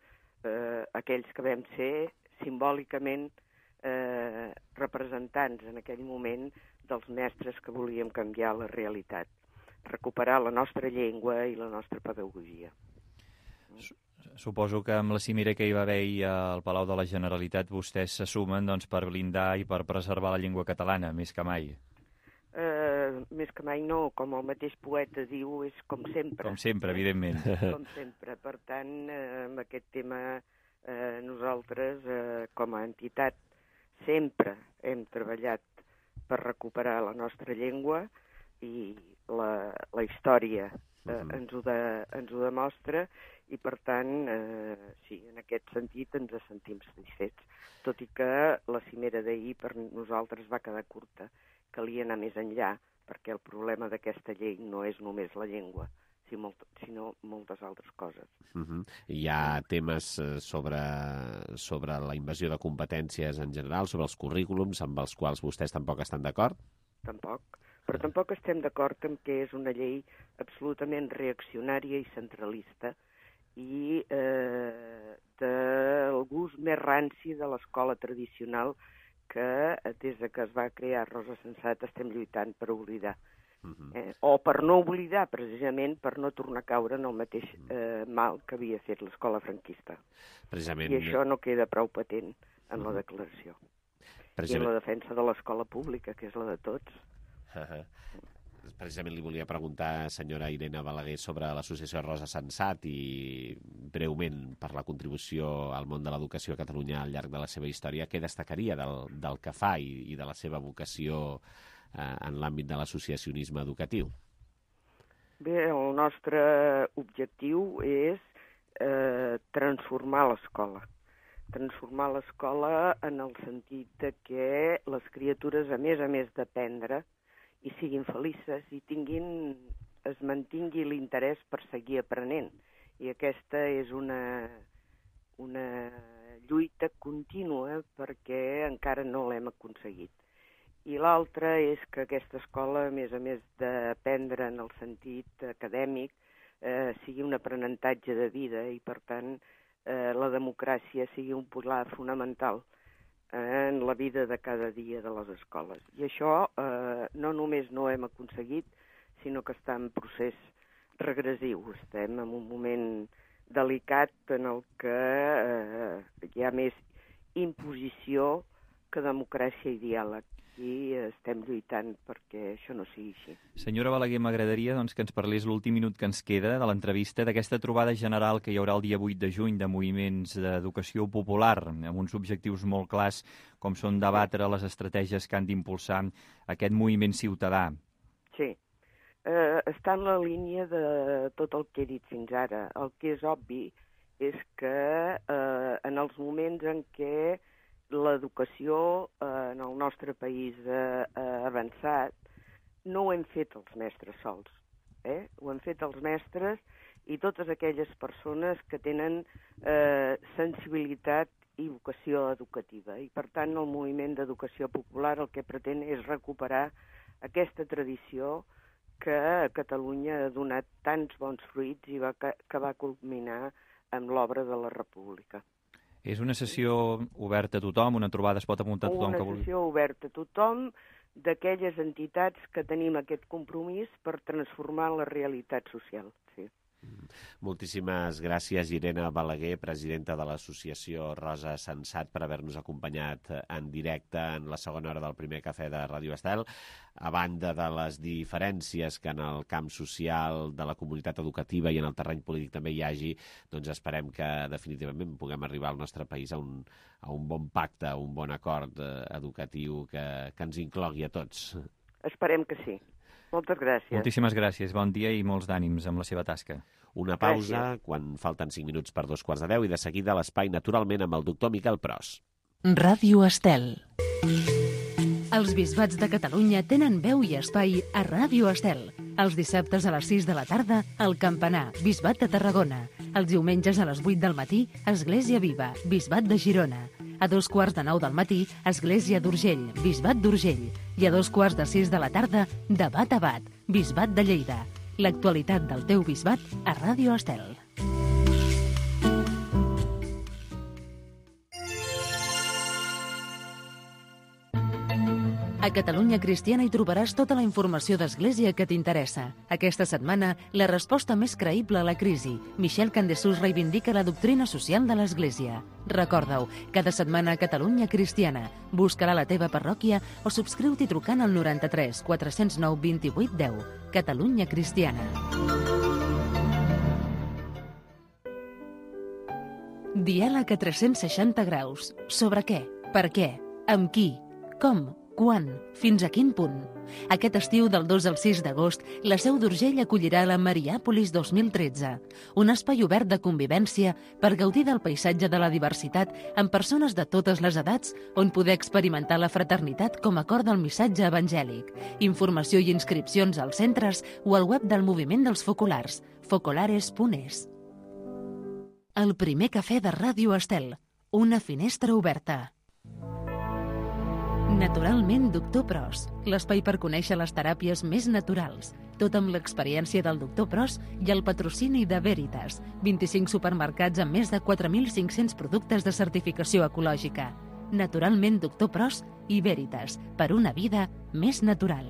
aquells que vam ser simbòlicament representants en aquell moment dels mestres que volíem canviar la realitat, recuperar la nostra llengua i la nostra pedagogia. Suposo que amb la cimera que hi va haver al Palau de la Generalitat vostès se sumen per blindar i per preservar la llengua catalana, més que mai. Més que mai no, com el mateix poeta diu, és com sempre. Com sempre, evidentment. Com sempre. Per tant, amb aquest tema nosaltres, com a entitat, sempre hem treballat per recuperar la nostra llengua i la història ens ho demostra i, per tant, sí, en aquest sentit ens sentim satisfets. Tot i que la cimera d'ahir per nosaltres va quedar curta. Calia anar més enllà, perquè el problema d'aquesta llei no és només la llengua, sinó moltes altres coses. Hi ha temes sobre la invasió de competències en general, sobre els currículums, amb els quals vostès tampoc estan d'acord? Tampoc. Però tampoc estem d'acord amb que és una llei absolutament reaccionària i centralista i del gust més ranci de l'escola tradicional que des que es va crear Rosa Sensat estem lluitant per oblidar. O per no oblidar, precisament, per no tornar a caure en el mateix mal que havia fet l'escola franquista. I això no queda prou patent en la declaració. I en la defensa de l'escola pública, que és la de tots. Precisament li volia preguntar, senyora Irene Balaguer, sobre l'associació Rosa Sensat i, breument, per la contribució al món de l'educació a Catalunya al llarg de la seva història, què destacaria del que fa i de la seva vocació en l'àmbit de l'associacionisme educatiu? Bé, el nostre objectiu és transformar l'escola. Transformar l'escola en el sentit de que les criatures, a més d'aprendre, i siguin felices i es mantingui l'interès per seguir aprenent. I aquesta és una lluita contínua perquè encara no l'hem aconseguit. I l'altra és que aquesta escola, a més d'aprendre en el sentit acadèmic, sigui un aprenentatge de vida i, per tant, la democràcia sigui un pilar fonamental en la vida de cada dia de les escoles. I això no només no ho hem aconseguit, sinó que està en procés regressiu. Estem en un moment delicat en el que hi ha més imposició que democràcia i diàleg. I estem lluitant perquè això no sigui així. Senyora Balaguer, m'agradaria que ens parlés l'últim minut que ens queda de l'entrevista d'aquesta trobada general que hi haurà el dia 8 de juny de moviments d'educació popular, amb uns objectius molt clars, com són debatre les estratègies que han d'impulsar aquest moviment ciutadà. Sí. Està en la línia de tot el que he dit fins ara. El que és obvi és que en els moments en què l'educació en el nostre país ha avançat, no ho hem fet els mestres sols. Ho han fet els mestres i totes aquelles persones que tenen sensibilitat i vocació educativa. I, per tant, el moviment d'educació popular el que pretén és recuperar aquesta tradició que a Catalunya ha donat tants bons fruits i que va culminar amb l'obra de la República. És una sessió oberta a tothom, una trobada es pot apuntar a tothom que vulgui? Una sessió oberta a tothom d'aquelles entitats que tenim aquest compromís per transformar la realitat social. Sí. Moltíssimes gràcies, Irene Balaguer, presidenta de l'associació Rosa Sensat, per haver-nos acompanyat en directe en la segona hora del primer cafè de Ràdio Estel. A banda de les diferències que en el camp social de la comunitat educativa i en el terreny polític també hi hagi, doncs esperem que definitivament puguem arribar al nostre país a un bon pacte, a un bon acord educatiu que ens inclogui a tots. Esperem que sí. Moltes gràcies. Moltíssimes gràcies, bon dia i molts d'ànims amb la seva tasca. Una pausa, quan falten 5 minuts per 2:15, i de seguida l'espai naturalment amb el doctor Miquel Pros. Ràdio Estel. Els bisbats de Catalunya tenen veu i espai a Ràdio Estel. Els dissabtes a les 6 de la tarda, el Campanar, Bisbat de Tarragona. Els diumenges a les 8 del matí, Església Viva, Bisbat de Girona. A 8:45 del matí, Església d'Urgell, Bisbat d'Urgell. I a 5:45 de la tarda, Debat a Bat, Bisbat de Lleida. L'actualitat del teu bisbat a Ràdio Estel. A Catalunya Cristiana hi trobaràs tota la informació d'Església que t'interessa. Aquesta setmana, la resposta més creïble a la crisi. Michel Candesus reivindica la doctrina social de l'Església. Recorda-ho, cada setmana a Catalunya Cristiana. Busca-la a la teva parròquia o subscriu-t'hi trucant al 93 409 28 10. Catalunya Cristiana. Diàleg a 360 graus. Sobre què? Per què? Amb qui? Com? Quan? Fins a quin punt? Aquest estiu, del 2 al 6 d'agost, la Seu d'Urgell acollirà la Mariàpolis 2013, un espai obert de convivència per gaudir del paisatge de la diversitat amb persones de totes les edats on poder experimentar la fraternitat com a cor del missatge evangèlic. Informació i inscripcions als centres o al web del Moviment dels Focolars, focolares.es. El primer cafè de Ràdio Estel, una finestra oberta. Naturalment Doctor Pros, l'espai per conèixer les teràpies més naturals, tot amb l'experiència del Doctor Pros i el patrocini de Veritas, 25 supermercats amb més de 4.500 productes de certificació ecològica. Naturalment Doctor Pros i Veritas, per una vida més natural.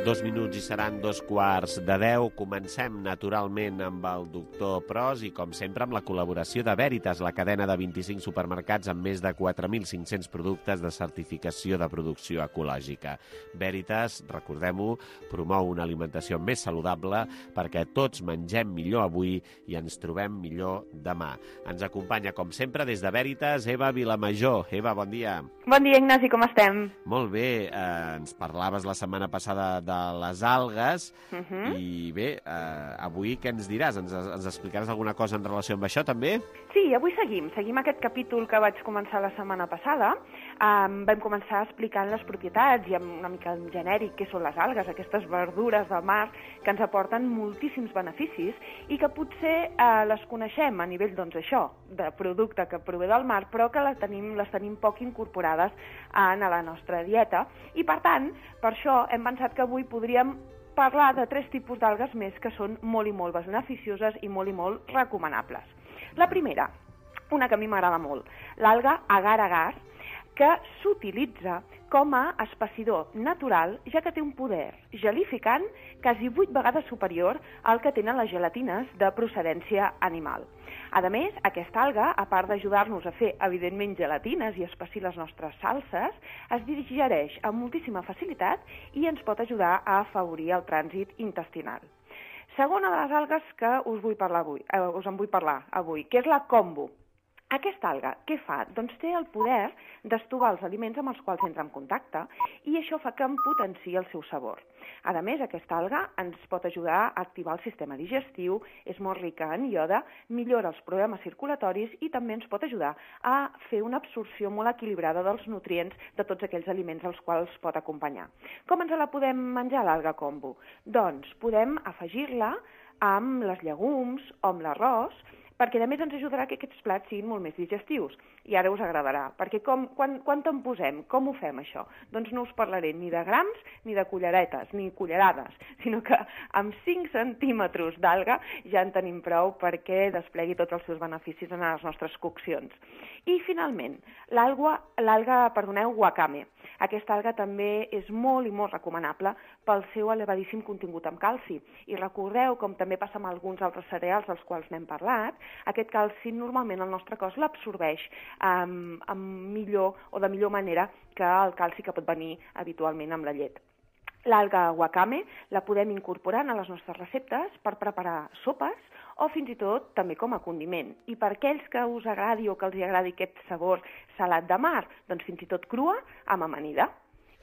2 minuts i seran 2:45. Comencem naturalment amb el doctor Pros i, com sempre, amb la col·laboració de Veritas, la cadena de 25 supermercats amb més de 4.500 productes de certificació de producció ecològica. Veritas, recordem-ho, promou una alimentació més saludable perquè tots mengem millor avui i ens trobem millor demà. Ens acompanya, com sempre, des de Veritas, Eva Vilamajor. Eva, bon dia. Bon dia, Ignasi, com estem? Molt bé, ens parlaves la setmana passada de les algues i bé, avui què ens diràs? Ens explicaràs alguna cosa en relació amb això també? Sí, avui seguim aquest capítol que vaig començar la setmana passada. Vam començar explicant les propietats i amb una mica en genèric què són les algues, aquestes verdures del mar que ens aporten moltíssims beneficis i que potser les coneixem a nivell, doncs això, de producte que prové del mar, però que les tenim poc incorporades en la nostra dieta. I per tant, per això hem pensat que avui podríem parlar de 3 tipus d'algues més que són molt i molt beneficioses i molt recomanables. La primera, una que a mi m'agrada molt, l'alga agar-agar, que s'utilitza com a espessidor natural, ja que té un poder gelificant quasi 8 vegades superior al que tenen les gelatines de procedència animal. A més, aquesta alga, a part d'ajudar-nos a fer, evidentment, gelatines i espessir les nostres salses, es digereix amb moltíssima facilitat i ens pot ajudar a afavorir el trànsit intestinal. Segona de les algues que us en vull parlar avui, que és la kombu. Aquesta alga, què fa? Doncs té el poder d'estovar els aliments amb els quals entra en contacte i això fa que en potenciï el seu sabor. A més, aquesta alga ens pot ajudar a activar el sistema digestiu, és molt rica en iode, millora els problemes circulatoris i també ens pot ajudar a fer una absorció molt equilibrada dels nutrients de tots aquells aliments als quals pot acompanyar. Com ens la podem menjar, l'alga kombu? Doncs podem afegir-la amb les llegums o amb l'arròs, perquè a més ens ajudarà que aquests plats siguin molt més digestius. I ara us agradarà, perquè quan te'n posem? Com ho fem, això? Doncs no us parlaré ni de grams, ni de culleretes, ni cullerades, sinó que amb 5 centímetres d'alga ja en tenim prou perquè desplegui tots els seus beneficis en les nostres coccions. I, finalment, l'alga wakame. Aquesta alga també és molt i molt recomanable pel seu elevadíssim contingut en calci. I recordeu, com també passa amb alguns altres cereals dels quals n'hem parlat, aquest calci normalment el nostre cos l'absorbeix de millor manera que el calci que pot venir habitualment amb la llet. L'alga wakame la podem incorporar a les nostres receptes per preparar sopes o fins i tot també com a condiment. I per aquells que us agradi o que els agradi aquest sabor salat de mar, doncs fins i tot crua amb amanida.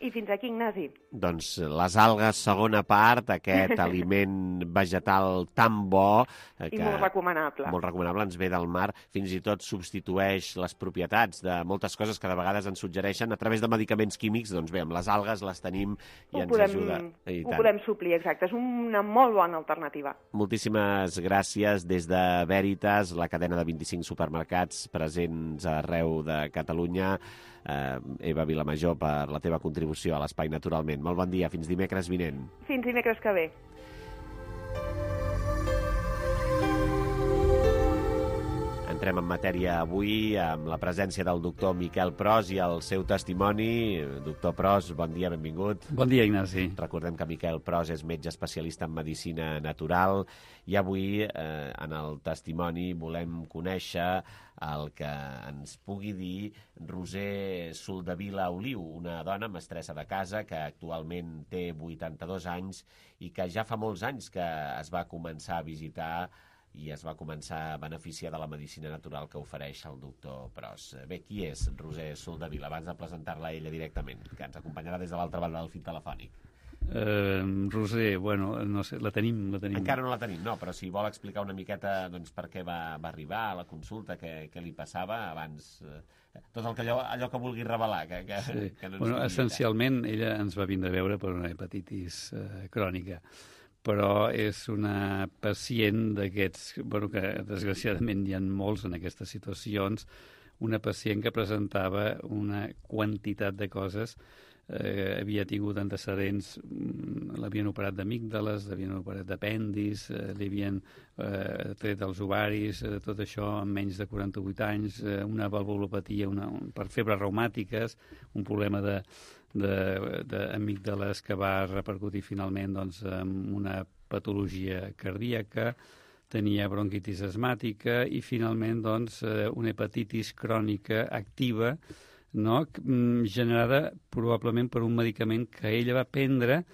I fins aquí, Ignasi. Doncs les algues, segona part, aquest aliment vegetal tan bo... I molt recomanable. Molt recomanable, ens ve del mar, fins i tot substitueix les propietats de moltes coses que de vegades ens suggereixen a través de medicaments químics. Doncs bé, amb les algues les tenim i ens ajuda. Ho podem suplir, exacte. És una molt bona alternativa. Moltíssimes gràcies des de Veritas, la cadena de 25 supermercats presents arreu de Catalunya. Eva Vilamajor, per la teva contribució a l'Espai Naturalment. Molt bon dia, fins dimecres vinent. Fins dimecres que ve. Entrem en matèria avui amb la presència del doctor Miquel Pros i el seu testimoni. Doctor Pros, bon dia, benvingut. Bon dia, Ignasi. Recordem que Miquel Pros és metge especialista en medicina natural i avui en el testimoni volem conèixer el que ens pugui dir Roser Soldevila Oliu, una dona mestressa de casa que actualment té 82 anys i que ja fa molts anys que es va començar a visitar i es va començar a beneficiar de la medicina natural que ofereix el doctor Pros. Bé, qui és Roser Soldevila? Abans de presentar-la ella directament, que ens acompanyarà des de l'altra banda del fil telefònic. Roser, bueno, no sé, la tenim. Encara no la tenim, no, però si vol explicar una miqueta doncs, per què va arribar a la consulta, què li passava abans, tot allò que vulgui revelar. Sí. Bueno, essencialment, ella ens va vindre a veure per una hepatitis crònica, però és una pacient d'aquests, bueno, que desgraciadament hi ha molts en aquestes situacions, una pacient que presentava una quantitat de coses havia tingut antecedents, l'havien operat d'amígdales, l'havien operat d'apèndis, li havien tret els ovaris, tot això en menys de 48 anys, una valvulopatia per febres reumàtiques, un problema d'amígdales que va repercutir finalment en una patologia cardíaca, tenia bronquitis asmàtica i finalment una hepatitis crònica activa, no? Generada probablement per un medicament que ella va prendre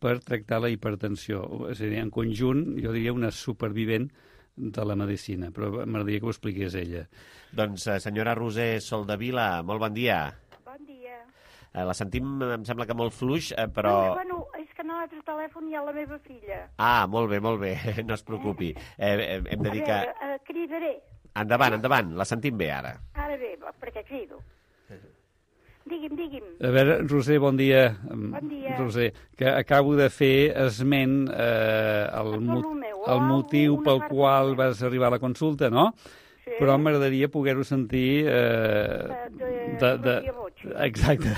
per tractar la hipertensió. És a dir, en conjunt, jo diria una supervivent de la medicina, però m'agradaria que ho expliqués ella. Doncs, senyora Roser Soldevila, molt bon dia. Bon dia. La sentim, em sembla que molt fluix, però... Bueno, és que en l'altre telèfon hi ha la meva filla. Ah, molt bé, no es preocupi. Hem de dir que... A veure, cridaré. Endavant, la sentim bé ara. Ara bé, perquè crido. Digui'm. A veure, Roser, bon dia. Bon dia. Roser, que acabo de fer esment el motiu pel qual vas arribar a la consulta, no? Sí. Però m'agradaria poder-ho sentir Exacte.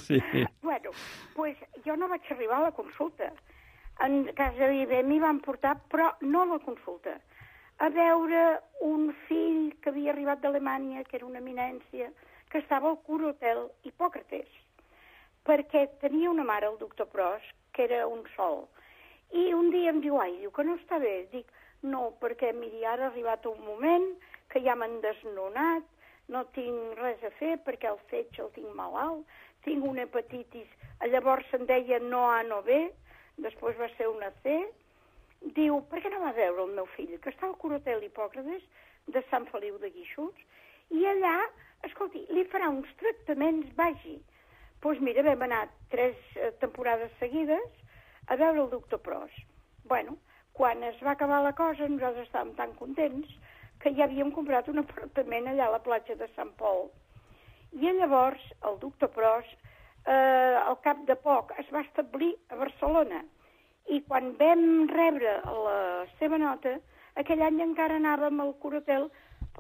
Sí. Bueno, pues jo no vaig arribar a la consulta. En casa Viver m'hi van portar, però no a la consulta. A veure un fill que havia arribat d'Alemanya, que era una eminència, que estava al Cura Hotel Hipòcrates, perquè tenia una mare, el doctor Pros, que era un sol. I un dia em diu, diu que no està bé. Dic, no, perquè miri, ara ha arribat un moment que ja m'han desnonat, no tinc res a fer perquè el fetge el tinc malalt, tinc una hepatitis, llavors se'n deia no A, no B, després va ser una C. Diu, per què no va veure el meu fill, que està al Cura Hotel Hipòcrates de Sant Feliu de Guíxols, i allà, escolti, li farà uns tractaments, vagi. Doncs mira, vam anar 3 temporades seguides a veure el doctor Pros. Bueno, quan es va acabar la cosa, nosaltres estàvem tan contents que ja havíem comprat un apartament allà a la platja de Sant Pol. I llavors el doctor Pros, al cap de poc, es va establir a Barcelona. I quan vam rebre la seva nota, aquell any encara anàvem al Cura Hotel,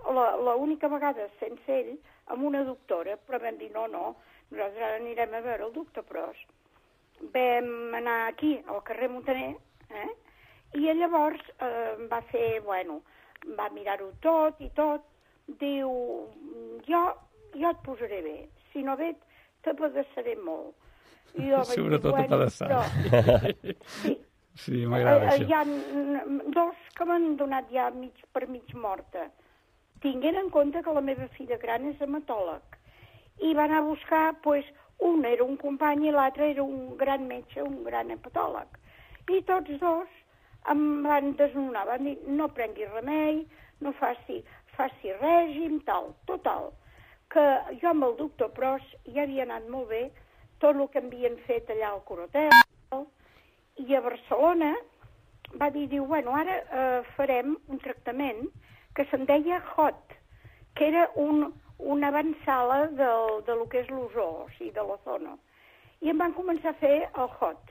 l'única vegada sense ell, amb una doctora, però vam dir no, nosaltres ara anirem a veure el doctor Pros. Vam anar aquí, al carrer Montaner, i llavors va fer, va mirar-ho tot i tot, diu, jo et posaré bé, si no bé t'apedaçaré molt. Sobretot apedaçar. Sí, m'agrada això. Hi ha 2 que m'han donat ja per mig morta. Tinguent en compte que la meva filla gran és hematòleg. I van a buscar, un era un company i l'altre era un gran metge, un gran hepatòleg. I tots 2 em van desnonar, van dir, no prengui remei, no faci règim, tal. Total, que jo amb el doctor Pros ja havia anat molt bé, tot el que havien fet allà al Cura Hotel, i a Barcelona va dir, ara farem un tractament que se'n deia HOT, que era una avançala de lo que és l'ozó, o sigui, de l'ozono. I em van començar a fer el HOT.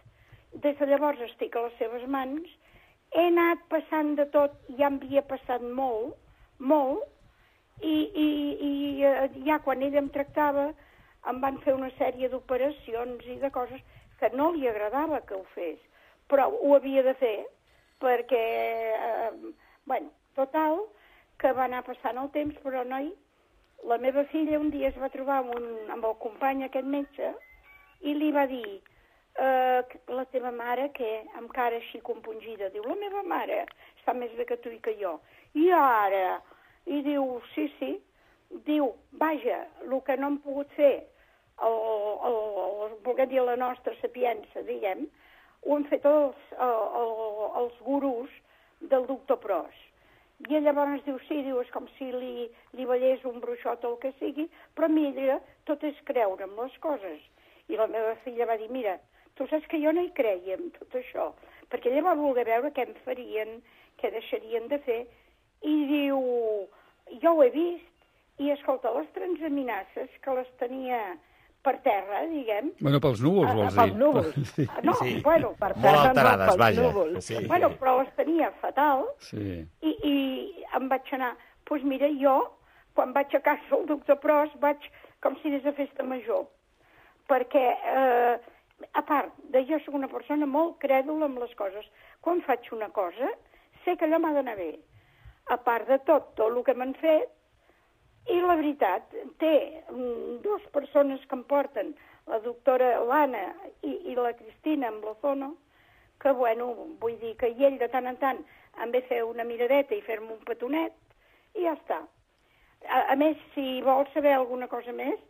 Des de llavors estic a les seves mans, he anat passant de tot, ja em havia passat molt, i ja quan ell em tractava em van fer una sèrie d'operacions i de coses que no li agradava que ho fes, però ho havia de fer perquè, total, que va anar passant el temps, però noi, la meva filla un dia es va trobar amb el company aquest metge i li va dir, la teva mare, què? Amb cara així compungida. Diu, la meva mare està més bé que tu i que jo. I ara? I diu, sí. Diu, vaja, el que no hem pogut fer, volguem dir la nostra sapiença, diguem, ho han fet els gurús del doctor Pros. I llavors diu, sí, és com si li veiés un bruixot o el que sigui, però mira, tot és creure en les coses. I la meva filla va dir, mira, tu saps que jo no hi creia en tot això, perquè ella va voler veure què em farien, què deixarien de fer, i diu, jo ho he vist, i escolta, les transaminasses, que les tenia per terra, diguem... Bueno, pels núvols, vols dir? Pels núvols. Sí. No, Sí. Bueno, per Molt terra alterades, no, pels vaja. núvols. Sí. Bueno, però les tenia fatal, Sí. i em vaig anar... Doncs mira, jo, quan vaig a casa del doctor Pros, vaig com si anés a festa major, perquè, a part de jo soc una persona molt crèdula amb les coses. Quan faig una cosa, sé que allò m'ha d'anar bé. A part de tot el que m'han fet, i la veritat, té dues persones que em porten, la doctora l'Anna i la Cristina amb l'Ozono, que, bueno, vull dir que ell de tant en tant em ve fer una miradeta i fer-me un petonet, i ja està. A més, si vol saber alguna cosa més,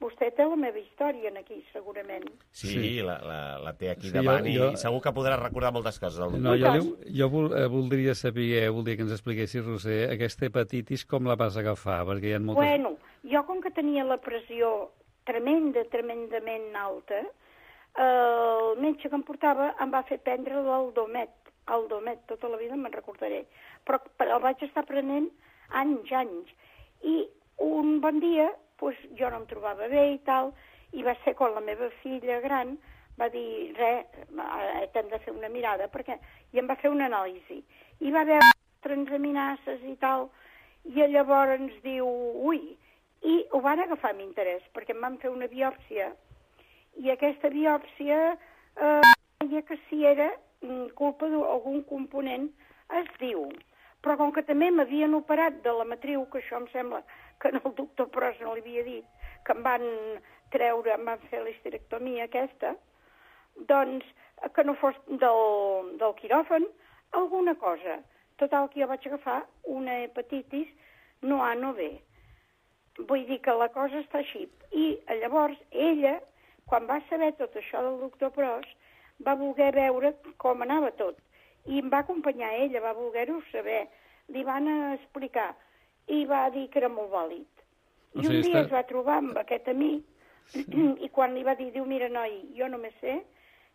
vostè té la meva història aquí, segurament. Sí, la té aquí davant i segur que podrà recordar moltes coses. No, jo voldria saber, voldria que ens expliquessis, Roser, aquesta hepatitis com la vas agafar, perquè hi ha moltes... Bueno, jo com que tenia la pressió tremendament alta, el metge que em portava em va fer prendre l'Aldomet, tota la vida me'n recordaré, però el vaig estar prenent anys, i un bon dia pues, jo no em trobava bé i tal, i va ser quan la meva filla gran va dir, t'hem de fer una mirada, i em va fer una anàlisi, i va veure transaminases i tal, i llavors ens diu, i ho van agafar amb interès, perquè em van fer una biòpsia, i aquesta biòpsia deia que si era culpa d'algun component, es diu. Però com que també m'havien operat de la matriu, que això em sembla que el doctor Pros no li havia dit, que em van treure, em van fer l'histerectomia aquesta, doncs que no fos del quiròfan, alguna cosa. Total, que jo vaig agafar una hepatitis no A, no B. Vull dir que la cosa està així. I llavors ella, quan va saber tot això del doctor Pros, va voler veure com anava tot. I em va acompanyar ella, va voler-ho saber. Li van explicar i va dir que era molt vàlid. I un dia es va trobar amb aquest amic i quan li va dir, diu, mira, noi, jo només sé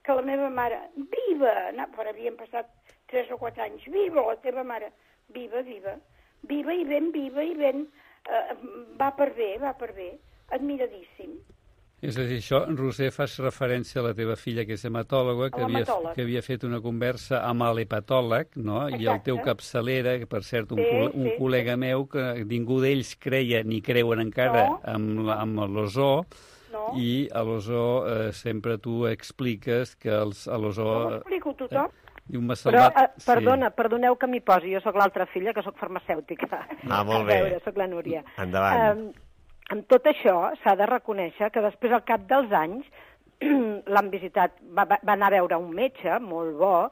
que la meva mare, viva, però havien passat 3 o 4 anys, viva la teva mare, viva i ben, va per bé, admiradíssim. És a dir, això, Roser, fas referència a la teva filla, que és hematòloga, que havia fet una conversa amb l'hepatòleg, no? Exacte. I el teu capçalera, que per cert, un col·lega meu, que ningú d'ells creia ni creuen encara amb l'ozó, i a l'ozó sempre tu expliques que a l'ozó... No ho explico tothom. Però, perdoneu que m'hi posi, jo sóc l'altra filla, que sóc farmacèutica. Molt bé. A veure, sóc la Núria. Endavant. Amb tot això, s'ha de reconèixer que després, al cap dels anys, l'han visitat, va anar a veure un metge molt bo,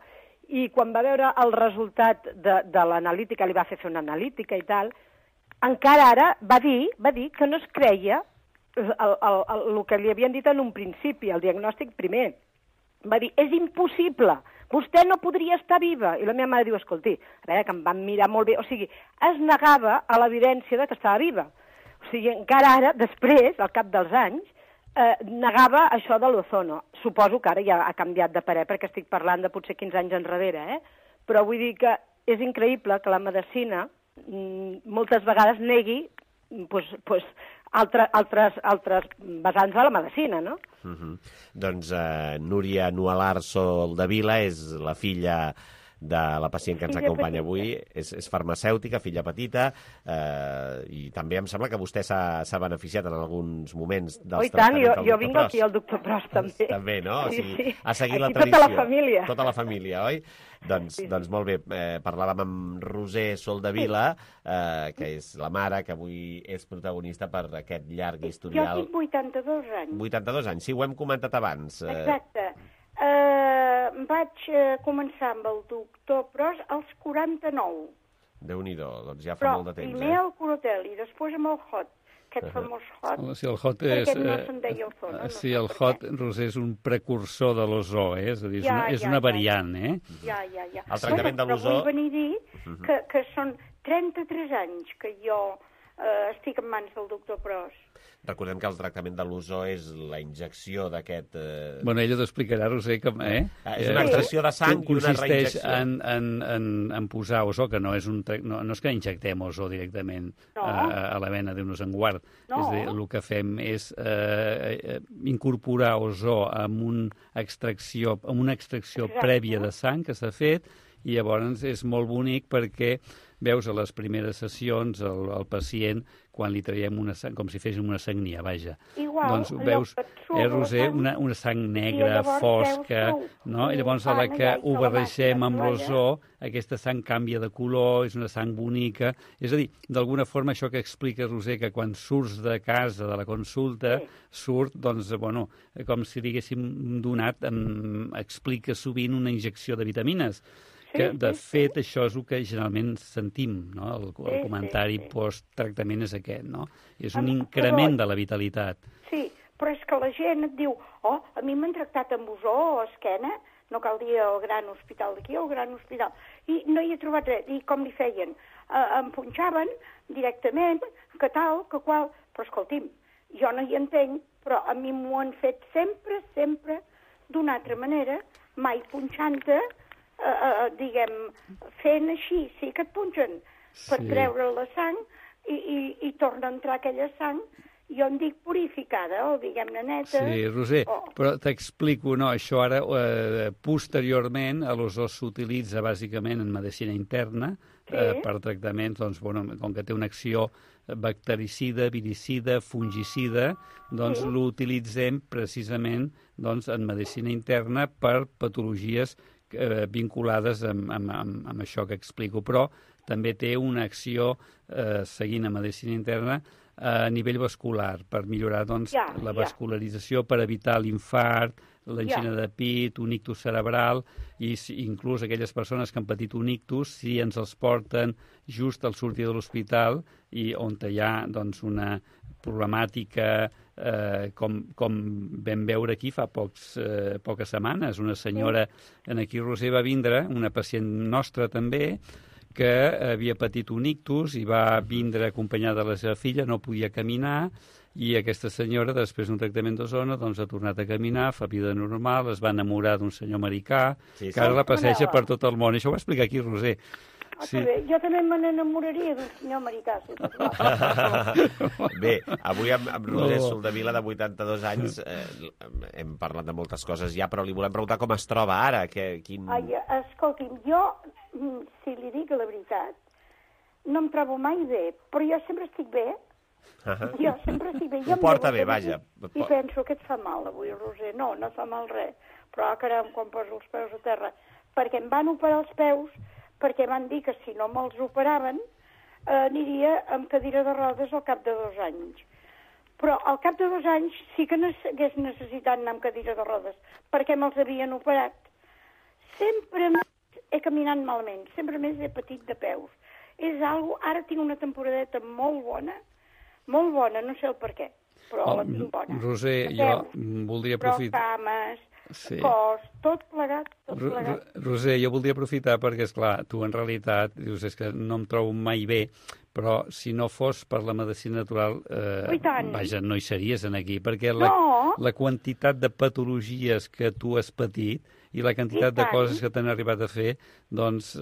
i quan va veure el resultat de l'analítica, li va fer una analítica i tal, encara ara va dir que no es creia el que li havien dit en un principi, el diagnòstic primer. Va dir, és impossible, vostè no podria estar viva. I la meva mare diu, escolti, a veure, que em van mirar molt bé, o sigui, es negava a l'evidència que estava viva. O sigui, encara ara, després, al cap dels anys, negava això de l'ozono. Suposo que ara ja ha canviat de parer, perquè estic parlant de potser 15 anys enrere, però vull dir que és increïble que la medicina moltes vegades negui altres vessants de la medicina, no? Doncs Núria Nualar Soldevila és la filla de la pacient que ens acompanya avui, és farmacèutica, filla petita, i també em sembla que vostè s'ha beneficiat en alguns moments dels tractaments del doctor Pros. Jo vinc aquí al doctor Pros, també. També, no? Sí. Ha seguit la tradició. Tota la família. Tota la família, oi? Doncs molt bé, parlàvem amb Roser Soldevila, que és la mare, que avui és protagonista per aquest llarg historial. Jo tinc 82 anys. 82 anys, sí, ho hem comentat abans. Exacte. Vaig començar amb el doctor Pros als 49. Déu-n'hi-do, doncs ja fa molt de temps. Però primer el Corotel i després amb el Hot, aquest famós Hot. Sí, el Hot és... no se'n deia Ozono. Sí, el Hot, Roser, és un precursor de l'ozó, és a dir, és una variant, Ja. El tractament de l'ozó... Però vull venir a dir que són 33 anys que jo estic en mans del doctor Pros. Recordem que el tractament de l'ozó és la injecció d'aquest... Bueno, ella t'ho explicarà, Roser, que... És una extracció de sang i una reinjecció. Consisteix en posar ozó, que no és que injectem ozó directament a la vena d'un sanguard. És a dir, el que fem és incorporar ozó amb una extracció prèvia de sang que s'ha fet i llavors és molt bonic perquè veus a les primeres sessions el pacient quan li traiem una sang, com si féssim una sagnia, vaja. Igual, doncs veus, Roser, una sang negra, fosca, no? I llavors a la que ho barregem amb l'ozó, aquesta sang canvia de color, és una sang bonica. És a dir, d'alguna forma això que explica Roser, que quan surts de casa, de la consulta, surt, doncs, bueno, com si li haguéssim donat, explica sovint una injecció de vitamines. Que, de fet, això és el que generalment sentim, no? El comentari post-tractament és aquest, no? És un increment de la vitalitat. Sí, però és que la gent et diu, oh, a mi m'han tractat amb ozó o esquena, no cal dir el gran hospital d'aquí o el gran hospital, i no hi he trobat res. I com li feien? Em punxaven directament, que tal, que qual, però escolti'm, jo no hi entenc, però a mi m'ho han fet sempre, d'una altra manera, mai punxant-te, diguem, fent així, sí que et punxen per treure la sang i torna a entrar aquella sang, jo en dic purificada o diguem-ne neta. Sí, Roser, però t'explico, no, això ara posteriorment l'ozó s'utilitza bàsicament en medicina interna per tractaments, doncs, bueno, com que té una acció bactericida, viricida, fungicida, doncs l'utilitzem precisament doncs, en medicina interna per patologies vinculades amb això que explico, però també té una acció seguint a medicina interna a nivell vascular, per millorar doncs, la vascularització, per evitar l'infart, l'angina de pit, un ictus cerebral, i inclús aquelles persones que han patit un ictus, si ens els porten just al sortir de l'hospital i on hi ha doncs, una problemàtica com vam veure aquí fa poques setmanes. Una senyora, en aquí Roser va vindre, una pacient nostra també, que havia patit un ictus i va vindre acompanyada de la seva filla, no podia caminar, i aquesta senyora, després d'un tractament d'ozona, doncs ha tornat a caminar, fa vida normal, es va enamorar d'un senyor americà, que ara la passeja per tot el món. Això ho va explicar aquí Roser. Sí. Jo també me n'enamoraria d'un senyor americà. Bé, avui amb Roser Soldevila, de 82 anys, hem parlat de moltes coses ja, però li volem preguntar com es troba ara. Escolti'm, jo, si li dic la veritat, no em trobo mai bé, però jo sempre estic bé. Jo sempre estic bé. Ho porta bé, vaja. I penso que et fa mal avui, Roser. No fa mal res. Però, caram, quan poso els peus a terra, perquè em van operar els peus, perquè van dir que si no me'ls operaven aniria amb cadira de rodes al cap de 2 anys. Però al cap de 2 anys sí que hagués necessitat anar amb cadira de rodes, perquè me'ls havien operat. Sempre més he caminat malament, sempre més he patit de peus. És algo, ara tinc una temporadeta molt bona, no sé el per què, però la tinc bona. Roser, jo voldria aprofitar... Però cames, cos, tot plegat. Roser, jo voldria aprofitar perquè, esclar, tu en realitat dius és que no em trobo mai bé, però si no fos per la medicina natural, vaja, no hi series aquí, perquè la quantitat de patologies que tu has patit i la quantitat de coses que t'han arribat a fer, doncs,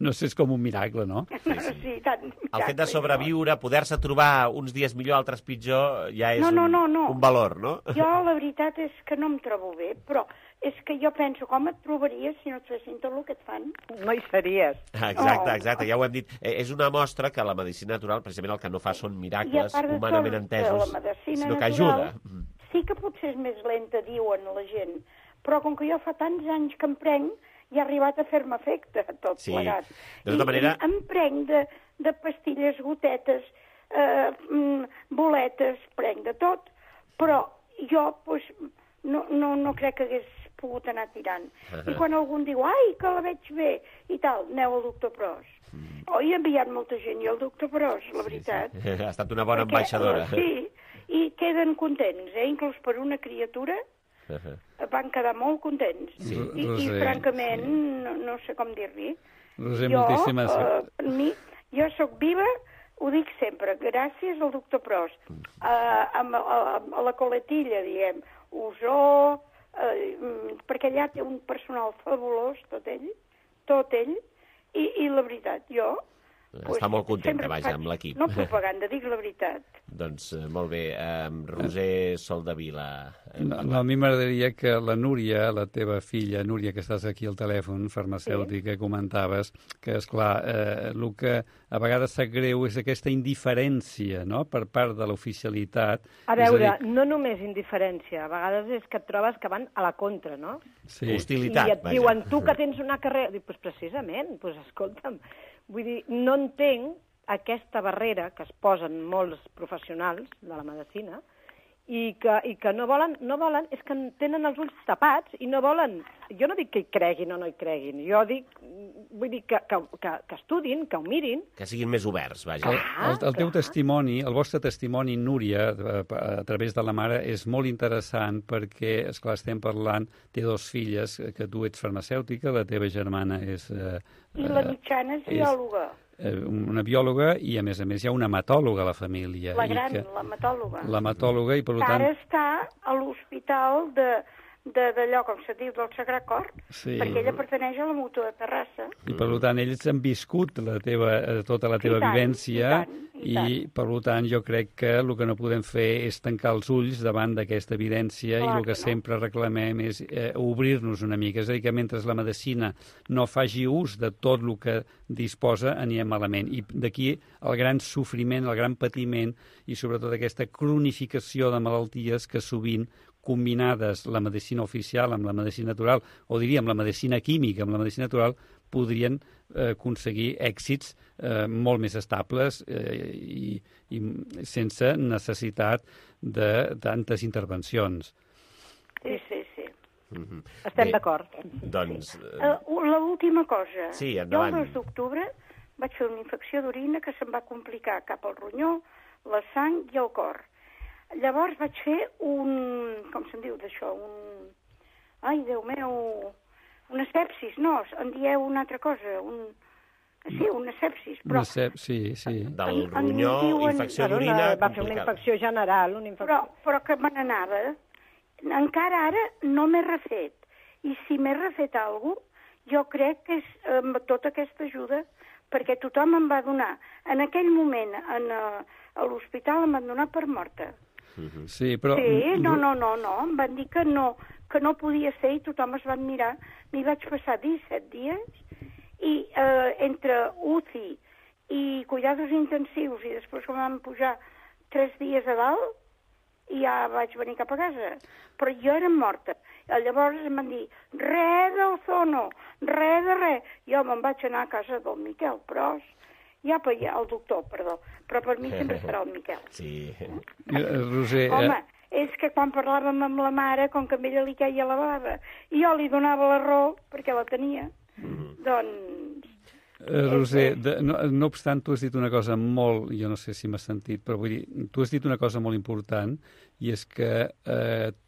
no sé, és com un miracle, no? Sí, tant. El fet de sobreviure, poder-se trobar uns dies millor, altres pitjor, ja és un valor, no? Jo la veritat és que no em trobo bé, però és que jo penso, com et trobaries si no et fessin tot el que et fan? No hi series. Exacte, ja ho hem dit. És una mostra que la medicina natural, precisament el que no fa són miracles humanament entesos, sinó que ajuda. Sí que potser és més lenta, diuen la gent, però com que jo fa tants anys que em prenc, ja ha arribat a fer-me efecte tot plegat. De tota manera... Em prenc de pastilles, gotetes, boletes, prenc de tot, però jo no crec que hagués pogut anar tirant. I quan algú em diu, ai, que la veig bé, i tal, aneu al doctor Pros. He enviat molta gent i al doctor Pros, la veritat. Ha estat una bona ambaixadora. Sí, i queden contents, inclús per una criatura, van quedar molt contents. I francament, no sé com dir-li. Roser, moltíssimes... Jo sóc viva, ho dic sempre, gràcies al doctor Pros. A la coletilla, diguem, Osó, perquè allà té un personal fabulós, tot ell, i la veritat, jo... Està molt contenta, vaja, amb l'equip. No propaganda, dic la veritat. Doncs molt bé. Roser Soldevila. No, a mi m'agradaria que la Núria, la teva filla, Núria, que estàs aquí al telèfon, farmacèutica, comentaves que, esclar, el que a vegades sap greu és aquesta indiferència, no?, per part de l'oficialitat. A veure, no només indiferència, a vegades és que et trobes que van a la contra, no? Sí. Hostilitat, i et diuen, tu que tens una carrera... Dic, doncs precisament, doncs escolta'm, vull dir, no entenc aquesta barrera que es posen molts professionals de la medicina i que no volen, és que tenen els ulls tapats i no volen... Jo no dic que hi creguin o no hi creguin, jo dic, vull dir que estudin, que ho mirin. Que siguin més oberts, vaja. El teu testimoni, el vostre testimoni, Núria, a través de la mare, és molt interessant perquè, esclar, estem parlant, té 2 filles, que tu ets farmacèutica, la teva germana és... I la mitjana és biòloga. Una biòloga i, a més, hi ha una hematòloga a la família. La gran, l'hematòloga. L'hematòloga i, per tant... Ara està a l'hospital d'allò, com se diu, del Sagrat Cor, perquè ella pertaneix a la Mútua de Terrassa. I, per tant, ells han viscut tota la teva vivència i, per tant, jo crec que el que no podem fer és tancar els ulls davant d'aquesta evidència i el que sempre reclamem és obrir-nos una mica. És a dir, que mentre la medicina no faci ús de tot el que disposa, anirem malament. I d'aquí el gran sofriment, el gran patiment i, sobretot, aquesta cronificació de malalties que sovint combinades la medicina oficial amb la medicina natural, o diríem la medicina química amb la medicina natural, podrien aconseguir èxits molt més estables i sense necessitat de tantes intervencions. Sí. Estem d'acord. Doncs... L'última cosa. Sí, endavant. Jo el 2 d'octubre vaig fer una infecció d'orina que se'm va complicar cap al ronyó, la sang i el cor. Llavors vaig fer com se'n diu d'això, ai, Déu meu, una sepsis, no, en dieu una altra cosa, una sepsis, però... Sí. Del ronyó, infecció d'orina... Va fer una infecció general, Però que me n'anava. Encara ara no m'he refet. I si m'he refet alguna cosa, jo crec que és tota aquesta ajuda, perquè tothom em va donar. En aquell moment, a l'hospital em van donar per morta. Sí, però... Sí, no, em van dir que no podia ser i tothom es van mirar. M'hi vaig passar 17 dies i entre UCI i cuidados intensius i després que em van pujar 3 dies a dalt i ja vaig venir cap a casa. Però jo era morta. Llavors em van dir, res d'ozono, res de res. Jo me'n vaig anar a casa del Miquel Pros, el doctor, perdó, però per mi sempre serà el Miquel. Sí. Roser... Home, és que quan parlàvem amb la mare, com que a ella li queia la bava, i jo li donava la raó, perquè la tenia, doncs... Roser, no obstant, tu has dit una cosa molt, jo no sé si m'has sentit, però vull dir, tu has dit una cosa molt important, i és que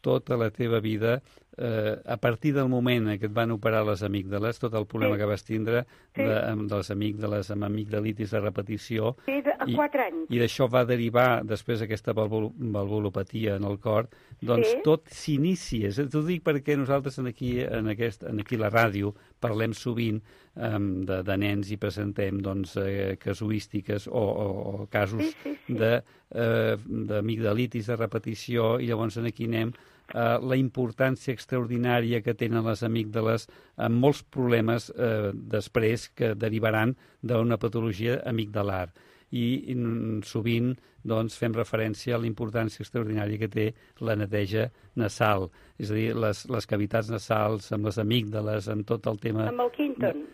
tota la teva vida, a partir del moment en què et van operar les amígdales, tot el problema que vas tindre de les amígdales, amb amigdalitis de repetició, a 4 anys. I d'això va derivar després aquesta valvulopatia en el cor, doncs tot s'inicia. T'ho dic perquè nosaltres aquí a la ràdio parlem sovint de nens i presentem casuístiques o casos d'amigdalitis de repetició i llavors aquí anem la importància extraordinària que tenen les amígdales amb molts problemes després que derivaran d'una patologia amigdalar. I sovint fem referència a la importància extraordinària que té la neteja nasal, és a dir, les cavitats nasals amb les amígdales, amb tot el tema... Amb el Quinton.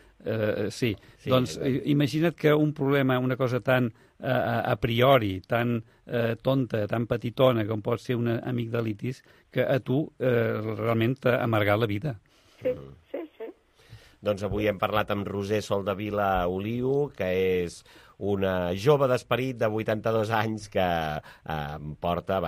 Sí, doncs imagina't que un problema, una cosa tan a priori, tan tonta, tan petitona com pot ser una amigdalitis, que a tu realment t'ha amargat la vida. Sí. Doncs avui hem parlat amb Roser Soldevila Oliu, que és una jove d'esperit de 82 anys que porta,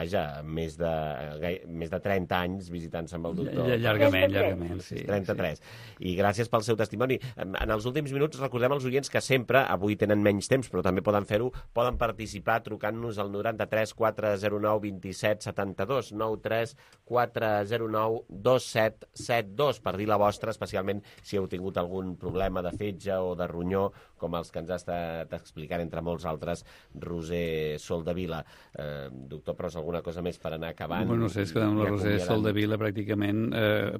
més de 30 anys visitant-se amb el doctor. Llargament, sí. 33. I gràcies pel seu testimoni. En els últims minuts recordem als oients que sempre, avui tenen menys temps, però també poden fer-ho, poden participar trucant-nos al 93 409 27 72, 93 409 2772, per dir la vostra, especialment si heu tingut algun problema de fetge o de ronyó, com els que ens ha estat explicant explicant, entre molts altres, Roser Soldevila. Doctor Pros, alguna cosa més per anar acabant? Bueno, no sé, és que amb la Roser Soldevila pràcticament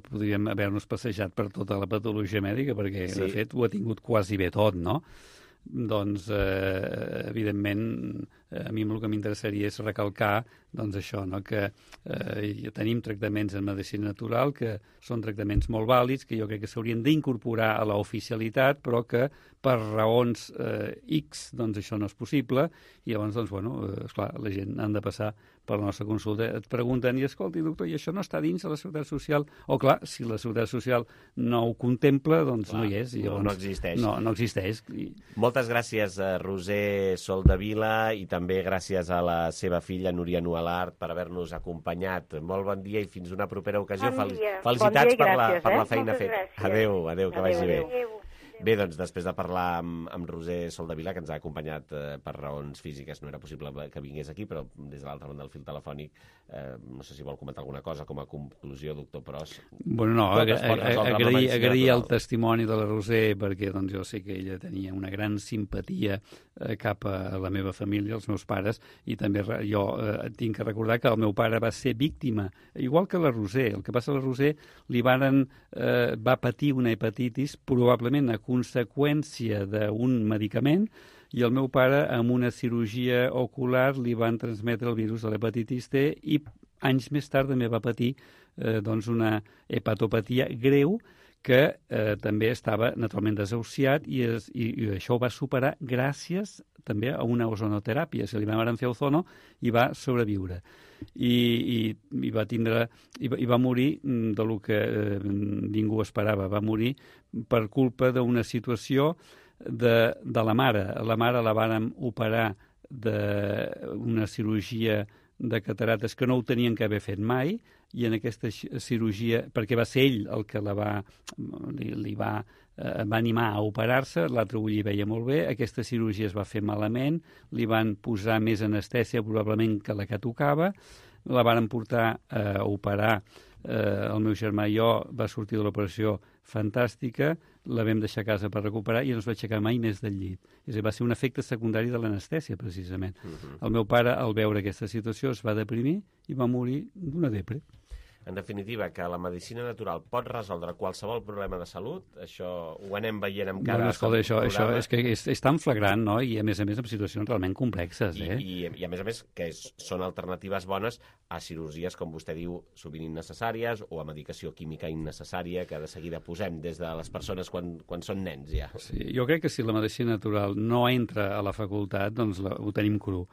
podríem haver-nos passejat per tota la patologia mèdica, perquè, de fet, ho ha tingut quasi bé tot, no? Doncs, evidentment, a mi el que m'interessaria és recalcar doncs això, no? Que tenim tractaments en medicina natural que són tractaments molt vàlids, que jo crec que s'haurien d'incorporar a l'oficialitat, però que per raons X doncs això no és possible, i llavors, doncs, bueno, esclar, la gent han de passar per la nostra consulta. Et pregunten, i escolti, doctor, i això no està dins de la Seguretat Social? O, clar, si la Seguretat Social no ho contempla, doncs no hi és. I llavors, no existeix. No existeix. Moltes gràcies a Roser Soldevila i també gràcies a la seva filla, Núria Nualart, per haver-nos acompanyat. Molt bon dia i fins una propera ocasió. Felicitats per la feina feta. Adéu, que vagi bé. Bé, doncs, després de parlar amb Roser Soldevila, que ens ha acompanyat per raons físiques, no era possible que vingués aquí, però des de l'altra banda del fil telefònic, no sé si vol comentar alguna cosa com a conclusió, doctor Pros. Bueno, no, agrair el testimoni de la Roser, perquè doncs, jo sé que ella tenia una gran simpatia cap a la meva família, els meus pares, i també jo tinc que recordar que el meu pare va ser víctima, igual que la Roser. El que passa a la Roser va patir una hepatitis, probablement a conseqüència d'un medicament, i el meu pare, amb una cirurgia ocular, li van transmetre el virus de l'hepatitis T i anys més tard també va patir doncs una hepatopatia greu que també estava naturalment desahuciat i això ho va superar gràcies també a una ozonoteràpia. Se li van fer ozono i va sobreviure. I va morir del que ningú esperava. Va morir per culpa d'una situació de la mare. La mare la vàrem operar d'una cirurgia de catarates que no ho tenien que haver fet mai, i en aquesta cirurgia, perquè va ser ell el que va animar a operar-se, l'altre ull hi veia molt bé, aquesta cirurgia es va fer malament, li van posar més anestèsia probablement que la que tocava, la van portar a operar, el meu germà i jo, va sortir de l'operació fantàstica, la vam deixar a casa per recuperar i no es va aixecar mai més del llit. És a dir, va ser un efecte secundari de l'anestèsia, precisament. El meu pare, al veure aquesta situació, es va deprimir i va morir d'una depre. En definitiva, que la medicina natural pot resoldre qualsevol problema de salut, això ho anem veient amb cada... Bueno, escolta, això és que és tan flagrant, no? I a més en situacions realment complexes, eh? I a més que són alternatives bones a cirurgies, com vostè diu, sovint innecessàries, o a medicació química innecessària que de seguida posem des de les persones quan són nens, ja. Sí, jo crec que si la medicina natural no entra a la facultat, doncs ho tenim cru.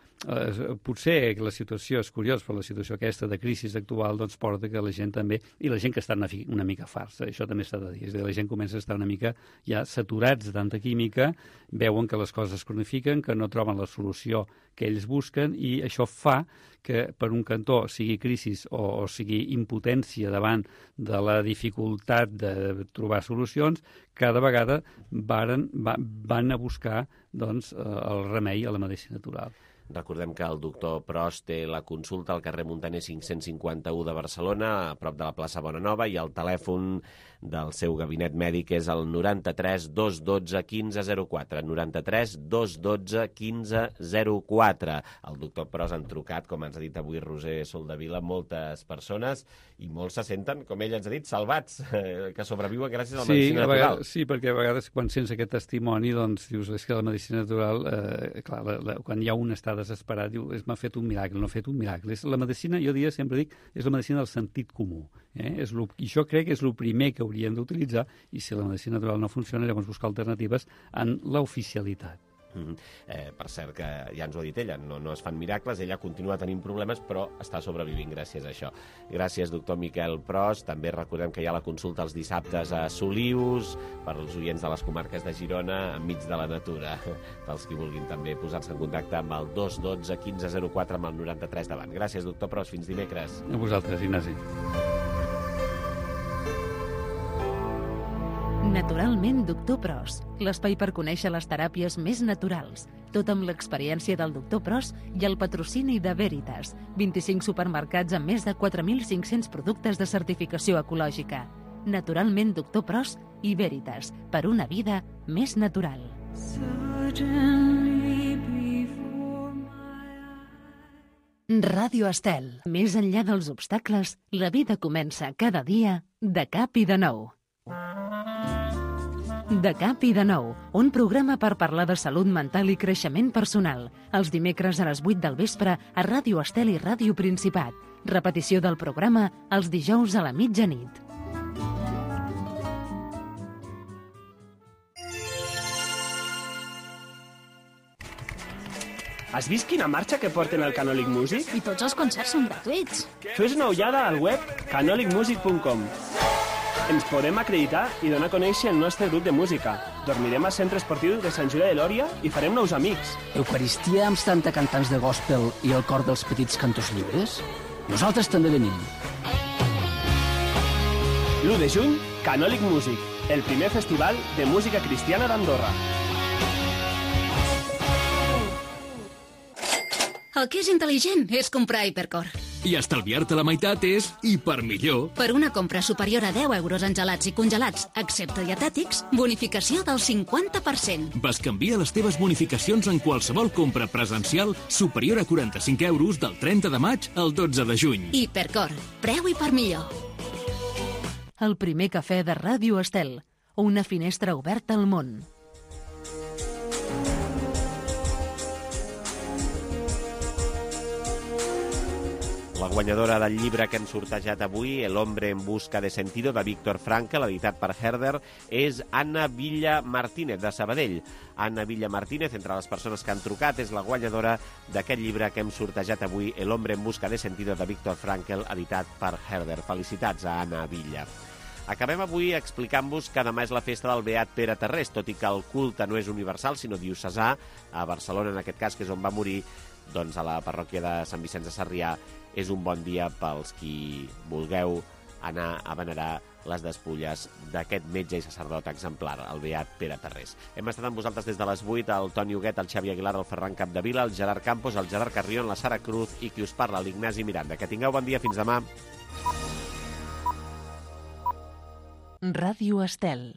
Potser que la situació és curiosa, però la situació aquesta de crisi actual doncs porta que la gent també, i la gent que està una mica farsa, això també s'ha de dir, és a dir, la gent comença a estar una mica ja saturats de tanta química, veuen que les coses es cronifiquen, que no troben la solució que ells busquen, i això fa que per un cantó sigui crisi o sigui impotència davant de la dificultat de trobar solucions, cada vegada van a buscar doncs, el remei a la medicina natural. Recordem que el doctor Pros té la consulta al carrer Muntaner 551 de Barcelona, a prop de la plaça Bonanova, i el telèfon del seu gabinet mèdic és el 93 212 1504. 93 212 1504. El doctor Pros han trucat, com ens ha dit avui Roser Soldevila, moltes persones, i molts se senten, com ell ens ha dit, salvats, que sobreviuen gràcies a la medicina natural. Sí, perquè a vegades quan sents aquest testimoni, doncs dius, és que la medicina natural, clar, quan hi ha un està desesperat, diu, m'ha fet un miracle, no ha fet un miracle. La medicina, jo sempre dic, és la medicina del sentit comú. I això crec que és el primer que hauríem d'utilitzar, i si la medicina natural no funciona, llavors buscar alternatives en l'oficialitat. Per cert, que ja ens ho ha dit ella, no es fan miracles, ella continua tenint problemes, però està sobrevivint gràcies a això. Gràcies, doctor Miquel Pros. També recordem que hi ha la consulta els dissabtes a Solius, per als oients de les comarques de Girona, enmig de la natura, pels qui vulguin també posar-se en contacte amb el 212 1504 amb el 93 davant. Gràcies, doctor Pros. Fins dimecres. A vosaltres, Ignasi. Naturalment, doctor Pros, l'espai per conèixer les teràpies més naturals, tot amb l'experiència del doctor Pros i el patrocini de Veritas, 25 supermercats amb més de 4.500 productes de certificació ecològica. Naturalment, doctor Pros i Veritas, per una vida més natural. Suddenly Ràdio Estel. Més enllà dels obstacles, la vida comença cada dia de cap i de nou. De cap i de nou, un programa per parlar de salut mental i creixement personal. Els dimecres a les 8 del vespre a Ràdio Estel i Ràdio Principat. Repetició del programa els dijous a la mitjanit. Has vist quina marxa que porten al Canòlic Music? I tots els concerts són gratuïts. Fes una ullada al web canolicmusic.com. Ens podem acreditar i donar a conèixer el nostre grup de música. Dormirem al Centre Esportiu de Sant Julià de Lòria i farem nous amics. Eucaristia amb 70 cantants de gospel i el cor dels petits cantors lliures? Nosaltres també venim. L'1 de juny, Canòlic Music, el primer festival de música cristiana d'Andorra. El que és intel·ligent és comprar Hipercor. I estalviar-te la meitat és hipermillor. Per una compra superior a 10 euros en gelats i congelats, excepte dietètics, bonificació del 50%. Bescanvia les teves bonificacions en qualsevol compra presencial superior a 45 euros del 30 de maig al 12 de juny. Hipercor. Preu hipermillor. El primer cafè de Ràdio Estel. Una finestra oberta al món. La guanyadora del llibre que hem sortejat avui, El hombre en busca de sentido, de Víctor Frankl, editat per Herder, és Anna Villa Martínez, de Sabadell. Anna Villa Martínez, entre les persones que han trucat, és la guanyadora d'aquest llibre que hem sortejat avui, El hombre en busca de sentido, de Víctor Frankl, editat per Herder. Felicitats a Anna Villa. Acabem avui explicant-vos que demà és la festa del Beat Pere Tarrés, tot i que el culte no és universal, sinó diocesà, a Barcelona, en aquest cas, que és on va morir, doncs a la parròquia de Sant Vicenç de Sarrià, és un bon dia pels qui vulgueu anar a venerar les despulles d'aquest metge i sacerdot exemplar, el Beat Pere Tarrés. Hem estat amb vosaltres des de les 8, el Toni Huguet, el Xavi Aguilar, el Ferran Capdevila, el Gerard Campos, el Gerard Carrion, la Sara Cruz i qui us parla, l'Ignasi Miranda. Que tingueu bon dia, fins demà. Ràdio Estel.